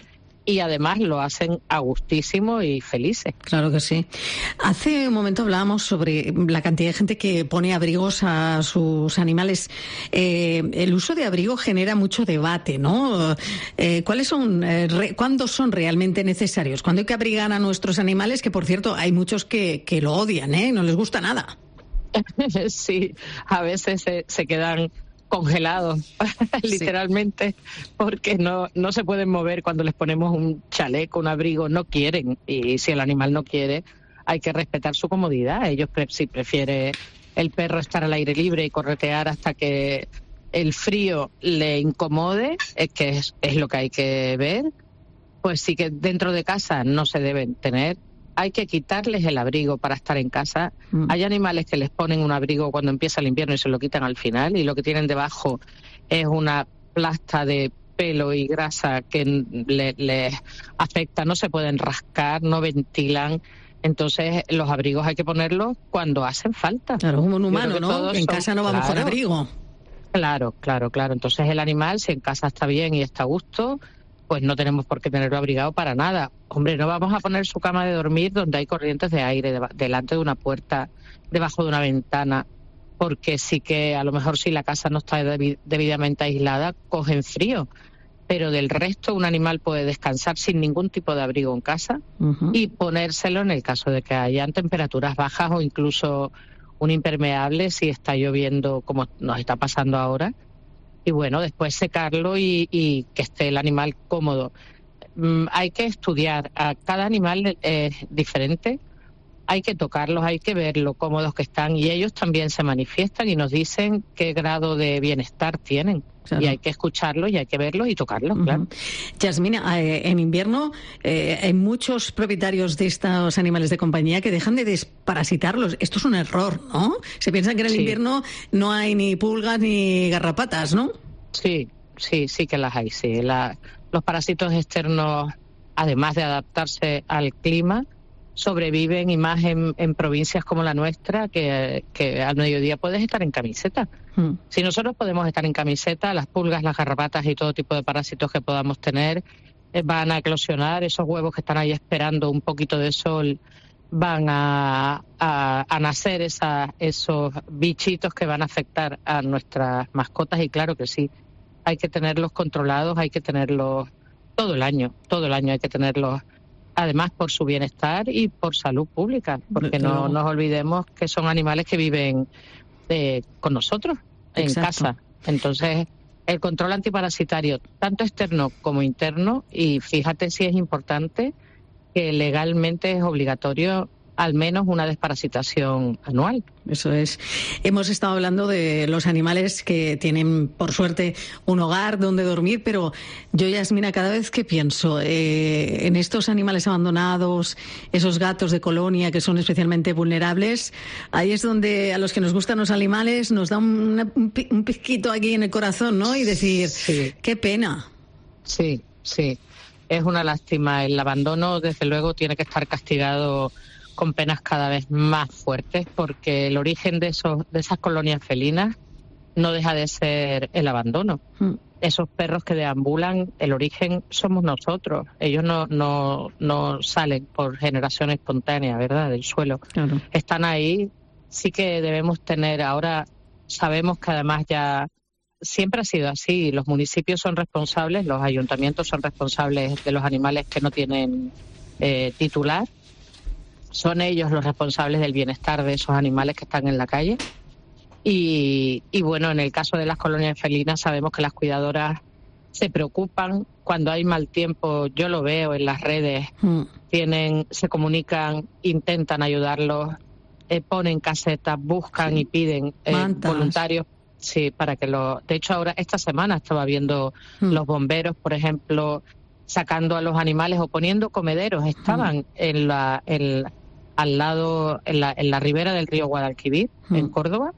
Y además lo hacen a gustísimo y felices. Claro que sí. Hace un momento hablábamos sobre la cantidad de gente que pone abrigos a sus animales. Eh, el uso de abrigo genera mucho debate, ¿no? Eh, ¿Cuáles son, eh, re, cuándo son realmente necesarios? ¿Cuándo hay que abrigar a nuestros animales? Que, por cierto, hay muchos que, que lo odian, ¿eh? No les gusta nada. Sí, a veces se, se quedan congelados, literalmente, sí. porque no, no se pueden mover cuando les ponemos un chaleco, un abrigo, no quieren. Y si el animal no quiere, hay que respetar su comodidad. Ellos, pre- si prefiere el perro estar al aire libre y corretear hasta que el frío le incomode, es que es, es lo que hay que ver, pues sí que dentro de casa no se deben tener. Hay que quitarles el abrigo para estar en casa. Mm. Hay animales que les ponen un abrigo cuando empieza el invierno y se lo quitan al final, y lo que tienen debajo es una plasta de pelo y grasa que les le afecta, no se pueden rascar, no ventilan. Entonces los abrigos hay que ponerlos cuando hacen falta. Claro, como un humano, ¿no? En son... casa no vamos claro, con abrigo. Claro, claro, claro. Entonces el animal, si en casa está bien y está a gusto, pues no tenemos por qué tenerlo abrigado para nada. Hombre, no vamos a poner su cama de dormir donde hay corrientes de aire, de, delante de una puerta, debajo de una ventana, porque sí que a lo mejor si la casa no está debi- debidamente aislada, cogen frío. Pero del resto, un animal puede descansar sin ningún tipo de abrigo en casa uh-huh. y ponérselo en el caso de que hayan temperaturas bajas o incluso un impermeable si está lloviendo, como nos está pasando ahora. Y bueno, después secarlo y, y que esté el animal cómodo. Mm, hay que estudiar, a cada animal es diferente, hay que tocarlos, hay que ver lo cómodos que están y ellos también se manifiestan y nos dicen qué grado de bienestar tienen. Claro. Y hay que escucharlos y hay que verlos y tocarlos, uh-huh. claro. Yasmina, eh, en invierno eh, hay muchos propietarios de estos animales de compañía que dejan de desparasitarlos. Esto es un error, ¿no? Se piensa que en el sí. invierno no hay ni pulgas ni garrapatas, ¿no? Sí, sí, sí que las hay, sí. La, los parásitos externos, además de adaptarse al clima, sobreviven y más en, en provincias como la nuestra, que, que al mediodía puedes estar en camiseta. Mm. Si nosotros podemos estar en camiseta, las pulgas, las garrapatas y todo tipo de parásitos que podamos tener eh, van a eclosionar. Esos huevos que están ahí esperando un poquito de sol van a, a, a nacer esa, esos bichitos que van a afectar a nuestras mascotas. Y claro que sí, hay que tenerlos controlados, hay que tenerlos todo el año, todo el año hay que tenerlos. Además por su bienestar y por salud pública, porque no nos olvidemos que son animales que viven eh, con nosotros en Exacto. casa. Entonces, el control antiparasitario, tanto externo como interno, y fíjate si es importante que legalmente es obligatorio al menos una desparasitación anual. Eso es. Hemos estado hablando de los animales que tienen, por suerte, un hogar donde dormir, pero yo, Yasmina, cada vez que pienso eh, en estos animales abandonados, esos gatos de colonia que son especialmente vulnerables, ahí es donde a los que nos gustan los animales nos da un, un, un pizquito aquí en el corazón, ¿no? Y decir, sí. qué pena. Sí, sí. Es una lástima. El abandono, desde luego, tiene que estar castigado con penas cada vez más fuertes, porque el origen de, esos, de esas colonias felinas no deja de ser el abandono. Mm. Esos perros que deambulan, el origen somos nosotros. Ellos no, no, no salen por generación espontánea, ¿verdad?, del suelo. Claro. Están ahí. Sí que debemos tener, ahora sabemos que además ya siempre ha sido así. Los municipios son responsables, los ayuntamientos son responsables de los animales que no tienen eh, titular. Son ellos los responsables del bienestar de esos animales que están en la calle. Y, y bueno, en el caso de las colonias felinas sabemos que las cuidadoras se preocupan cuando hay mal tiempo. Yo lo veo en las redes, mm. tienen, se comunican, intentan ayudarlos, eh, ponen casetas, buscan sí. y piden eh, voluntarios. Sí, para que lo. De hecho, ahora esta semana estaba viendo mm. los bomberos, por ejemplo, sacando a los animales o poniendo comederos. Estaban mm. en la, en, al lado, en la, en la ribera del río Guadalquivir, mm. en Córdoba.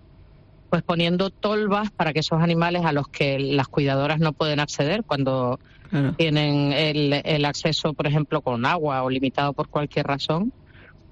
Pues poniendo tolvas para que esos animales a los que las cuidadoras no pueden acceder cuando claro. tienen el, el acceso, por ejemplo, con agua o limitado por cualquier razón,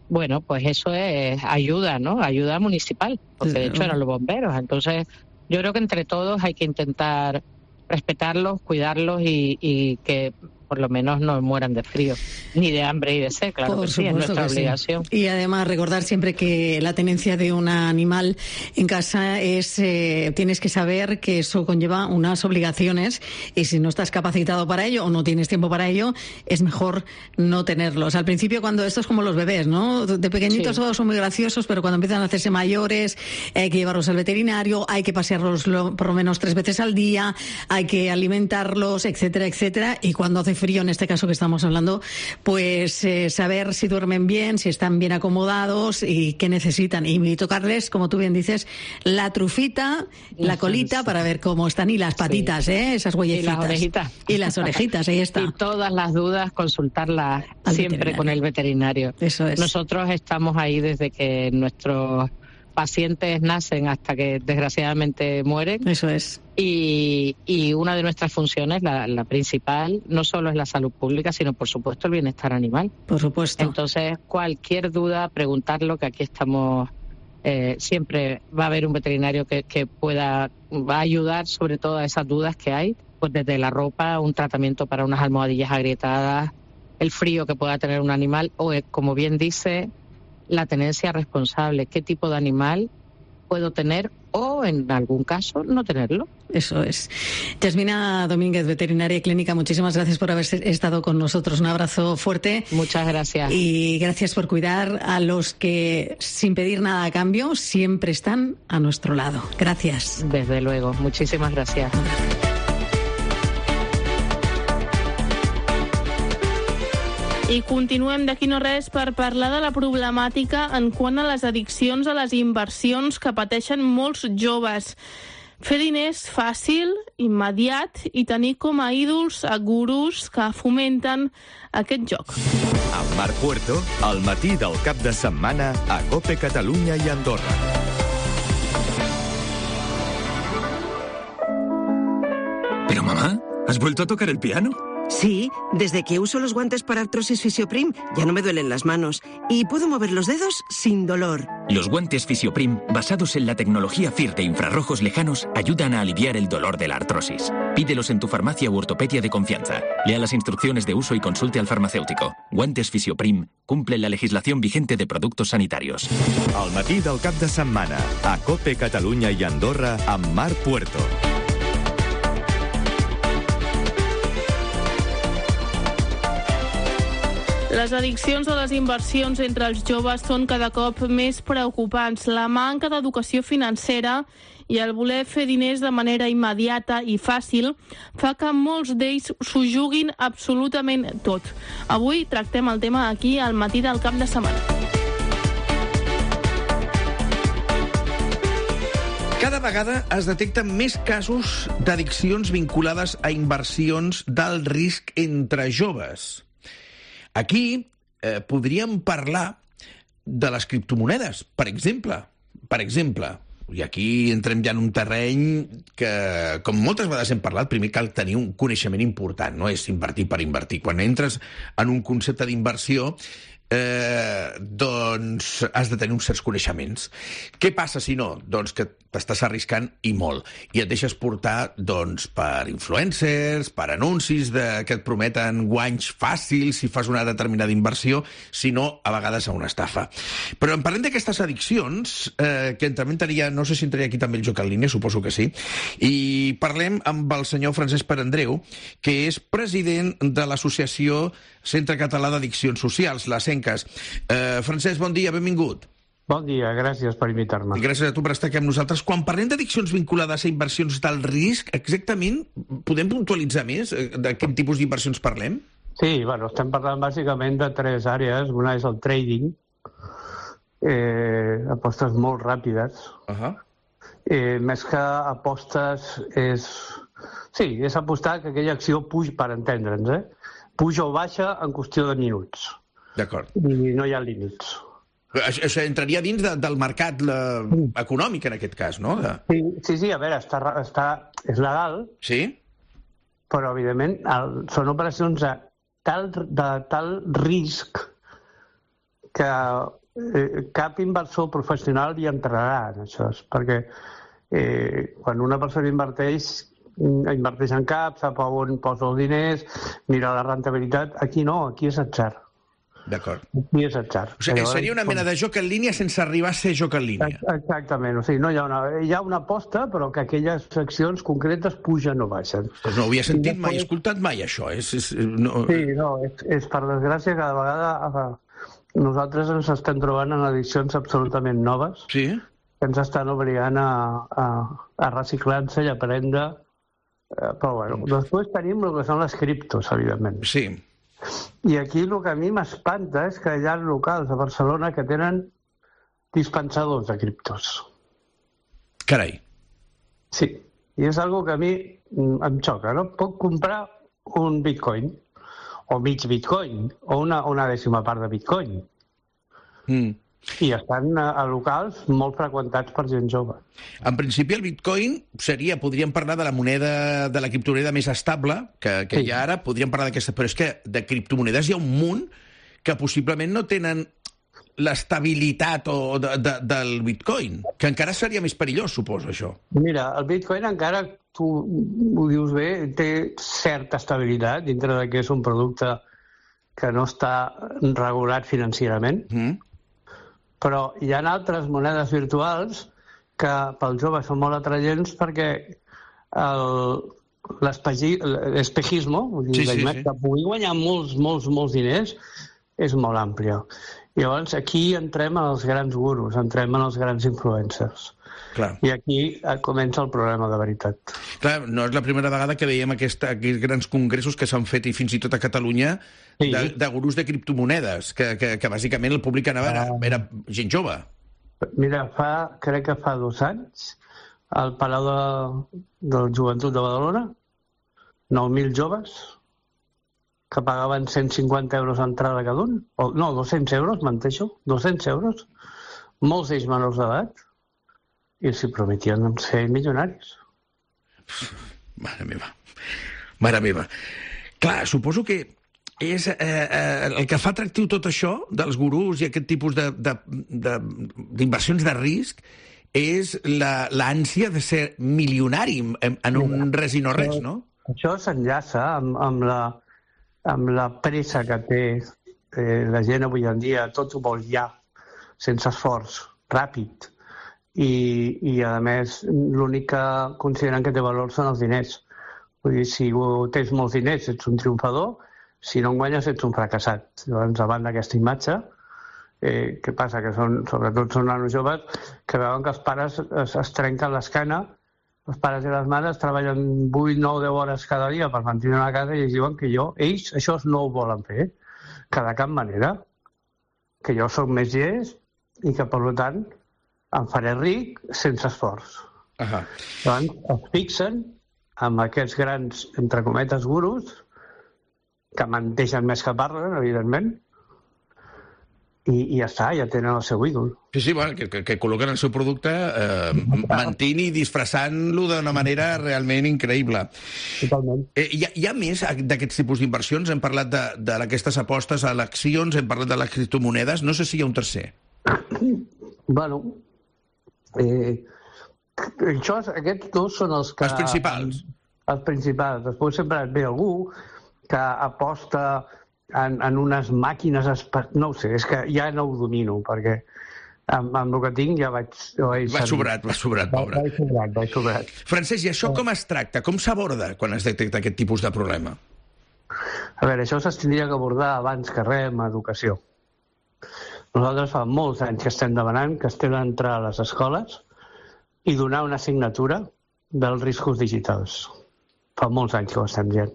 bueno, pues eso es ayuda, ¿no? Ayuda municipal, porque de hecho eran los bomberos. Entonces, yo creo que entre todos hay que intentar respetarlos, cuidarlos y, y que por lo menos no mueran de frío, ni de hambre y de sed, claro por que sí, es nuestra obligación. Sí. Y además recordar siempre que la tenencia de un animal en casa es, eh, tienes que saber que eso conlleva unas obligaciones y si no estás capacitado para ello o no tienes tiempo para ello, es mejor no tenerlos. Al principio cuando esto es como los bebés, ¿no? De pequeñitos sí. todos son muy graciosos, pero cuando empiezan a hacerse mayores hay que llevarlos al veterinario, hay que pasearlos por lo menos tres veces al día, hay que alimentarlos, etcétera, etcétera, y cuando hace frío, en este caso que estamos hablando, pues eh, saber si duermen bien, si están bien acomodados y qué necesitan. Y tocarles, como tú bien dices, la trufita, la colita para ver cómo están y las patitas, sí. ¿eh? Esas huellecitas. Y las orejitas. Y las orejitas, ahí está. Y todas las dudas, consultarlas Al siempre con el veterinario. Eso es. Nosotros estamos ahí desde que nuestros pacientes nacen hasta que desgraciadamente mueren. Eso es. Y, y una de nuestras funciones, la, la principal, no solo es la salud pública, sino por supuesto el bienestar animal. Por supuesto. Entonces, cualquier duda, preguntarlo, que aquí estamos, eh, siempre va a haber un veterinario que, que pueda, va a ayudar sobre todas esas dudas que hay, pues desde la ropa, un tratamiento para unas almohadillas agrietadas, el frío que pueda tener un animal, o como bien dice, la tenencia responsable, qué tipo de animal puedo tener o, en algún caso, no tenerlo. Eso es. Yasmina Domínguez, veterinaria y clínica, muchísimas gracias por haber estado con nosotros. Un abrazo fuerte. Muchas gracias. Y gracias por cuidar a los que, sin pedir nada a cambio, siempre están a nuestro lado. Gracias. Desde luego. Muchísimas gracias. I continuem d'aquí no res per parlar de la problemàtica en quant a les addiccions a les inversions que pateixen molts joves. Fer diners fàcil, immediat i tenir com a ídols a gurus que fomenten aquest joc. Amb Marc Puerto, al matí del cap de setmana a COPE Catalunya i Andorra. Pero mamá, ¿has vuelto a tocar el piano? Sí, desde que uso los guantes para artrosis Fisioprim ya no me duelen las manos y puedo mover los dedos sin dolor. Los guantes Fisioprim, basados en la tecnología F I R de infrarrojos lejanos, ayudan a aliviar el dolor de la artrosis. Pídelos en tu farmacia u ortopedia de confianza. Lea las instrucciones de uso y consulte al farmacéutico. Guantes Fisioprim cumplen la legislación vigente de productos sanitarios. Al matí del cap de setmana, a COPE Catalunya i Andorra, amb Marc Puerto. Les addiccions a les inversions entre els joves són cada cop més preocupants. La manca d'educació financera i el voler fer diners de manera immediata i fàcil fa que molts d'ells s'ho juguin absolutament tot. Avui tractem el tema aquí al matí del cap de setmana. Cada vegada es detecten més casos d'addiccions vinculades a inversions d'alt risc entre joves. Aquí eh, podríem parlar de les criptomonedes, per exemple. Per exemple, i aquí entrem ja en un terreny que, com moltes vegades hem parlat, primer cal tenir un coneixement important, no és invertir per invertir. Quan entres en un concepte d'inversió, eh, doncs has de tenir uns certs coneixements. Què passa si no? Doncs que t'estàs arriscant i molt. I et deixes portar doncs, per influencers, per anuncis de, que et prometen guanys fàcils si fas una determinada inversió, si no, a vegades a una estafa. Però en parlem d'aquestes addiccions, eh, que també entraria, no sé si entraria aquí també el joc en línia, suposo que sí, i parlem amb el senyor Francesc Perandreu, que és president de l'Associació Centre Català d'Addiccions Socials, la CENCAS. Eh, Francesc, bon dia, benvingut. Bon dia, gràcies per invitar-me. Gràcies a tu per estar aquí amb nosaltres. Quan parlem d'addiccions vinculades a inversions d'alt risc, exactament, podem puntualitzar més de quin tipus d'inversions parlem? Sí, bueno, estem parlant bàsicament de tres àrees. Una és el trading, eh, apostes molt ràpides. Uh-huh. eh, més que apostes és... Sí, és apostar que aquella acció puja, per entendre'ns, eh? puja o baixa en qüestió de minuts. D'acord. I no hi ha límits. Això, això entraria dins de, del mercat la, econòmic, en aquest cas, no? De... Sí, sí, sí, a veure, està, està, és legal, sí? Però, evidentment, el, són operacions de tal, de tal risc que eh, cap inversor professional hi entrarà en això, perquè eh, quan una persona inverteix, inverteix en cap, sap on posa els diners, mira la rentabilitat. Aquí no, aquí és atzar. D'acord. Aquí és atzar. O sigui, seria una mena de joc en línia sense arribar a ser joc en línia. Exactament. O sigui, no hi ha una, hi ha una aposta, però que aquelles accions concretes pugen o baixen. Pues no ho havia sentit després... mai, he escoltat mai, això. És, és, no... Sí, no, és, és per desgràcia cada vegada nosaltres ens estem trobant en edicions absolutament noves. Sí. Que ens estan obligant a, a, a reciclar-se i a aprendre. Però, bueno, després tenim el que són les criptos, evidentment. Sí. I aquí el que a mi m'espanta és que hi ha locals a Barcelona que tenen dispensadors de criptos. Carai. Sí, i és algo que a mi em xoca, no? Puc comprar un bitcoin, o mig bitcoin, o una, una dècima part de bitcoin. Mm. I estan a locals molt freqüentats per gent jove. En principi el bitcoin seria, podríem parlar de la moneda, de la criptomoneda més estable que, que sí. hi ha ara, podríem parlar d'aquesta, però és que de criptomonedes hi ha un munt que possiblement no tenen l'estabilitat o de, de, del bitcoin, que encara seria més perillós, suposo, això. Mira, el bitcoin encara, tu ho dius bé, té certa estabilitat dintre de que és un producte que no està regulat financerament, mm. però hi ha altres monedes virtuals que pels joves són molt atraients perquè l'espejisme, sí, sí, sí. que pugui guanyar molts, molts, molts diners, és molt àmplia. Llavors, aquí entrem en els grans gurus, entrem en els grans influencers. Clar. I aquí comença el problema de veritat. Clar, no és la primera vegada que veiem aquesta, aquests grans congressos que s'han fet, i fins i tot a Catalunya, sí. de, de gurus de criptomonedes, que, que, que bàsicament el públic anava, era, era gent jove. Mira, fa, crec que fa dos anys, al Palau de, del Joventut de Badalona, nou mil joves que pagaven cent cinquanta euros d'entrada cada un, o, no, dos-cents euros, menteixo, dos-cents euros, molts d'ells menors d'edat, i s'hi prometien ser milionaris. Mare meva. Mare meva. Clar, suposo que és eh, eh, el que fa atractiu tot això dels gurús i aquest tipus d'inversions de, de, de, de risc és l'ànsia de ser milionari en, en un res i no res, no? Això s'enllaça amb, amb, la, amb la pressa que té eh, la gent avui en dia, tot ho vol ja, sense esforç, ràpid. I, i a més, l'únic que consideren que té valor són els diners. Vull dir, si tens molts diners ets un triomfador, si no en guanyes ets un fracassat. Llavors, davant d'aquesta imatge, eh, què passa? Que són, sobretot són nanos joves que veuen que els pares es, es trenquen l'esquena, els pares i les mares treballen vuit, nou, deu hores cada dia per mantenir una casa i ells diuen que jo, ells això no ho volen fer, que de cap manera, que jo sóc més llest i que, per tant, em faré ric sense esforç. Uh-huh. Llavors, es fixen amb aquests grans, entre cometes, gurus, que menteixen més que parlen, evidentment, i, i ja està, ja tenen el seu ídol. Sí, sí, bueno, que, que, que col·loquen el seu producte eh, mentint i disfressant-lo d'una manera realment increïble. Totalment. Eh, hi, ha, hi ha més d'aquests tipus d'inversions? Hem parlat d'aquestes apostes a eleccions, hem parlat de les criptomonedes, no sé si hi ha un tercer. Bueno, eh, això, aquests dos són els que... Els principals. Els principals. Després sempre et ve algú que aposta en, en unes màquines... No ho sé, és que ja no ho domino, perquè amb, amb el que tinc ja vaig... vaig va sobrat, va sobrat, pobre. Vaig sobrat, vaig sobrat. Francesc, i això com es tracta? Com s'aborda quan es detecta aquest tipus de problema? A veure, això s'hauria d'abordar abans que res amb educació. Nosaltres fa molts anys que estem demanant que estem d'entrar a les escoles i donar una assignatura dels riscos digitals. Fa molts anys que ho estem dient.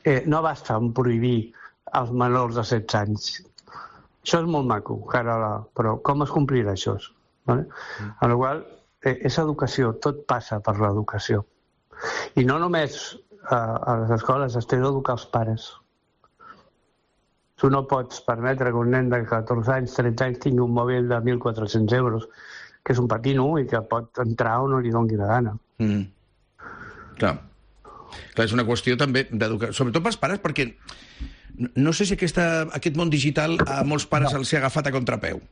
Eh, no basta en prohibir als menors de setze anys. Això és molt maco, cara la... però com es complirà això? Vale? Mm. En la qual eh, és educació, tot passa per l'educació. I no només eh, a les escoles, es té d'educar els pares. Tu no pots permetre que un nen de catorze anys, tretze anys tingui un mòbil de mil quatre-cents euros, que és un patino i que pot entrar o no li doni la gana. Mm. Clar. Clar, és una qüestió també d'educar, sobretot pels pares, perquè no sé si aquesta, aquest món digital a molts pares no. els ha agafat a contrapeu.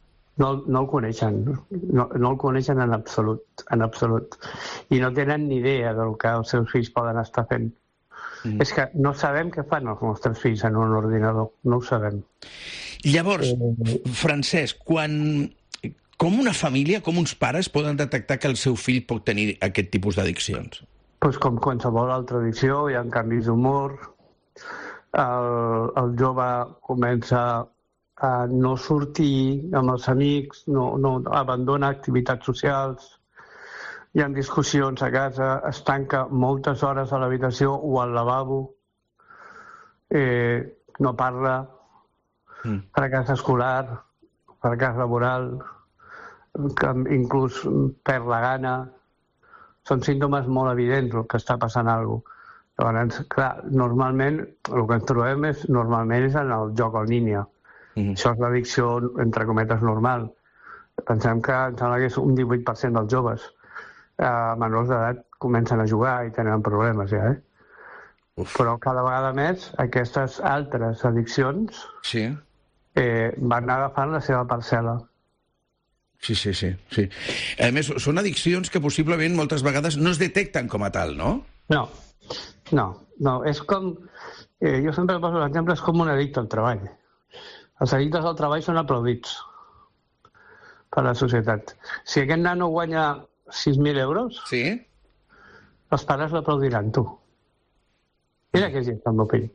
No, no el coneixen, no, no el coneixen en absolut, en absolut. I no tenen ni idea del que els seus fills poden estar fent. Mm. És que no sabem què fan els nostres fills en un ordinador, no ho sabem. Llavors, eh... Francesc, quan... com una família, com uns pares poden detectar que el seu fill pot tenir aquest tipus d'addiccions? Pues com qualsevol altra addicció, hi ha canvis d'humor, el, el jove comença a no sortir amb els amics, no, no abandona activitats socials, hi ha discussions a casa, es tanca moltes hores a l'habitació o al lavabo, eh, no parla, mm. fracàs escolar, fracàs laboral, inclús perd la gana. Són símptomes molt evidents el que està passant alguna cosa. Llavors, clar, normalment, el que ens trobem és, normalment és en el joc en línia. Mm-hmm. Això és l'addicció, entre cometes, normal. Pensem que em sembla que és un divuit per cent dels joves eh, menors d'edat comencen a jugar i tenen problemes ja, eh? Uf. Però cada vegada més aquestes altres addiccions sí. eh, van agafant la seva parcel·la. Sí, sí, sí, sí. A més, són addiccions que possiblement moltes vegades no es detecten com a tal, no? No, no, no. És com... Eh, jo sempre poso l'exemple, és com un addicte al treball. Els addictes al treball són aplaudits per la societat. Si aquest nano guanya sis mil euros, sí. els pares l'aplaudiran, tu. Mira que és gent, el meu fill.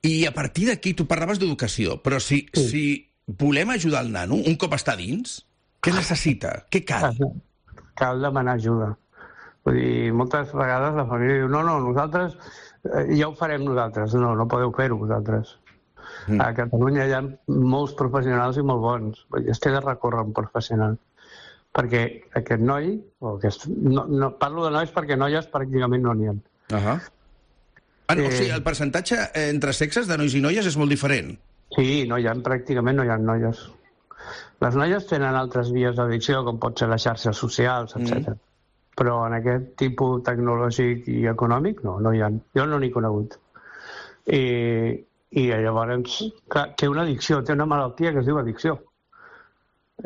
I a partir d'aquí, tu parlaves d'educació, però si... Sí. si... volem ajudar el nano, un cop està dins, què necessita? Què cal? Cal demanar ajuda. Vull dir, moltes vegades la família diu no, no, nosaltres eh, ja ho farem nosaltres. No, no podeu fer-ho vosaltres. Mm. A Catalunya hi ha molts professionals i molt bons. Vull dir, es té de recórrer un professional. Perquè aquest noi, o aquest, no, no, parlo de nois perquè noies pràcticament no n'hi ha. Uh -huh. ah, no, eh... O sigui, el percentatge entre sexes de nois i noies és molt diferent. Sí, no hi ha, pràcticament no hi ha noies. Les noies tenen altres vies d'addicció, com pot ser les xarxes socials, etcètera. Mm. Però en aquest tipus tecnològic i econòmic, no, no hi ha. Jo no n'he conegut. I, i llavors, clar, té una addicció, té una malaltia que es diu addicció.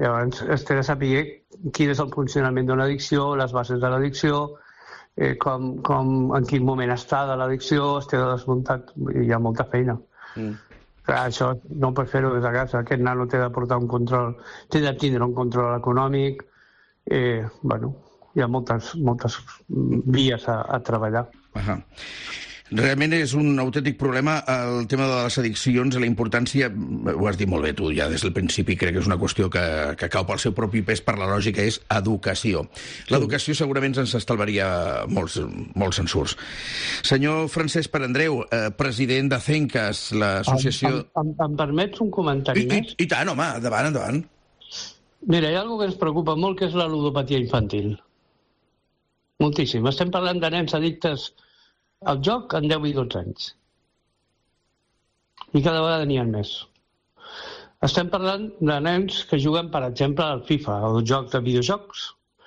Llavors, es té de saber quin és el funcionament d'una addicció, les bases de l'addicció, eh, com, com, en quin moment està de l'addicció, es té de desmuntar, hi ha molta feina. Mm. Clar, això no pot fer-ho des de casa. Aquest nano té de portar un control, té de tindre un control econòmic. Eh, bueno, hi ha moltes, moltes vies a, a treballar. Uh-huh. Realment és un autèntic problema el tema de les addiccions, la importància, ho has dit molt bé tu, ja des del principi crec que és una qüestió que, que cau pel seu propi pes per la lògica, és educació. L'educació segurament ens estalvaria molts, molts censurs. Senyor Francesc Perandreu, eh, president de CENCAS, l'associació... Em, em, em permets un comentari I, més? I, I tant, home, endavant, endavant. Mira, hi ha una cosa que ens preocupa molt, que és la ludopatia infantil. Moltíssim. Estem parlant de nens addictes al joc en deu i dotze anys. I cada vegada n'hi ha més. Estem parlant de nens que juguen, per exemple, al FIFA, el joc de videojocs.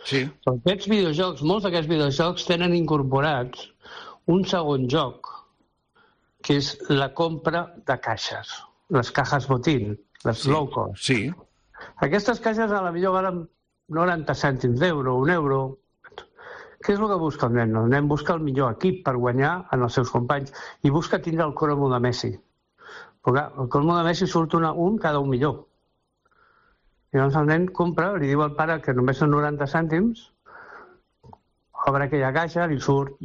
Sí. Aquests videojocs, molts d'aquests videojocs tenen incorporats un segon joc, que és la compra de caixes, les cajas botín, les Sí. low cost. Sí. Aquestes caixes a la millor valen noranta cèntims d'euro, un euro. Què és el que busca el nen? El nen busca el millor equip per guanyar en els seus companys i busca tindre el cromo de Messi. Però clar, el cromo de Messi surt una, un cada un millor. I llavors el nen compra, li diu al pare que només són noranta cèntims, obre aquella caixa, li surt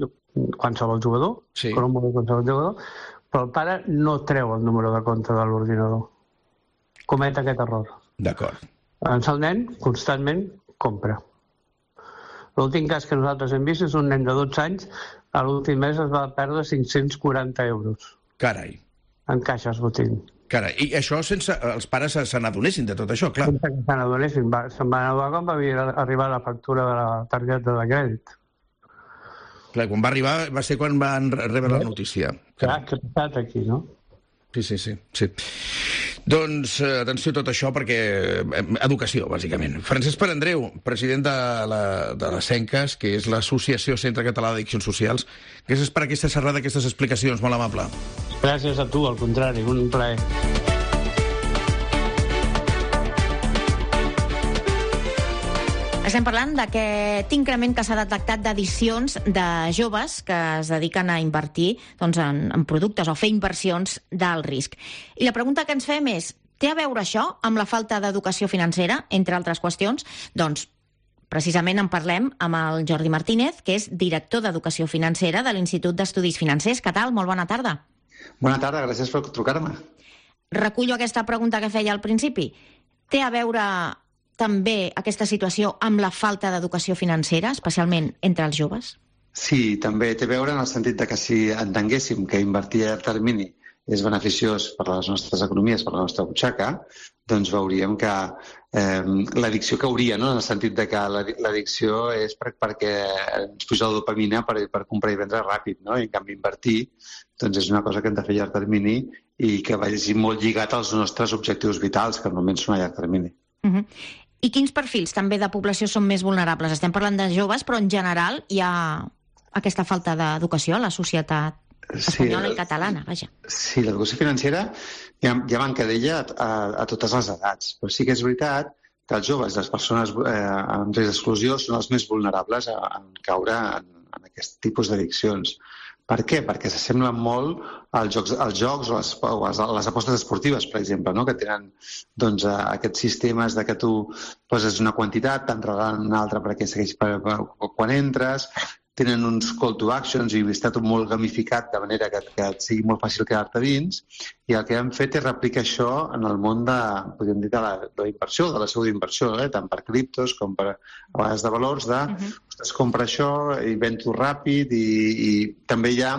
qualsevol jugador, sí. cromo de qualsevol jugador, però el pare no treu el número de compte de l'ordinador. Comet aquest error. D'acord. Llavors el nen constantment compra. L'últim cas que nosaltres hem vist és un nen de dotze anys, a l'últim mes es va perdre cinc-cents quaranta euros. Carai. En caixes botín. Carai, i això sense els pares se n'adonessin de tot això, clar. Sense que se n'adonessin. Se'n van adonar quan va arribar la factura de la targeta de crèdit. Clar, quan va arribar va ser quan van rebre la notícia. Clar, què ha passat aquí, no? Sí, sí, sí. sí. Doncs eh, atenció a tot això perquè... Eh, educació, bàsicament. Francesc Perandreu, president de la, de la CENCAS, que és l'Associació Centre Català d'Addiccions Socials. Gràcies per aquesta xerrada, aquestes explicacions, molt amable. Gràcies a tu, al contrari, un plaer. Estem parlant d'aquest increment que s'ha detectat d'addicions de joves que es dediquen a invertir doncs, en, en productes o fer inversions d'alt risc. I la pregunta que ens fem és, té a veure això amb la falta d'educació financera, entre altres qüestions? Doncs precisament en parlem amb el Jordi Martínez, que és director d'Educació Financera de l'Institut d'Estudis Financers. Què tal? Molt bona tarda. Bona tarda, gràcies per trucar-me. Recullo aquesta pregunta que feia al principi. Té a veure també aquesta situació amb la falta d'educació financera, especialment entre els joves? Sí, també té a veure en el sentit de que si entenguéssim que invertir a llarg termini és beneficiós per a les nostres economies, per a la nostra butxaca, doncs veuríem que eh, l'addicció cauria, no? En el sentit de que l'addicció és per, perquè ens puja la dopamina per, per comprar i vendre ràpid, no? I en canvi invertir doncs és una cosa que hem de fer a llarg termini i que vagi molt lligat als nostres objectius vitals, que normalment són a llarg termini. Uh-huh. I quins perfils també de població són més vulnerables? Estem parlant de joves, però en general hi ha aquesta falta d'educació a la societat espanyola sí, i catalana, vaja. Sí, l'educació financera ja, ja manca d'ella a, a totes les edats, però sí que és veritat que els joves, les persones eh, en risc d'exclusió, són els més vulnerables a, a caure en, en aquest tipus d'addiccions. Per què? Perquè s'assemblen molt als jocs, als jocs o, les, o les, les apostes esportives, per exemple, no? Que tenen doncs, aquests sistemes de que tu poses una quantitat, te'n regalen una altra perquè segueix per, per, quan entres, tenen uns call to actions i està tot molt gamificat de manera que, que et sigui molt fàcil quedar-te dins, i el que hem fet és replicar això en el món de, podríem dir, de la, de la inversió, de la seu d'inversió, eh? Tant per criptos com per a vegades de valors, de uh-huh. ostres, compra això i ven-t'ho ràpid, i, i també hi ha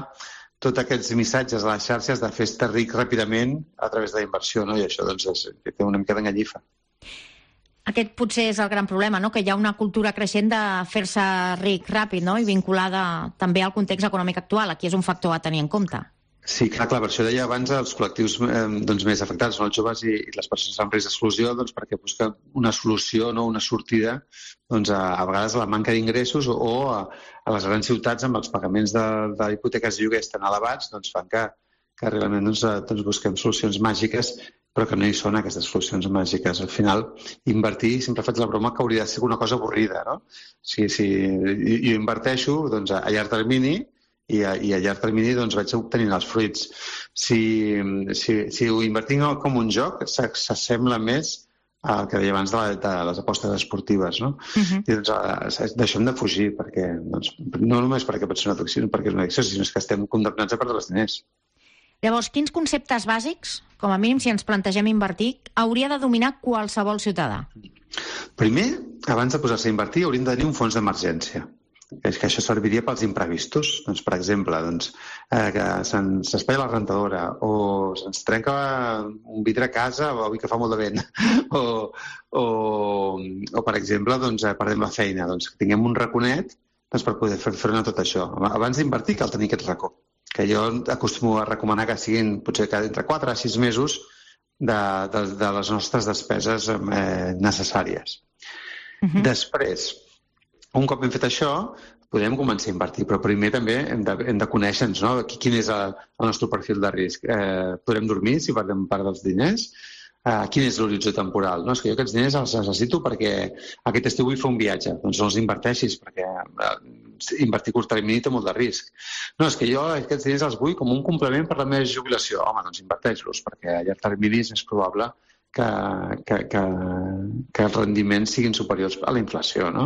tots aquests missatges a les xarxes de fer-te ric ràpidament a través de la inversió, no? I això doncs, és, té una mica d'enganyifa. Aquest potser és el gran problema, no? Que hi ha una cultura creixent de fer-se ric ràpid, no? I vinculada també al context econòmic actual. Aquí és un factor a tenir en compte. Sí, clar, clar, per això deia abans els col·lectius eh, doncs, més afectats són els joves i, i les persones amb risc d'exclusió, doncs, perquè busquen una solució, no? Una sortida doncs, a, a vegades a la manca d'ingressos o, o a, a les grans ciutats amb els pagaments de, de hipoteques i lloguers tan elevats doncs, fan que, que realment doncs, doncs, busquem solucions màgiques, però que no hi són aquestes solucions màgiques. Al final, invertir, sempre faig la broma que hauria de ser una cosa avorrida, no? Si, si jo inverteixo doncs, a llarg termini i a, i a llarg termini doncs, vaig obtenint els fruits. Si, si, si ho invertim com un joc, s'assembla més al que deia abans de, la, de les apostes esportives, no? Uh-huh. I doncs, d'això hem de fugir, perquè, doncs, no només perquè pot ser una addicció, perquè és una addicció, sinó que estem condemnats a perdre els diners. Llavors, quins conceptes bàsics, com a mínim si ens plantegem invertir, hauria de dominar qualsevol ciutadà? Primer, abans de posar-se a invertir, hauríem de tenir un fons d'emergència. És que això serviria pels imprevistos. Doncs, per exemple, doncs, eh, que se'ns espatlla la rentadora, o se'ns trenca un vidre a casa, o avui que fa molt de vent, o, o, o per exemple, doncs, perdem la feina. Doncs, que tinguem un raconet doncs, per poder fer front a tot això. Abans d'invertir cal tenir aquest racó, que jo acostumo a recomanar que siguin potser que entre quatre a sis mesos de, de, de les nostres despeses eh, necessàries. Uh-huh. Després, un cop hem fet això, podem començar a invertir, però primer també hem de, hem de conèixer-nos, no? Quin és el, el nostre perfil de risc. Eh, podrem dormir si perdem part dels diners? Eh, quin és l'horitzó temporal? No? És que jo aquests diners els necessito perquè aquest estiu vull fer un viatge. Doncs no els inverteixis, perquè eh, invertir a curt termini té molt de risc. No, és que jo aquests diners els vull com un complement per la meva jubilació. Home, doncs inverteix-los, perquè a llarg termini és probable que, que, que, que els rendiments siguin superiors a la inflació, no?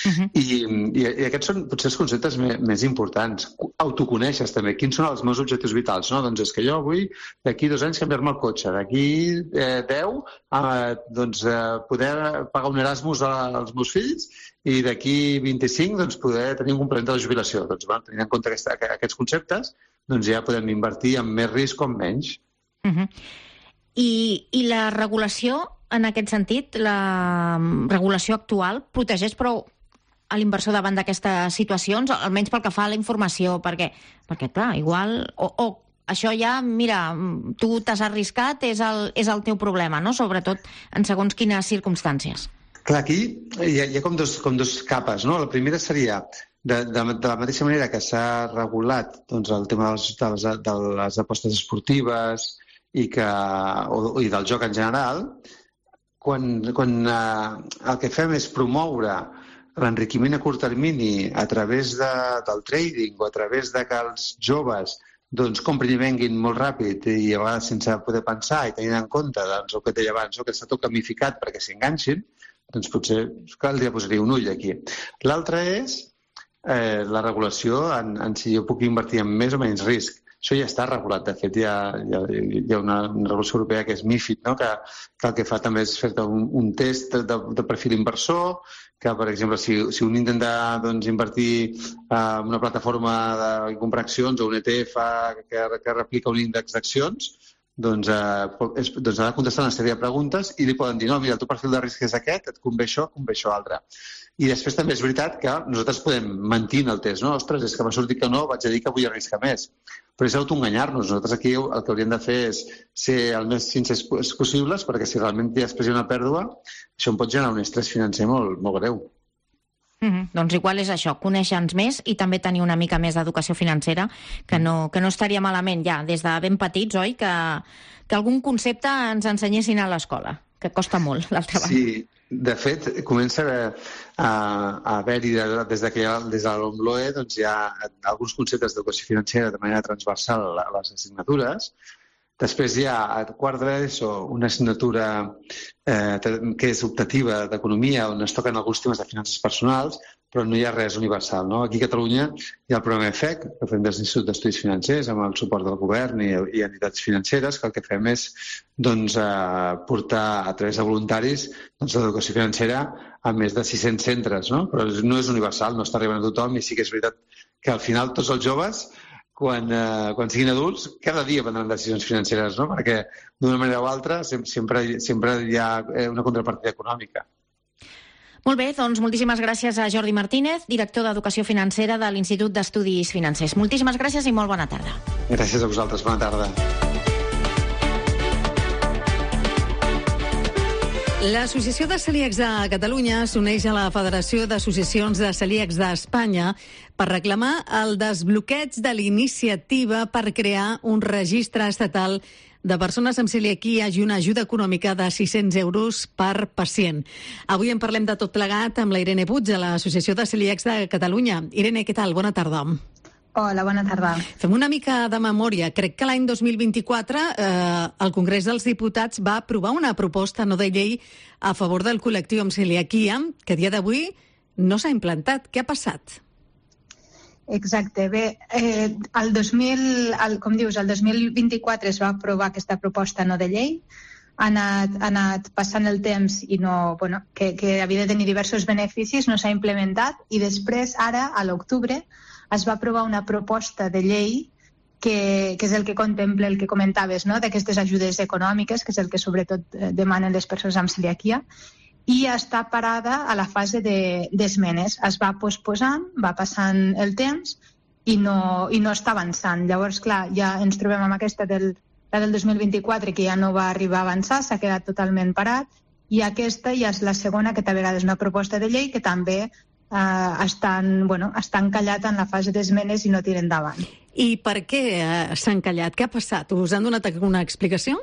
Uh-huh. I, i, I aquests són potser els conceptes més, més importants. Autoconeixes també. Quins són els meus objectius vitals? No? Doncs és que jo vull d'aquí dos anys canviar-me el cotxe, d'aquí eh, deu eh, doncs, eh, poder pagar un Erasmus als meus fills i d'aquí vint-i-cinc doncs, poder tenir un complement de la jubilació. Doncs, bueno, tenint en compte aquesta, aquests conceptes, doncs ja podem invertir amb més risc o amb menys. Uh-huh. I, I la regulació, en aquest sentit, la regulació actual, protegeix prou a l'inversor davant d'aquestes situacions, almenys pel que fa a la informació, perquè, perquè clar, igual... O, o això ja, mira, tu t'has arriscat, és el, és el teu problema, no? Sobretot en segons quines circumstàncies. Clar, aquí hi ha, hi ha com, dos, com dos capes, no? La primera seria, de, de, de la mateixa manera que s'ha regulat doncs, el tema de les, de les, de les apostes esportives i, que, o, i del joc en general, quan, quan eh, el que fem és promoure l'enriquiment a curt termini a través de, del trading o a través de que els joves doncs, comprin i venguin molt ràpid i a vegades sense poder pensar i tenint en compte doncs, el que deia abans, que està tot gamificat perquè s'enganxin, doncs potser caldria posar-hi un ull aquí. L'altre és eh, la regulació en, en si jo puc invertir en més o menys risc. Això ja està regulat. De fet, hi ha, hi ha, hi ha una, una regulació europea que és MiFID, no? que, que el que fa també és fer un, un test de, de perfil inversor, que, per exemple, si, si un intenta doncs, invertir en una plataforma de comprar accions o un E T F que, que replica un índex d'accions, doncs, eh, és, doncs ha de contestar una sèrie de preguntes i li poden dir, no, mira, el teu perfil de risc és aquest, et convé això, convé això altre. I després també és veritat que nosaltres podem mentir en el test, no? Ostres, és que m'ha sortit que no, vaig a dir que vull arriscar més. Però és autoenganyar-nos. Nosaltres aquí el que hauríem de fer és ser el més sincers possibles, perquè si realment després hi ha una pèrdua, això em pot generar un estrès financer molt, molt greu. Mm-hmm. Doncs igual és això, conèixer-nos més i també tenir una mica més d'educació financera, que no, que no estaria malament ja, des de ben petits, oi? Que, que algun concepte ens ensenyessin a l'escola, que costa molt, l'altra banda. Sí, de fet, comença a, a, a haver-hi, des de que hi ha, des de l'OMLOE, doncs hi ha alguns conceptes d'educació financera de manera transversal a les assignatures. Després hi ha a quart d'ESO una assignatura eh, que és optativa d'economia, on es toquen alguns temes de finances personals, però no hi ha res universal. No? Aquí a Catalunya hi ha el programa E F E C, que fem des de l'Institut d'Estudis Financers, amb el suport del govern i, i entitats financeres, que el que fem és doncs, eh, portar a través de voluntaris doncs, l'educació financera a més de sis-cents centres. No? Però no és universal, no està arribant a tothom, i sí que és veritat que al final tots els joves Quan, eh, quan siguin adults, cada dia prendran decisions financeres, no? Perquè d'una manera o altra sempre, sempre hi ha una contrapartida econòmica. Molt bé, doncs moltíssimes gràcies a Jordi Martínez, director d'Educació Financera de l'Institut d'Estudis Financers. Moltíssimes gràcies i molt bona tarda. Gràcies a vosaltres, bona tarda. L'Associació de Celíacs de Catalunya s'uneix a la Federació d'Associacions de Celíacs d'Espanya per reclamar el desbloqueig de l'iniciativa per crear un registre estatal de persones amb celiaquia i una ajuda econòmica de sis-cents euros per pacient. Avui en parlem de tot plegat amb la Irene Puig, de l'Associació de Celíacs de Catalunya. Irene, què tal? Bona tarda. Hola, bona tarda. Fem una mica de memòria. Crec que l'any dos mil vint-i-quatre eh, el Congrés dels Diputats va aprovar una proposta no de llei a favor del col·lectiu amb celiaquia, que a dia d'avui no s'ha implantat. Què ha passat? Exacte. Bé, eh, el dos mil, el, com dius, el dos mil vint-i-quatre es va aprovar aquesta proposta no de llei. Ha anat, ha anat passant el temps i no, bueno, que, que havia de tenir diversos beneficis, no s'ha implementat, i després, ara, a l'octubre, es va aprovar una proposta de llei que, que és el que contempla el que comentaves, no? D'aquestes ajudes econòmiques, que és el que sobretot demanen les persones amb celiaquia, i està parada a la fase d'esmenes. De, es va posposant, va passant el temps i no, i no està avançant. Llavors, clar, ja ens trobem amb aquesta del, la del dos mil vint-i-quatre, que ja no va arribar a avançar, s'ha quedat totalment parat, i aquesta ja és la segona, que a vegades és una proposta de llei que també eh, estan, bueno, està encallat en la fase d'esmenes i no tira endavant. I per què eh, s'ha encallat? Què ha passat? Us han donat una explicació?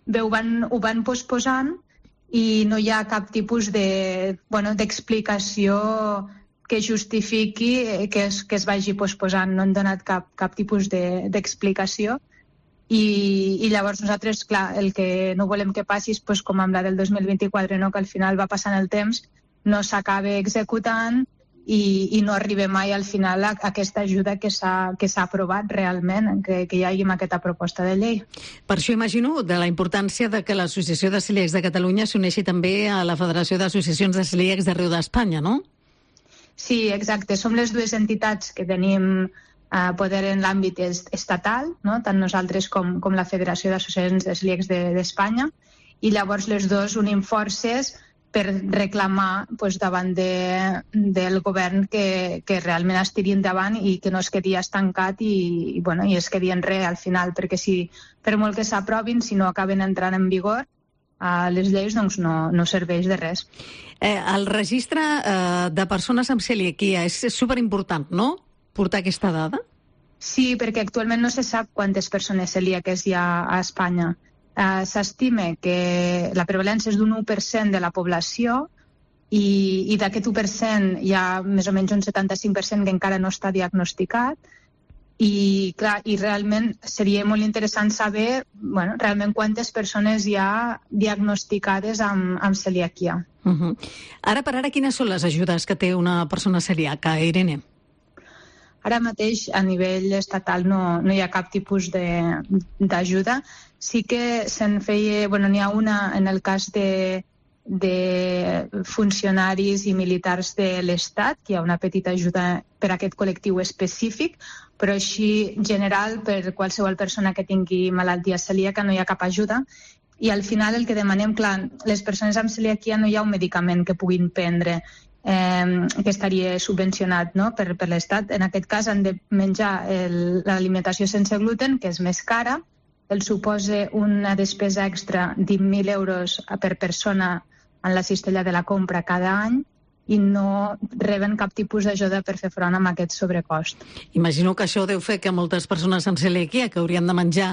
Bé, ho van, ho van posposant i no hi ha cap tipus de, bueno, d'explicació que justifiqui que es, que es vagi posposant. No han donat cap, cap tipus de, d'explicació. I, I llavors nosaltres, clar, el que no volem que passi és pues, com amb la del dos mil vint-i-quatre, no? Que al final va passant el temps, no s'acaba executant i, i no arriba mai al final a, a aquesta ajuda que s'ha, que s'ha aprovat realment, que, que hi hagi aquesta proposta de llei. Per això imagino de la importància de que l'Associació de Celíacs de Catalunya s'uneixi també a la Federació d'Associacions de Celíacs d'arreu d'Espanya, no? Sí, exacte. Som les dues entitats que tenim eh, poder en l'àmbit estatal, no? Tant nosaltres com, com la Federació d'Associacions de Celíacs de, d'Espanya, i llavors les dues unim forces per reclamar pues, davant de, del govern que, que realment es tiri endavant i que no es quedi estancat i, i, bueno, i es quedi en res al final, perquè si per molt que s'aprovin, si no acaben entrant en vigor eh, les lleis, doncs no, no serveix de res. Eh, el registre eh, de persones amb celiaquia és superimportant, no?, portar aquesta dada? Sí, perquè actualment no se sap quantes persones celíaques hi ha a Espanya. Uh, s'estima que la prevalència és d'un u per cent de la població i, i d'aquest u per cent hi ha més o menys un setanta-cinc per cent que encara no està diagnosticat i, clar, i realment seria molt interessant saber bueno, realment quantes persones hi ha diagnosticades amb, amb celiaquia. Uh-huh. Ara per ara, quines són les ajudes que té una persona celíaca, Irene? Ara mateix, a nivell estatal, no, no hi ha cap tipus de, d'ajuda. Sí que se'n feia... Bueno, n'hi ha una en el cas de, de funcionaris i militars de l'Estat, que hi ha una petita ajuda per a aquest col·lectiu específic, però així, general, per qualsevol persona que tingui malaltia celíaca no hi ha cap ajuda. I al final el que demanem, clar, les persones amb celiaquia no hi ha un medicament que puguin prendre Eh, que estaria subvencionat, no?, per, per l'Estat. En aquest cas han de menjar el, l'alimentació sense gluten, que és més cara, el suposa una despesa extra de mil euros per persona en la cistella de la compra cada any i no reben cap tipus d'ajuda per fer front amb aquest sobrecost. Imagino que això deu fer que moltes persones amb celiaquia que haurien de menjar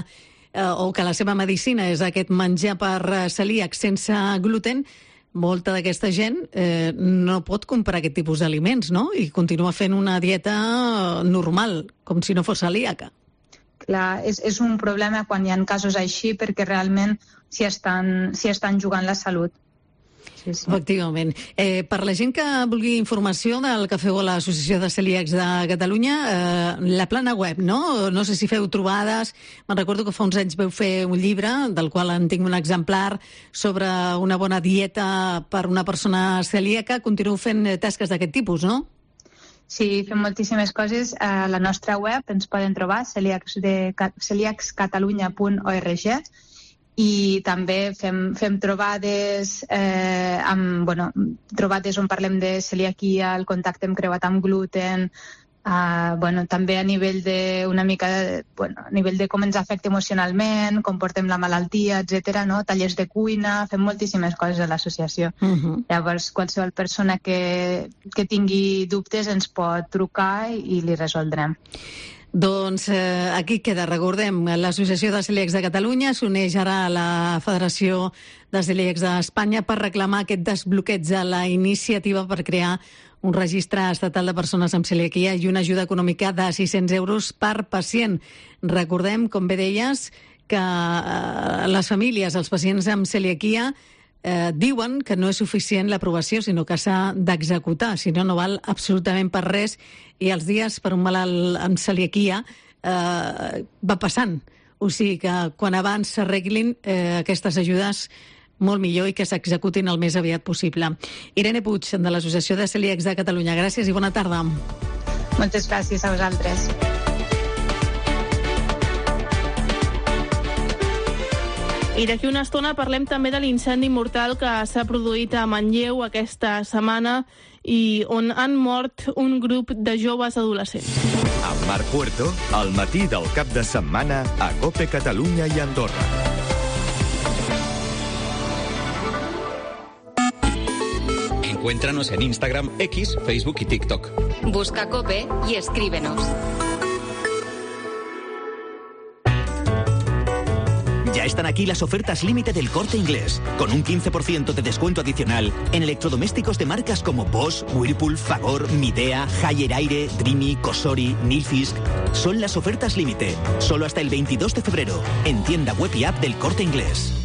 eh, o que la seva medicina és aquest menjar per celíac sense gluten, molta d'aquesta gent eh, no pot comprar aquest tipus d'aliments, no? I continua fent una dieta normal, com si no fos celíaca. Clar, és, és un problema quan hi ha casos així perquè realment s'hi estan, s'hi estan jugant la salut. Sí, sí. Efectivament. Eh, per la gent que vulgui informació del que feu a l'Associació de Celíacs de Catalunya, eh, la plana web, no? No sé si feu trobades. Me'n recordo que fa uns anys veu fer un llibre, del qual en tinc un exemplar, sobre una bona dieta per una persona celíaca. Continueu fent tasques d'aquest tipus, no? Sí, fem moltíssimes coses. A la nostra web ens poden trobar celiacs de, celiacs catalunya punt org i també fem, fem trobades eh, amb, bueno, trobades on parlem de celiaquia, el contacte amb creuat amb gluten, eh, bueno, també a nivell de una mica de, bueno, a nivell de com ens afecta emocionalment, com portem la malaltia, etcètera, no? Tallers de cuina, fem moltíssimes coses a l'associació. Uh-huh. Llavors, qualsevol persona que, que tingui dubtes ens pot trucar i li resoldrem. Doncs eh, aquí queda, recordem, l'Associació de Celíacs de Catalunya s'uneix ara a la Federació de Celíacs d'Espanya per reclamar aquest desbloqueig a la iniciativa per crear un registre estatal de persones amb celiaquia i una ajuda econòmica de sis-cents euros per pacient. Recordem, com bé deies, que eh, les famílies, els pacients amb celiaquia, Eh, diuen que no és suficient l'aprovació, sinó que s'ha d'executar, si no, no val absolutament per res, i els dies per un malalt amb celiaquia eh, va passant. O sigui que quan abans s'arreglin eh, aquestes ajudes, molt millor i que s'executin el més aviat possible. Irene Puig, de l'Associació de Celíacs de Catalunya, gràcies i bona tarda. Moltes gràcies a vosaltres. I d'aquí una estona parlem també de l'incendi mortal que s'ha produït a Manlleu aquesta setmana i on han mort un grup de joves adolescents. Mar Puerto, al matí del cap de setmana a COPE Catalunya i Andorra. Encuéntranos en Instagram, X, Facebook y TikTok. Busca COPE y escríbenos. Ya están aquí las ofertas límite del Corte Inglés, con un quince por ciento de descuento adicional en electrodomésticos de marcas como Bosch, Whirlpool, Fagor, Midea, Haier Aire, Dreamy, Cosori, Nilfisk. Son las ofertas límite, solo hasta el veintidós de febrero, en tienda web y app del Corte Inglés.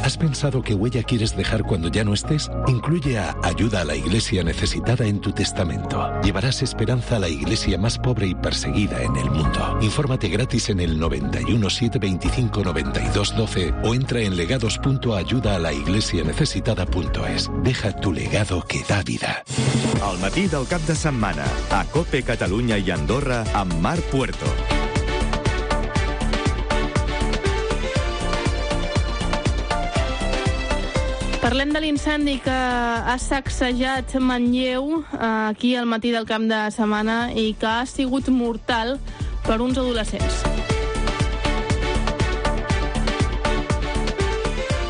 ¿Has pensado qué huella quieres dejar cuando ya no estés? Incluye a Ayuda a la Iglesia Necesitada en tu testamento. Llevarás esperanza a la iglesia más pobre y perseguida en el mundo. Infórmate gratis en el noventa y uno, siete veinticinco, noventa y dos doce o entra en legados punto ayuda a la iglesia necesitada punto es. Deja tu legado que da vida. Al matí del cap de setmana, a COPE Catalunya i Andorra amb Mar Puerto. Parlem de l'incendi que ha sacsejat Manlleu aquí al matí del cap de setmana i que ha sigut mortal per uns adolescents.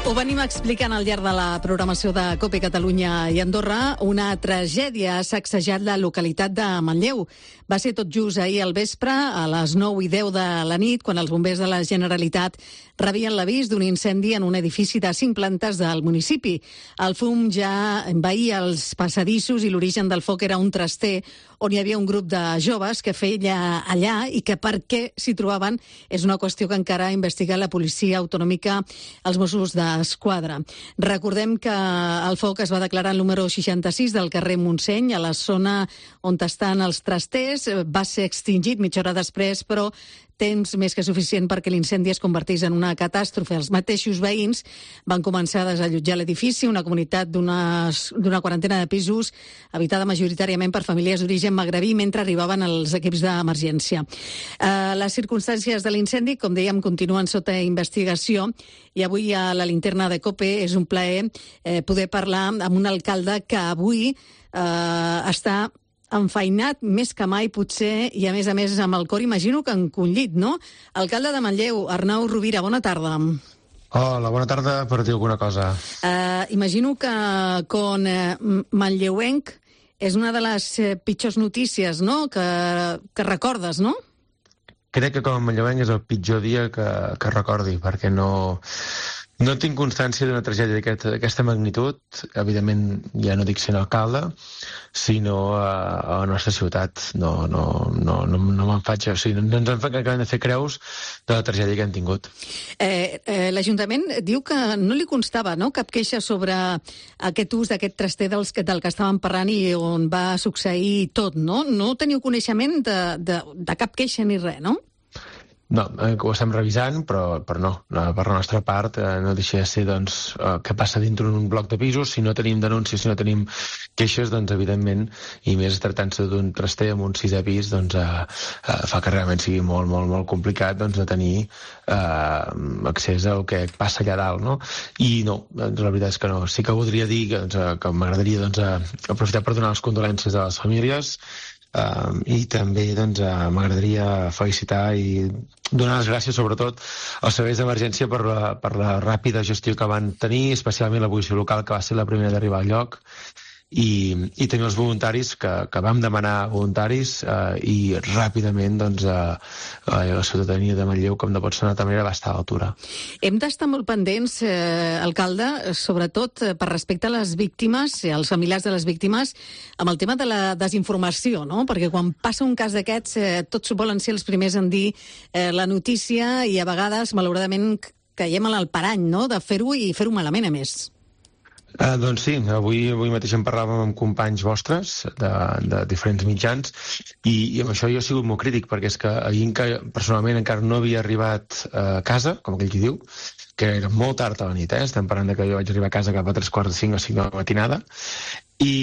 Ho venim explicant al llarg de la programació de COPE Catalunya i Andorra. Una tragèdia ha sacsejat la localitat de Manlleu. Va ser tot just ahir al vespre, a les nou i deu de la nit, quan els bombers de la Generalitat rebien l'avís d'un incendi en un edifici de cinc plantes del municipi. El fum ja envaïa els passadissos i l'origen del foc era un traster on hi havia un grup de joves que feia allà i que per què s'hi trobaven és una qüestió que encara investiga la policia autonòmica, els Mossos d'Esquadra. Recordem que el foc es va declarar al número seixanta-sis del carrer Montseny, a la zona on estan els trasters. Va ser extingit mitja hora després, però temps més que suficient perquè l'incendi es convertís en una catàstrofe. Els mateixos veïns van començar a desallotjar l'edifici, una comunitat d'una quarantena de pisos, habitada majoritàriament per famílies d'origen magrebí, mentre arribaven els equips d'emergència. Eh, les circumstàncies de l'incendi, com dèiem, continuen sota investigació i avui a la linterna de COPE és un plaer eh, poder parlar amb un alcalde que avui eh, està enfeinat més que mai, potser, i a més a més amb el cor, imagino que encongit, no? Alcalde de Manlleu, Arnau Rovira, bona tarda. Hola, bona tarda, per dir alguna cosa. Uh, imagino que con eh, manlleuenc és una de les eh, pitjors notícies, no?, que, que recordes, no? Crec que com a manlleuenc és el pitjor dia que, que recordi, perquè no... No tinc constància d'una tragèdia d'aquesta magnitud, evidentment ja no dic sent alcalde, sinó a, a la nostra ciutat. No, no, no, no, no me'n faig... O sigui, no ens acabem de fer creus de la tragèdia que hem tingut. Eh, eh, L'Ajuntament diu que no li constava, no?, cap queixa sobre aquest ús d'aquest traster dels, del que estàvem parlant i on va succeir tot, no? No teniu coneixement de, de, de cap queixa ni res, no? No, eh, ho estem revisant, però, però no. Per la nostra part eh, no deixa de ser doncs, eh, què passa dintre d'un bloc de pisos. Si no tenim denúncies, si no tenim queixes, doncs evidentment, i més tractant-se d'un traster amb un sisè pis, doncs eh, eh, fa que realment sigui molt, molt, molt complicat doncs, de tenir eh, accés al que passa allà dalt, no? I no, doncs, la veritat és que no. Sí que voldria dir que, doncs, que m'agradaria doncs, aprofitar per donar les condolències a les famílies. Uh, i també doncs, uh, m'agradaria felicitar i donar les gràcies sobretot als serveis d'emergència per la, per la ràpida gestió que van tenir, especialment la policia local, que va ser la primera d'arribar al lloc, i, i també els voluntaris que, que vam demanar voluntaris uh, i ràpidament doncs, uh, uh, la ciutadania de Manlleu, com no pot ser d'una altra manera, va estar a l'altura. Hem d'estar molt pendents, eh, alcalde, sobretot per respecte a les víctimes, als familiars de les víctimes, amb el tema de la desinformació, no? Perquè quan passa un cas d'aquests, eh, tots volen ser els primers en dir eh, la notícia i a vegades, malauradament, caiem en el parany, no?, de fer-ho i fer-ho malament, a més. Uh, doncs sí, avui, avui mateix en parlàvem amb companys vostres de, de diferents mitjans i, i amb això jo he sigut molt crític perquè és que ahir que personalment encara no havia arribat a casa, com aquell qui diu, que era molt tard a la nit, eh? Estem parlant de que jo vaig arribar a casa cap a tres quarts de cinc o cinc de la matinada i,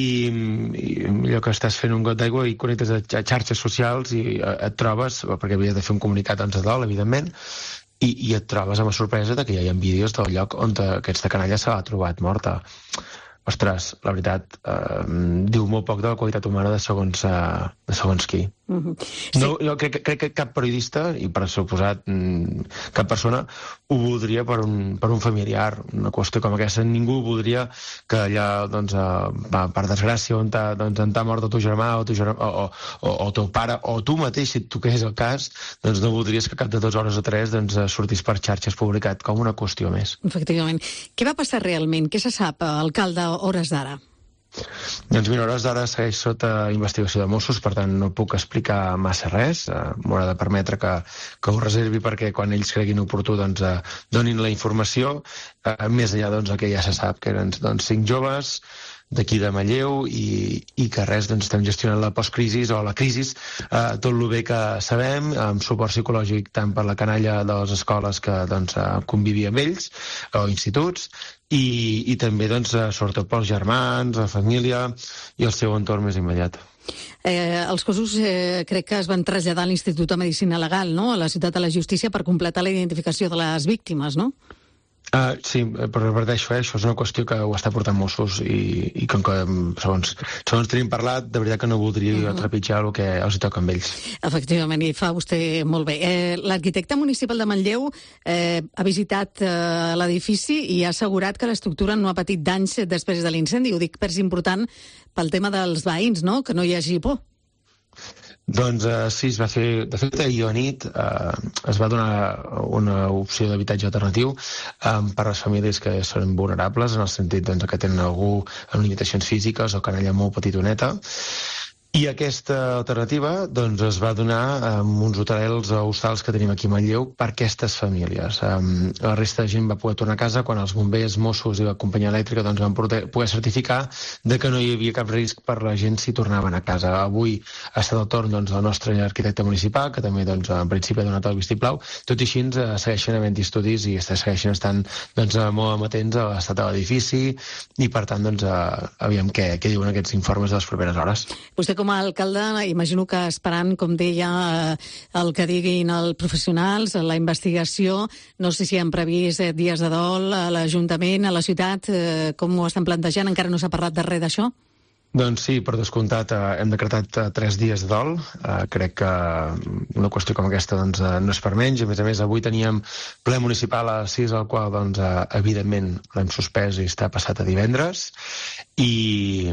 i allò que estàs fent un got d'aigua i connectes a xarxes socials i et trobes, perquè havia de fer un comunicat abans de dol, evidentment, I, i et trobes amb la sorpresa de que hi ha vídeos del lloc on aquesta canalla se l'ha trobat morta. Ostres, la veritat, eh, diu molt poc de la qualitat humana de segons, eh, de segons qui. Uh-huh. Sí. No, jo crec, crec que cap periodista, i per suposat cap persona, ho voldria per un, per un familiar. Una qüestió com aquesta, ningú voldria que allà, doncs, uh, per desgràcia, on t'ha doncs, mort el teu germà o, teu germà, o, o, o teu pare, o tu mateix, si et toqués el cas, doncs no voldries que cap de dues hores o tres doncs, sortís per xarxes publicat com una qüestió més. Efectivament. Què va passar realment? Què se sap, alcalde, a hores d'ara? Doncs mira, hores d'ara segueix sota investigació de Mossos, per tant no puc explicar massa res. Uh, M'haurà de permetre que, que ho reservi perquè quan ells creguin oportú doncs, uh, donin la informació, uh, més enllà doncs, el que ja se sap, que eren doncs, cinc joves d'aquí de Manlleu i, i que res, doncs, estem gestionant la postcrisi o la crisi eh, tot el bé que sabem, amb suport psicològic tant per la canalla de les escoles que doncs, convivia amb ells o instituts i, i també doncs, sobretot pels germans, la família i el seu entorn més immediat. Eh, els cossos eh, crec que es van traslladar a l'Institut de Medicina Legal, no?, a la Ciutat de la Justícia per completar la identificació de les víctimes, no? Uh, sí, però repeteixo, eh, això és una qüestió que ho està portant Mossos i, i com que segons, segons tenim parlat, de veritat que no voldria uh-huh. trepitjar el que els toca amb ells. Efectivament, i fa vostè molt bé. Eh, L'arquitecte municipal de Manlleu eh, ha visitat eh, l'edifici i ha assegurat que l'estructura no ha patit danys després de l'incendi. Ho dic perquè és important pel tema dels veïns, no?, que no hi hagi por. Doncs uh, sí, es va fer, de fet ahir a nit uh, es va donar una opció d'habitatge alternatiu um, per a les famílies que són vulnerables, en el sentit doncs, que tenen algú amb limitacions físiques o canalla molt petitoneta. I aquesta alternativa doncs, es va donar amb uns hotelers o hostals que tenim aquí a Manlleu per aquestes famílies. Um, la resta de gent va poder tornar a casa quan els bombers, Mossos i la companyia elèctrica doncs, van poder, poder certificar de que no hi havia cap risc per la gent si tornaven a casa. Avui ha estat el torn doncs, del nostre arquitecte municipal, que també doncs, en principi ha donat el vistiplau. Tot i així uh, segueixen havent estudis i segueixen estant doncs, molt amatents a l'estat de l'edifici i per tant doncs, uh, aviam què, què diuen aquests informes de les properes hores. Vostè com a alcalde, imagino que esperant, com deia, el que diguin els professionals, la investigació, no sé si han previst dies de dol a l'Ajuntament, a la ciutat, com ho estan plantejant? Encara no s'ha parlat de res d'això? Doncs sí, per descomptat, eh, hem decretat eh, tres dies de dol. Eh, crec que una qüestió com aquesta doncs, eh, no és per menys. A més a més, avui teníem ple municipal a les sis, el qual, doncs, eh, evidentment, l'hem suspès i està passat a divendres. I,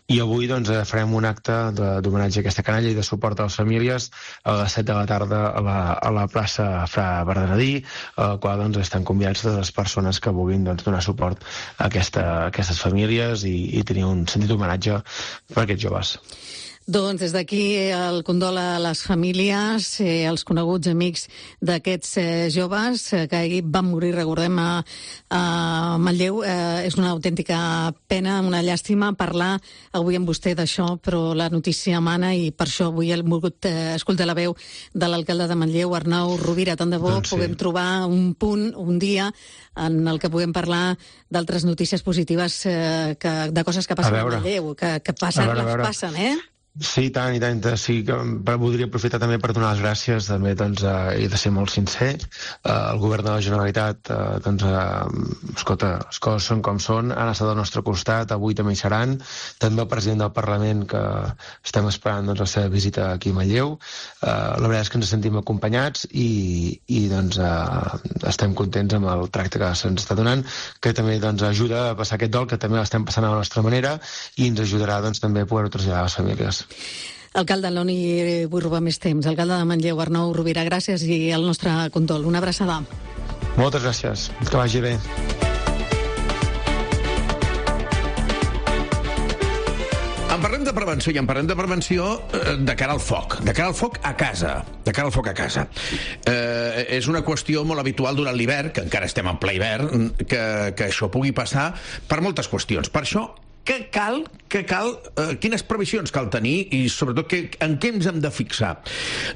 i avui doncs, farem un acte d'homenatge a aquesta canalla i de suport a les famílies a les set de la tarda a la, a la plaça Fra Bernadí, al qual doncs, estan convidats totes les persones que vulguin doncs, donar suport a, aquesta, a aquestes famílies i, i tenir un sentit d'homenatge per aquests joves. Doncs des d'aquí el condol a les famílies, eh, als coneguts amics d'aquests eh, joves eh, que ahir van morir, recordem, a, a Manlleu. Eh, és una autèntica pena, una llàstima parlar avui amb vostè d'això, però la notícia mana i per això avui hem volgut eh, escoltar la veu de l'alcalde de Manlleu, Arnau Rovira. Tant de bo doncs sí. puguem trobar un punt, un dia, en el que puguem parlar d'altres notícies positives eh, que, de coses que passen a, a Manlleu, que, que passen, a veure, a veure. les passen, eh? Sí, tant i tant. Sí, que voldria aprofitar també per donar les gràcies, també, doncs, eh, he de ser molt sincer. Eh, el govern de la Generalitat, eh, doncs, eh, escolta, les coses són com són, han estat al nostre costat, avui també hi seran. També el president del Parlament, que estem esperant doncs, la seva visita aquí a Manlleu. Eh, la veritat és que ens sentim acompanyats i, i doncs, eh, estem contents amb el tracte que se'ns està donant, que també doncs, ajuda a passar aquest dol, que també l'estem passant a la nostra manera i ens ajudarà doncs, també a poder-ho traslladar a les famílies. Alcalde, no n'hi vull robar més temps. Alcalde de Manlleu, Arnau Rovira, gràcies i el nostre condol. Una abraçada. Moltes gràcies. Que vagi bé. En parlem de prevenció i en parlem de prevenció de cara al foc, de cara al foc a casa, de cara al foc a casa. Eh, és una qüestió molt habitual durant l'hivern, que encara estem en ple hivern, que, que això pugui passar per moltes qüestions. Per això, què cal, què cal, eh, quines previsions cal tenir i sobretot que, en què ens hem de fixar?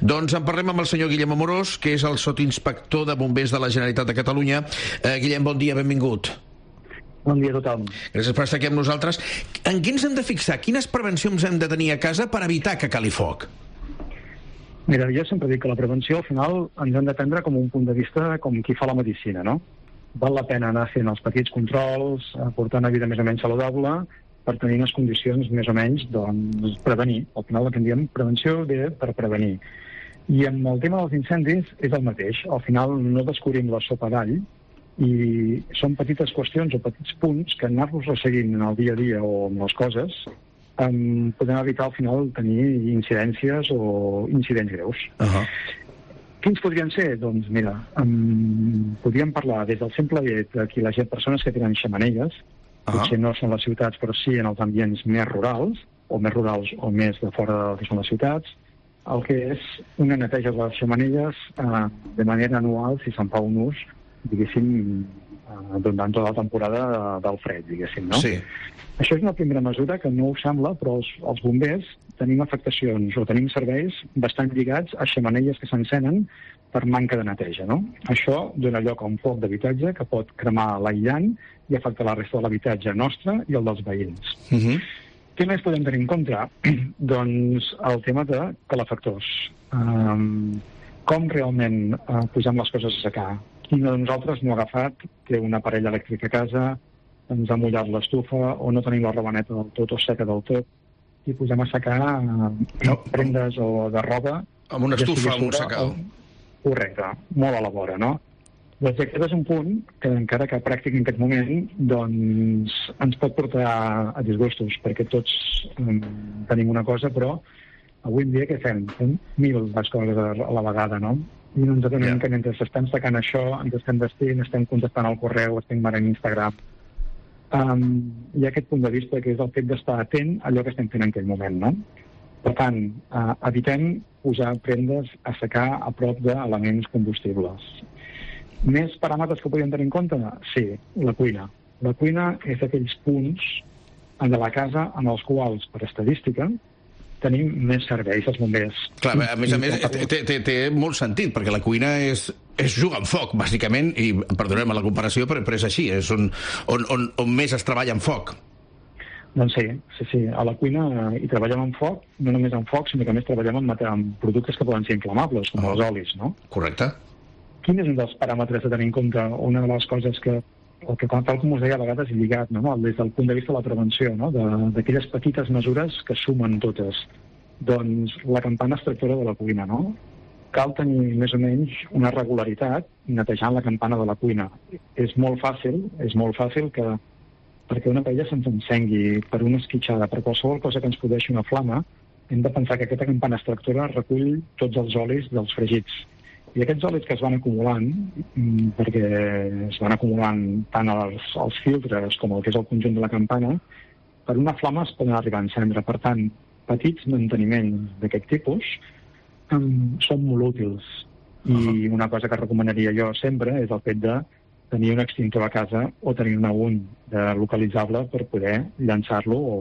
Doncs en parlem amb el senyor Guillem Amorós, que és el sotinspector de bombers de la Generalitat de Catalunya. Eh, Guillem, bon dia, benvingut. Bon dia a tothom. Gràcies per estar aquí amb nosaltres. En què ens hem de fixar? Quines prevencions hem de tenir a casa per evitar que cali foc? Mira, jo sempre dic que la prevenció al final ens hem de prendre com un punt de vista com qui fa la medicina, no? Val la pena anar fent els petits controls, portar una vida més o menys saludable, per tenir unes condicions més o menys, doncs, prevenir. Al final el que en diem prevenció ve per prevenir. I amb el tema dels incendis és el mateix. Al final no descobrim la sopa d'all i són petites qüestions o petits punts que anar-los resseguint en el dia a dia o amb les coses um, podem evitar al final tenir incidències o incidents greus. Uh-huh. Quins podrien ser? Doncs mira, um, podríem parlar des del simple fet que les persones que tenen xemeneies, uh-huh. potser no són les ciutats, però sí en els ambients més rurals, o més rurals o més de fora del que són les ciutats, el que és una neteja de les xemeneies eh, de manera anual, si se'n fa un ús, diguéssim, eh, durant tota la temporada del fred, diguéssim, no? Sí. Això és una primera mesura que no us sembla, però els, els bombers tenim afectacions o tenim serveis bastant lligats a xemeneies que s'encenen per manca de neteja, no? Això dona lloc a un foc d'habitatge que pot cremar l'aïllant i afectar la resta de l'habitatge nostre i el dels veïns. Uh-huh. Què més podem tenir en compte? Doncs el tema de calefactors. Um, com realment uh, posem les coses a secar? Qui de nosaltres no ha agafat, té una parella elèctrica a casa, ens ha mullat l'estufa o no tenim la robaneta del tot o seca del tot i posem a secar uh, no. prendes o de roba. Amb una estufa, amb un secador. Correcte, molt a la vora, no? Doncs aquest és un punt que encara que pràctic en aquest moment doncs ens pot portar a disgustos, perquè tots um, tenim una cosa, però avui en dia què fem? Fem mil les coses a la vegada, no? I no ens adonem yeah. que mentre estem secant això, ens estem vestint, estem contestant al correu, estem mirant Instagram. Um, hi ha aquest punt de vista que és el fet d'estar atent a allò que estem fent en aquell moment, no? Per tant, uh, evitem posar prendes a secar a prop d'elements combustibles. Més paràmetres que podem tenir en compte? Sí, la cuina. La cuina és d'aquells punts de la casa en els quals, per estadística, tenim més serveis als bombers. Clar, a més a més, té, té, té molt sentit, perquè la cuina és, és jugar amb foc, bàsicament, i perdoneu-me la comparació, però, però és així, és on, on, on, on més es treballa amb foc. Doncs sí, sí, sí. A la cuina hi treballem amb foc, no només amb foc, sinó que més treballem amb, amb productes que poden ser inflamables, com oh. els olis, no? Correcte. Quin és un dels paràmetres a tenir en compte? Una de les coses que, el que tal com us deia, a vegades lligat, no? Des del punt de vista de la prevenció, no? D'aquelles petites mesures que sumen totes. Doncs la campana extractora de la cuina, no? Cal tenir més o menys una regularitat netejant la campana de la cuina. És molt fàcil, és molt fàcil que perquè una paella se'ns encengui per una esquitxada, per qualsevol cosa que ens produeixi una flama, hem de pensar que aquesta campana extractora recull tots els olis dels fregits. I aquests olis que es van acumulant, perquè es van acumulant tant els, els filtres com el que és el conjunt de la campana, per una flama es poden arribar a encendre. Per tant, petits manteniments d'aquest tipus um, són molt útils. I uh-huh. una cosa que recomanaria jo sempre és el fet de tenir un extintor a casa o tenir-ne un de localitzable per poder llançar-lo o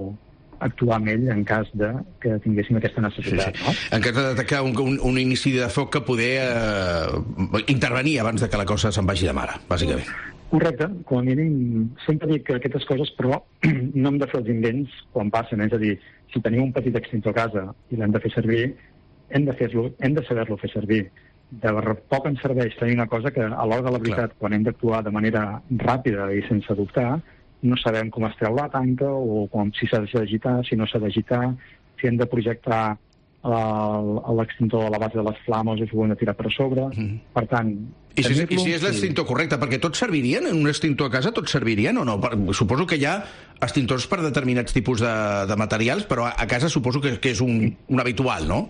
actuar amb ell en cas de que tinguéssim aquesta necessitat. Sí, sí. No? En cas de detectar un, un, un inici de foc que poder eh, intervenir abans de que la cosa se'n vagi de mare, bàsicament. Correcte. Com a mínim, sempre dic que aquestes coses, però no hem de fer els invents quan passen. És a dir, si tenim un petit extintor a casa i l'hem de fer servir, hem de, fer-lo, hem de saber-lo fer servir. De poc ens serveix tenir una cosa que a l'hora de la veritat, Clar. quan hem d'actuar de manera ràpida i sense dubtar, no sabem com es treu la tanca o com, si s'ha d'agitar, si no s'ha d'agitar, si hem de projectar l'extintor a la base de les flames o si ho hem de tirar per sobre. Mm. Per tant... I si, i si és l'extintor sí. correcte, perquè tots servirien? En un extintor a casa tots servirien o no? Suposo que hi ha extintors per determinats tipus de, de materials, però a casa suposo que, que és un, un habitual, no?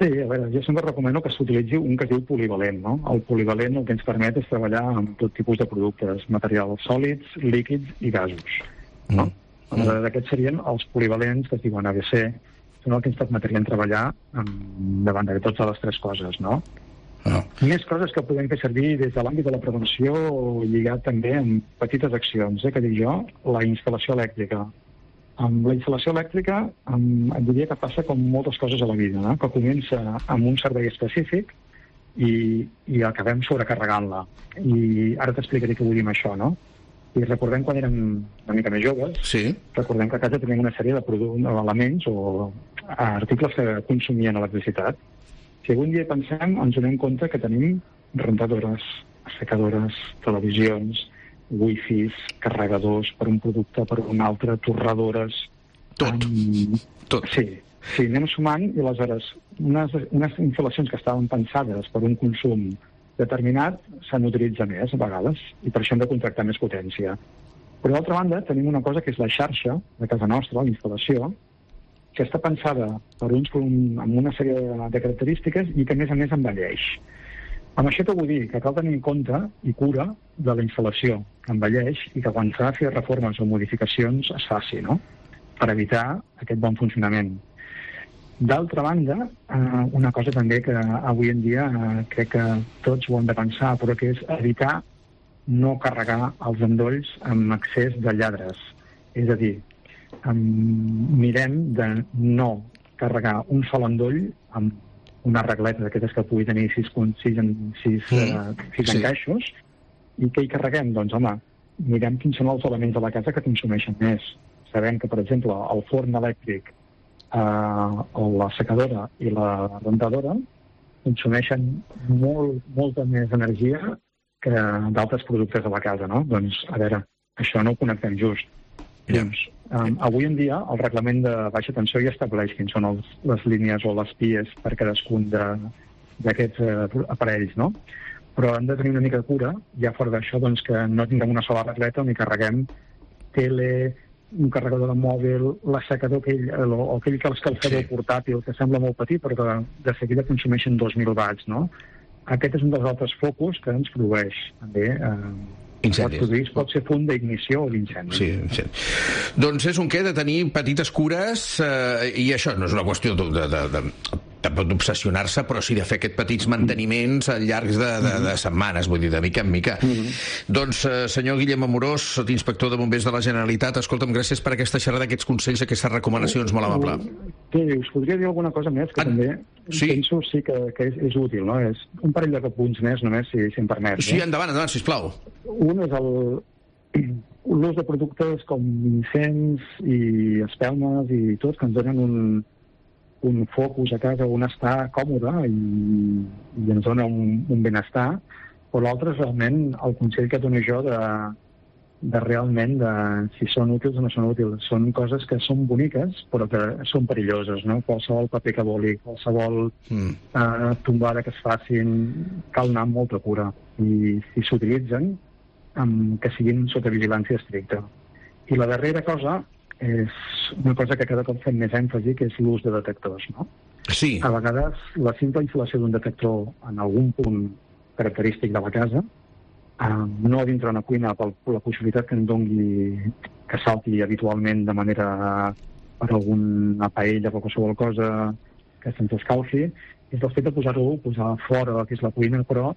Sí, a veure, jo sempre recomano que s'utilitzi un que es diu polivalent, no? El polivalent el que ens permet és treballar amb tot tipus de productes, materials sòlids, líquids i gasos, no? Mm. Mm. Aquests serien els polivalents que es diuen A B C, són el que ens permetrien treballar amb, davant de totes les tres coses, no? No. Més coses que podem fer servir des de l'àmbit de la prevenció lligat també amb petites accions, eh, que dic jo, la instal·lació elèctrica. Amb la instal·lació elèctrica amb, et diria que passa com moltes coses a la vida, no? Que comença amb un servei específic i, i acabem sobrecarregant-la. I ara t'explicaré què vull dir amb això, no? I recordem quan érem una mica més joves, sí. recordem que a casa teníem una sèrie de elements o articles que consumien electricitat. Si algun dia pensem, ens donem compte que tenim rentadores, assecadores, televisions, wifis, carregadors per un producte, per un altre, torradores... Tot. Um, Tot. Sí, sí, anem sumant i aleshores unes, unes instal·lacions que estaven pensades per un consum determinat se n'utilitza més a vegades i per això hem de contractar més potència. Però d'altra banda tenim una cosa que és la xarxa de casa nostra, la instal·lació, que està pensada per uns amb una sèrie de característiques i que a més a més envelleix. Amb això què vull dir? Que cal tenir en compte i cura de la instal·lació que envelleix i que quan s'ha de fer reformes o modificacions es faci, no?, per evitar aquest bon funcionament. D'altra banda, eh, una cosa també que avui en dia eh, crec que tots ho hem de pensar, però que és evitar no carregar els endolls amb excés de lladres. És a dir, eh, mirem de no carregar un sol endoll amb una regleta d'aquestes que pugui tenir sis, sis, sis, mm. eh, sis sí. encaixos, i què hi carreguem? Doncs, home, mirem quins són els elements de la casa que consumeixen més. Sabem que, per exemple, el forn elèctric, eh, la secadora i la rentadora consumeixen molt, molta més energia que d'altres productes de la casa, no? Doncs, a veure, això no ho connectem just. Yeah. Doncs, um, avui en dia, el reglament de baixa tensió ja estableix quins són els, les línies o les pies per cadascun d'aquests uh, aparells, no? Però hem de tenir una mica de cura, ja fora d'això, doncs, que no tinguem una sola regleta on hi carreguem tele, un carregador de mòbil, l'assecador aquell, o aquell que l'escalfador sí. portàtil, que sembla molt petit, però que de seguida consumeixen dos mil watts, no? Aquest és un dels altres focus que ens produeix, també, eh, incendis. Produir, pot ser punt d'ignició o d'incendi. Sí, sí. Doncs és un què de tenir petites cures, eh, i això no és una qüestió de... de, de, de tampoc d'obsessionar-se, però sí de fer aquests petits manteniments al llarg de, de, de setmanes, vull dir, de mica en mica. Mm-hmm. Doncs, eh, senyor Guillem Amorós, sotinspector de Bombers de la Generalitat, escolta'm, gràcies per aquesta xerrada, aquests consells, aquestes recomanacions, molt amable. Sí, us podria dir alguna cosa més, que ah, també sí? penso sí que, que és, és útil, no? És un parell de punts més, només, si, si em permet. Sí, eh? endavant, endavant, sisplau. Un és el l'ús de productes com incens i espelmes i tot, que ens donen un un focus a casa on està còmode i, i ens dona un, un benestar, però l'altre és realment el consell que dono jo de, de realment de si són útils o no són útils. Són coses que són boniques, però que són perilloses, no? Qualsevol paper que voli, qualsevol mm. eh, tombada que es facin, cal anar amb molta cura. I si s'utilitzen, um, que siguin sota vigilància estricta. I la darrera cosa és una cosa que cada cop fem més èmfasi, que és l'ús de detectors, no? Sí. A vegades la simple instal·lació d'un detector en algun punt característic de la casa, eh, no dintre una cuina per la possibilitat que en dongui que salti habitualment de manera per alguna paella o qualsevol cosa que se'ns escalfi, és el fet de posar-ho, posar fora, que és la cuina, però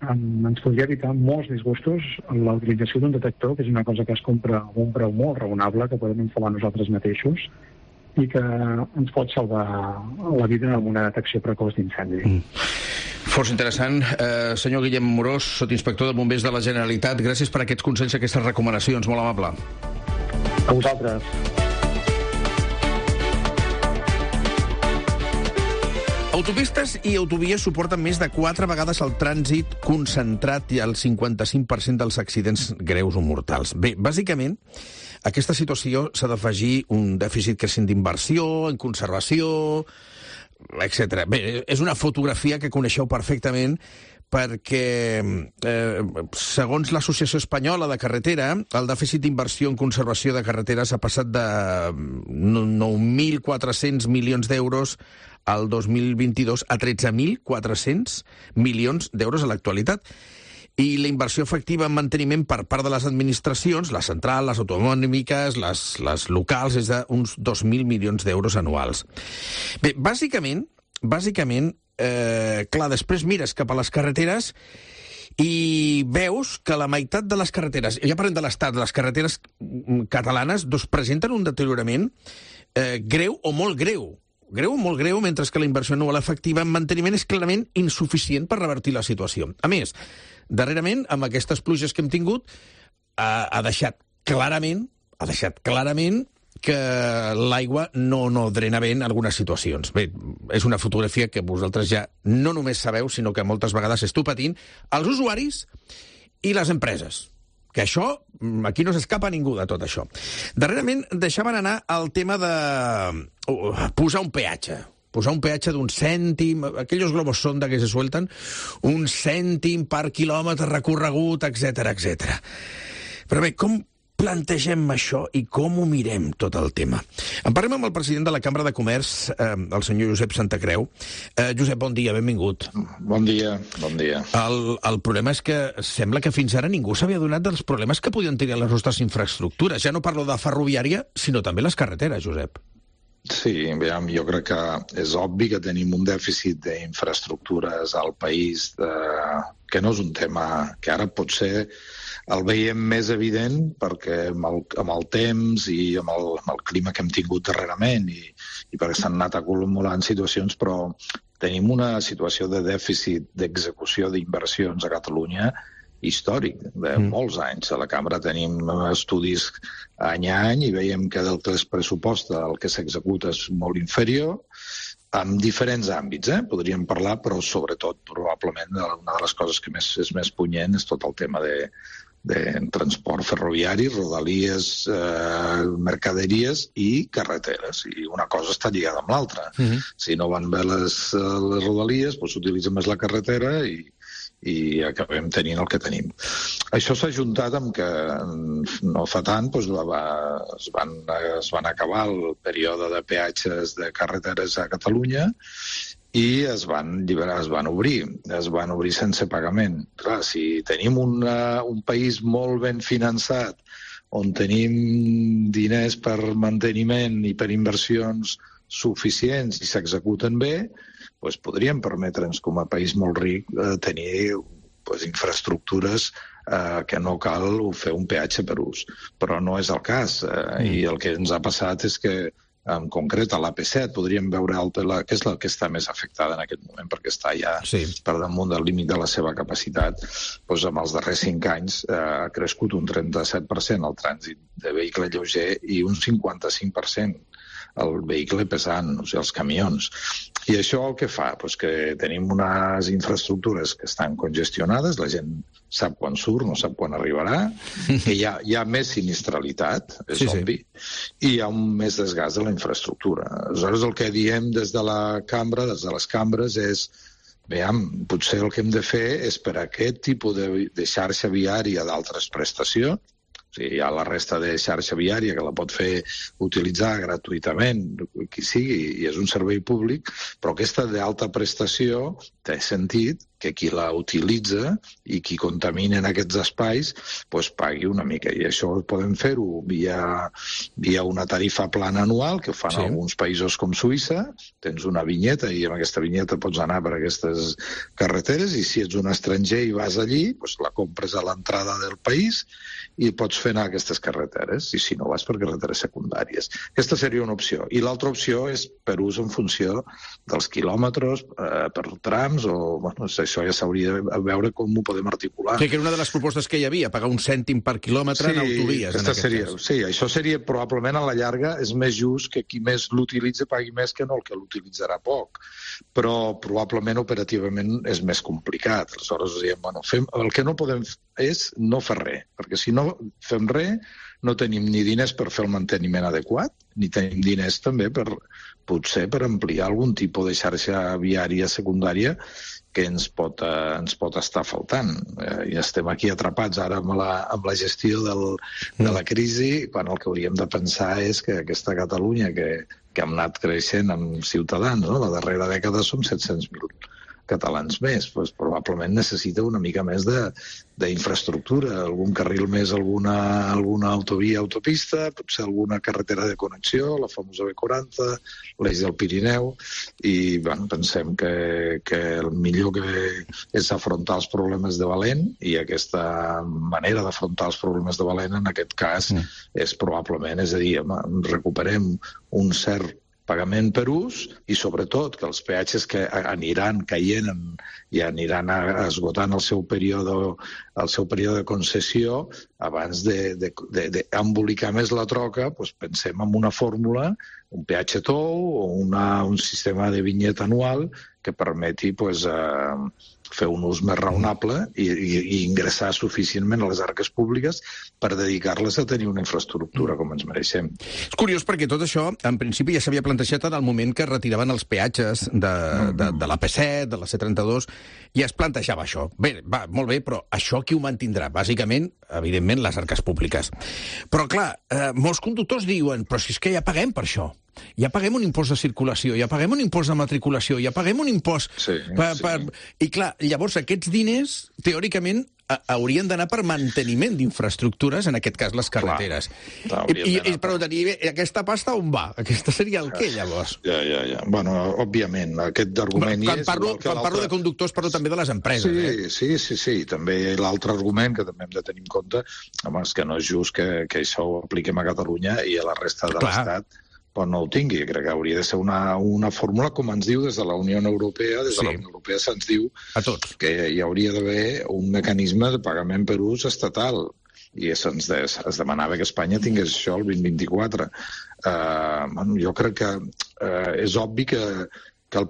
ens podria evitar molts disgustos en la utilització d'un detector, que és una cosa que es compra a un preu molt raonable, que podem instal·lar nosaltres mateixos, i que ens pot salvar la vida amb una detecció precoç d'incendi. Mm. Força interessant. Eh, senyor Guillem Amorós, sotinspector de Bombers de la Generalitat, gràcies per aquests consells i aquestes recomanacions. Molt amable. A vosaltres. Autopistes i autovies suporten més de quatre vegades el trànsit concentrat i el cinquanta-cinc per cent dels accidents greus o mortals. Bé, bàsicament, a aquesta situació s'ha d'afegir un dèficit creixent d'inversió, en conservació, etcètera. Bé, és una fotografia que coneixeu perfectament perquè, eh, segons l'Associació Espanyola de Carretera, el dèficit d'inversió en conservació de carreteres ha passat de nou mil quatre-cents milions d'euros al dos mil vint-i-dos a tretze mil quatre-cents milions d'euros a l'actualitat. I la inversió efectiva en manteniment per part de les administracions, la central, les autonòmiques, les, les locals, és d'uns dos mil milions d'euros anuals. Bé, bàsicament, bàsicament, eh, clar, després mires cap a les carreteres i veus que la meitat de les carreteres, ja parlem de l'estat, de les carreteres catalanes, doncs presenten un deteriorament eh, greu o molt greu. Greu o molt greu, mentre que la inversió anual efectiva en manteniment és clarament insuficient per revertir la situació. A més, darrerament, amb aquestes pluges que hem tingut, ha, ha deixat clarament, ha deixat clarament que l'aigua no, no drena bé en algunes situacions. Bé, és una fotografia que vosaltres ja no només sabeu, sinó que moltes vegades esteu patint els usuaris i les empreses, que això, aquí no s'escapa ningú de tot això. Darrerament deixaven anar el tema de posar un peatge. Posar un peatge d'un cèntim, aquells globos sonda que se suelten, un cèntim per quilòmetre recorregut, etcètera, etcètera. Però bé, com plantegem això i com ho mirem, tot el tema? En parlem amb el president de la Cambra de Comerç, eh, el senyor Josep Santacreu. Eh, Josep, bon dia, benvingut. Bon dia, bon dia. El, el problema és que sembla que fins ara ningú s'havia donat dels problemes que podien tenir les nostres infraestructures. Ja no parlo de ferroviària, sinó també les carreteres, Josep. Sí, veiem, jo crec que és obvi que tenim un dèficit d'infraestructures al país de... que no és un tema que ara pot ser el veiem més evident perquè amb el, amb el temps i amb el, amb el clima que hem tingut darrerament i, i perquè s'han anat acumulant situacions, però tenim una situació de dèficit d'execució d'inversions a Catalunya històric, de mm. molts anys. A la Cambra tenim estudis any a any i veiem que del que es pressuposta el que s'executa és molt inferior, en diferents àmbits, eh? Podríem parlar, però sobretot, probablement, una de les coses que més, és més punyent és tot el tema de, de transport ferroviari, rodalies, eh, mercaderies i carreteres. I una cosa està lligada amb l'altra. Mm-hmm. Si no van bé les, les rodalies, doncs s'utilitza més la carretera i, i acabem tenint el que tenim. Això s'ha juntat amb que no fa tant doncs, va, es, van, es van acabar el període de peatges de carreteres a Catalunya i es van lliberar, es van obrir, es van obrir sense pagament. Clar, si tenim una, un país molt ben finançat, on tenim diners per manteniment i per inversions suficients i s'executen bé, doncs podríem permetre'ns, com a país molt ric, eh, tenir doncs, infraestructures eh, que no cal fer un peatge per ús. Però no és el cas. Eh, mm. I el que ens ha passat és que, en concret, a l'A P set podríem veure el, la, que és la que està més afectada en aquest moment, perquè està ja sí. per damunt del límit de la seva capacitat. Doncs amb els darrers cinc anys eh, ha crescut un trenta-set per cent el trànsit de vehicle lleuger i un cinquanta-cinc per cent el vehicle pesant, o sigui, els camions. I això el que fa? Pues que tenim unes infraestructures que estan congestionades, la gent sap quan surt, no sap quan arribarà, que hi ha, hi ha més sinistralitat, és sí, obvi, sí. i hi ha un més desgast de la infraestructura. Aleshores, el que diem des de la cambra, des de les cambres, és veiem, potser el que hem de fer és per a aquest tipus de, de xarxa viària d'altres prestacions. O sigui, hi ha la resta de xarxa viària que la pot fer utilitzar gratuïtament, qui sigui, i és un servei públic, però aquesta d'alta prestació té sentit que qui la utilitza i qui contamina en aquests espais doncs pagui una mica. I això podem fer-ho via, via una tarifa plana anual, que fan sí. alguns països com Suïssa. Tens una vinyeta i amb aquesta vinyeta pots anar per aquestes carreteres i si ets un estranger i vas allí, doncs la compres a l'entrada del país i pots fer anar aquestes carreteres, i si no vas per carreteres secundàries. Aquesta seria una opció. I l'altra opció és per ús en funció dels quilòmetres, eh, per trams, o bueno, això ja s'hauria de veure com ho podem articular. Sí, que era una de les propostes que hi havia, pagar un cèntim per quilòmetre sí, en autovies. En aquest seria, cas. Sí, això seria probablement a la llarga és més just que qui més l'utilitza pagui més que no el que l'utilitzarà poc. Però probablement operativament és més complicat. Aleshores, diem, bueno, fem, el que no podem és no fer res, perquè si no fem res no tenim ni diners per fer el manteniment adequat, ni tenim diners també per, potser per ampliar algun tipus de xarxa viària secundària que ens pot, eh, ens pot estar faltant. Eh, I estem aquí atrapats ara amb la, amb la gestió del, de la crisi, quan el que hauríem de pensar és que aquesta Catalunya que, que hem anat creixent amb ciutadans, no? La darrera dècada som set-cents mil catalans més, doncs probablement necessita una mica més d'infraestructura, algun carril més, alguna, alguna autovia, autopista, potser alguna carretera de connexió, la famosa B quaranta, l'eix del Pirineu, i bueno, pensem que, que el millor que és afrontar els problemes de valent, i aquesta manera d'afrontar els problemes de valent en aquest cas mm. és probablement, és a dir, recuperem un cert pagament per ús i sobretot que els peatges que aniran caient i aniran esgotant el seu període, el seu període de concessió abans d'embolicar més la troca, doncs pensem en una fórmula, un peatge tou o una, un sistema de vinyeta anual que permeti pues, eh, fer un ús més raonable i, i, i ingressar suficientment a les arques públiques per dedicar-les a tenir una infraestructura com ens mereixem. És curiós perquè tot això, en principi, ja s'havia plantejat en el moment que retiraven els peatges de, de, de l'A P set, de la C trenta-dos, i es plantejava això. Bé, va, molt bé, però això qui ho mantindrà? Bàsicament, evidentment, les arques públiques. Però, clar, eh, molts conductors diuen, però si és que ja paguem per això. Ja paguem un impost de circulació, ja paguem un impost de matriculació, ja paguem un impost... Sí, per, sí. per... I clar, llavors aquests diners, teòricament, a, haurien d'anar per manteniment d'infraestructures, en aquest cas les carreteres. Clar, I, i, i, però tenir aquesta pasta on va? Aquesta seria el què, llavors? Ja, ja, ja. Bueno, òbviament, aquest argument quan hi és... Parlo, quan parlo de conductors, parlo també de les empreses. Sí, eh? sí, sí, sí. També l'altre argument que també hem de tenir en compte, home, és que no és just que, que això ho apliquem a Catalunya i a la resta de l'Estat però no ho tingui. Crec que hauria de ser una, una fórmula, com ens diu des de la Unió Europea, des de sí. la Unió Europea se'ns diu a tots. Que hi hauria d'haver un mecanisme de pagament per ús estatal, i se'ns de, es demanava que Espanya tingués això el vint vint-i-quatre. Uh, bueno, jo crec que uh, és obvi que, que, el,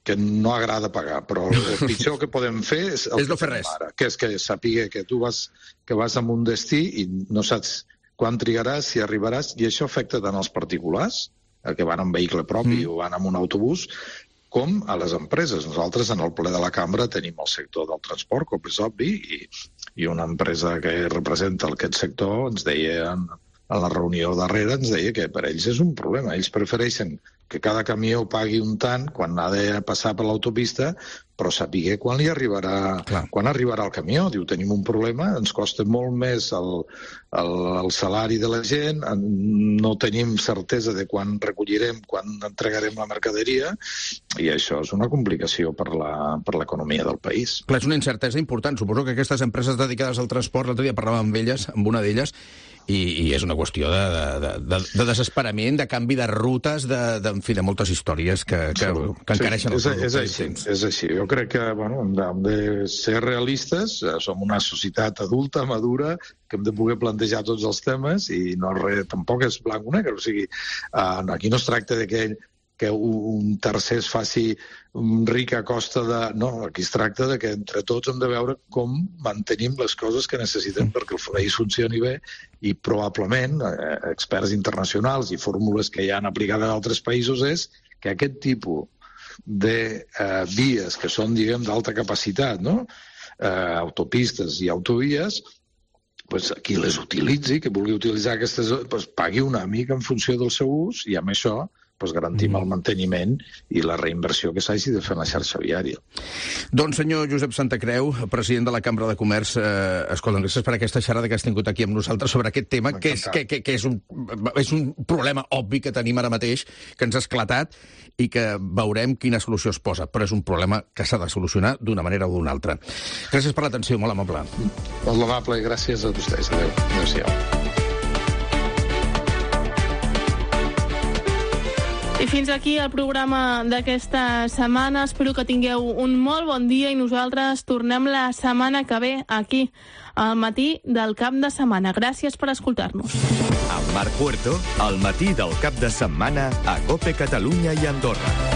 que no agrada pagar, però el pitjor que podem fer és el és no que fer res. Ara, que és que sàpiga que tu vas, que vas a un destí i no saps quan trigaràs, si arribaràs, i això afecta tant als particulars, que van en vehicle propi mm. o van en un autobús, com a les empreses. Nosaltres, en el ple de la cambra, tenim el sector del transport, com és obvi, i, i una empresa que representa aquest sector ens deia, en, en la reunió darrere, ens deia que per ells és un problema. Ells prefereixen que cada camió pagui un tant quan ha de passar per l'autopista, però sàpiga quan li arribarà, Clar. quan arribarà el camió. Diu, tenim un problema, ens costa molt més el, el, el salari de la gent, no tenim certesa de quan recollirem, quan entregarem la mercaderia, i això és una complicació per la, per l'economia del país. Clar, és una incertesa important. Suposo que aquestes empreses dedicades al transport, l'altre dia parlàvem amb elles, amb una d'elles, i, i és una qüestió de, de, de, de desesperament, de canvi de rutes, de, de, en fi, de moltes històries que, que, que encareixen sí, els productes. És així, és així. Jo crec que bueno, hem, de, hem de ser realistes, som una societat adulta, madura, que hem de poder plantejar tots els temes, i no res, tampoc és blanc o negre. O sigui, uh, aquí no es tracta de que que un tercer es faci ric a costa de... No, aquí es tracta de que entre tots hem de veure com mantenim les coses que necessitem perquè el país funcioni bé, i probablement eh, experts internacionals i fórmules que ja han aplicat en altres països és que aquest tipus de eh, vies que són, diguem, d'alta capacitat, no? eh, autopistes i autovies, pues, qui les utilitzi, que vulgui utilitzar aquestes, pues, pagui una mica en funció del seu ús, i amb això pues, garantim mm. el manteniment i la reinversió que s'hagi de fer en la xarxa viària. Doncs, senyor Josep Santacreu, president de la Cambra de Comerç, eh, escolta, gràcies per aquesta xerrada que has tingut aquí amb nosaltres sobre aquest tema, que, és, que, que, que és, un, és un problema obvi que tenim ara mateix, que ens ha esclatat, i que veurem quina solució es posa, però és un problema que s'ha de solucionar d'una manera o d'una altra. Gràcies per l'atenció, molt amable. Molt amable i gràcies a vostès. Adéu. Adéu-siau. I fins aquí el programa d'aquesta setmana. Espero que tingueu un molt bon dia i nosaltres tornem la setmana que ve aquí, al matí del cap de setmana. Gràcies per escoltar-nos. Amb Marc Puerto, al matí del cap de setmana a COPE Catalunya i Andorra.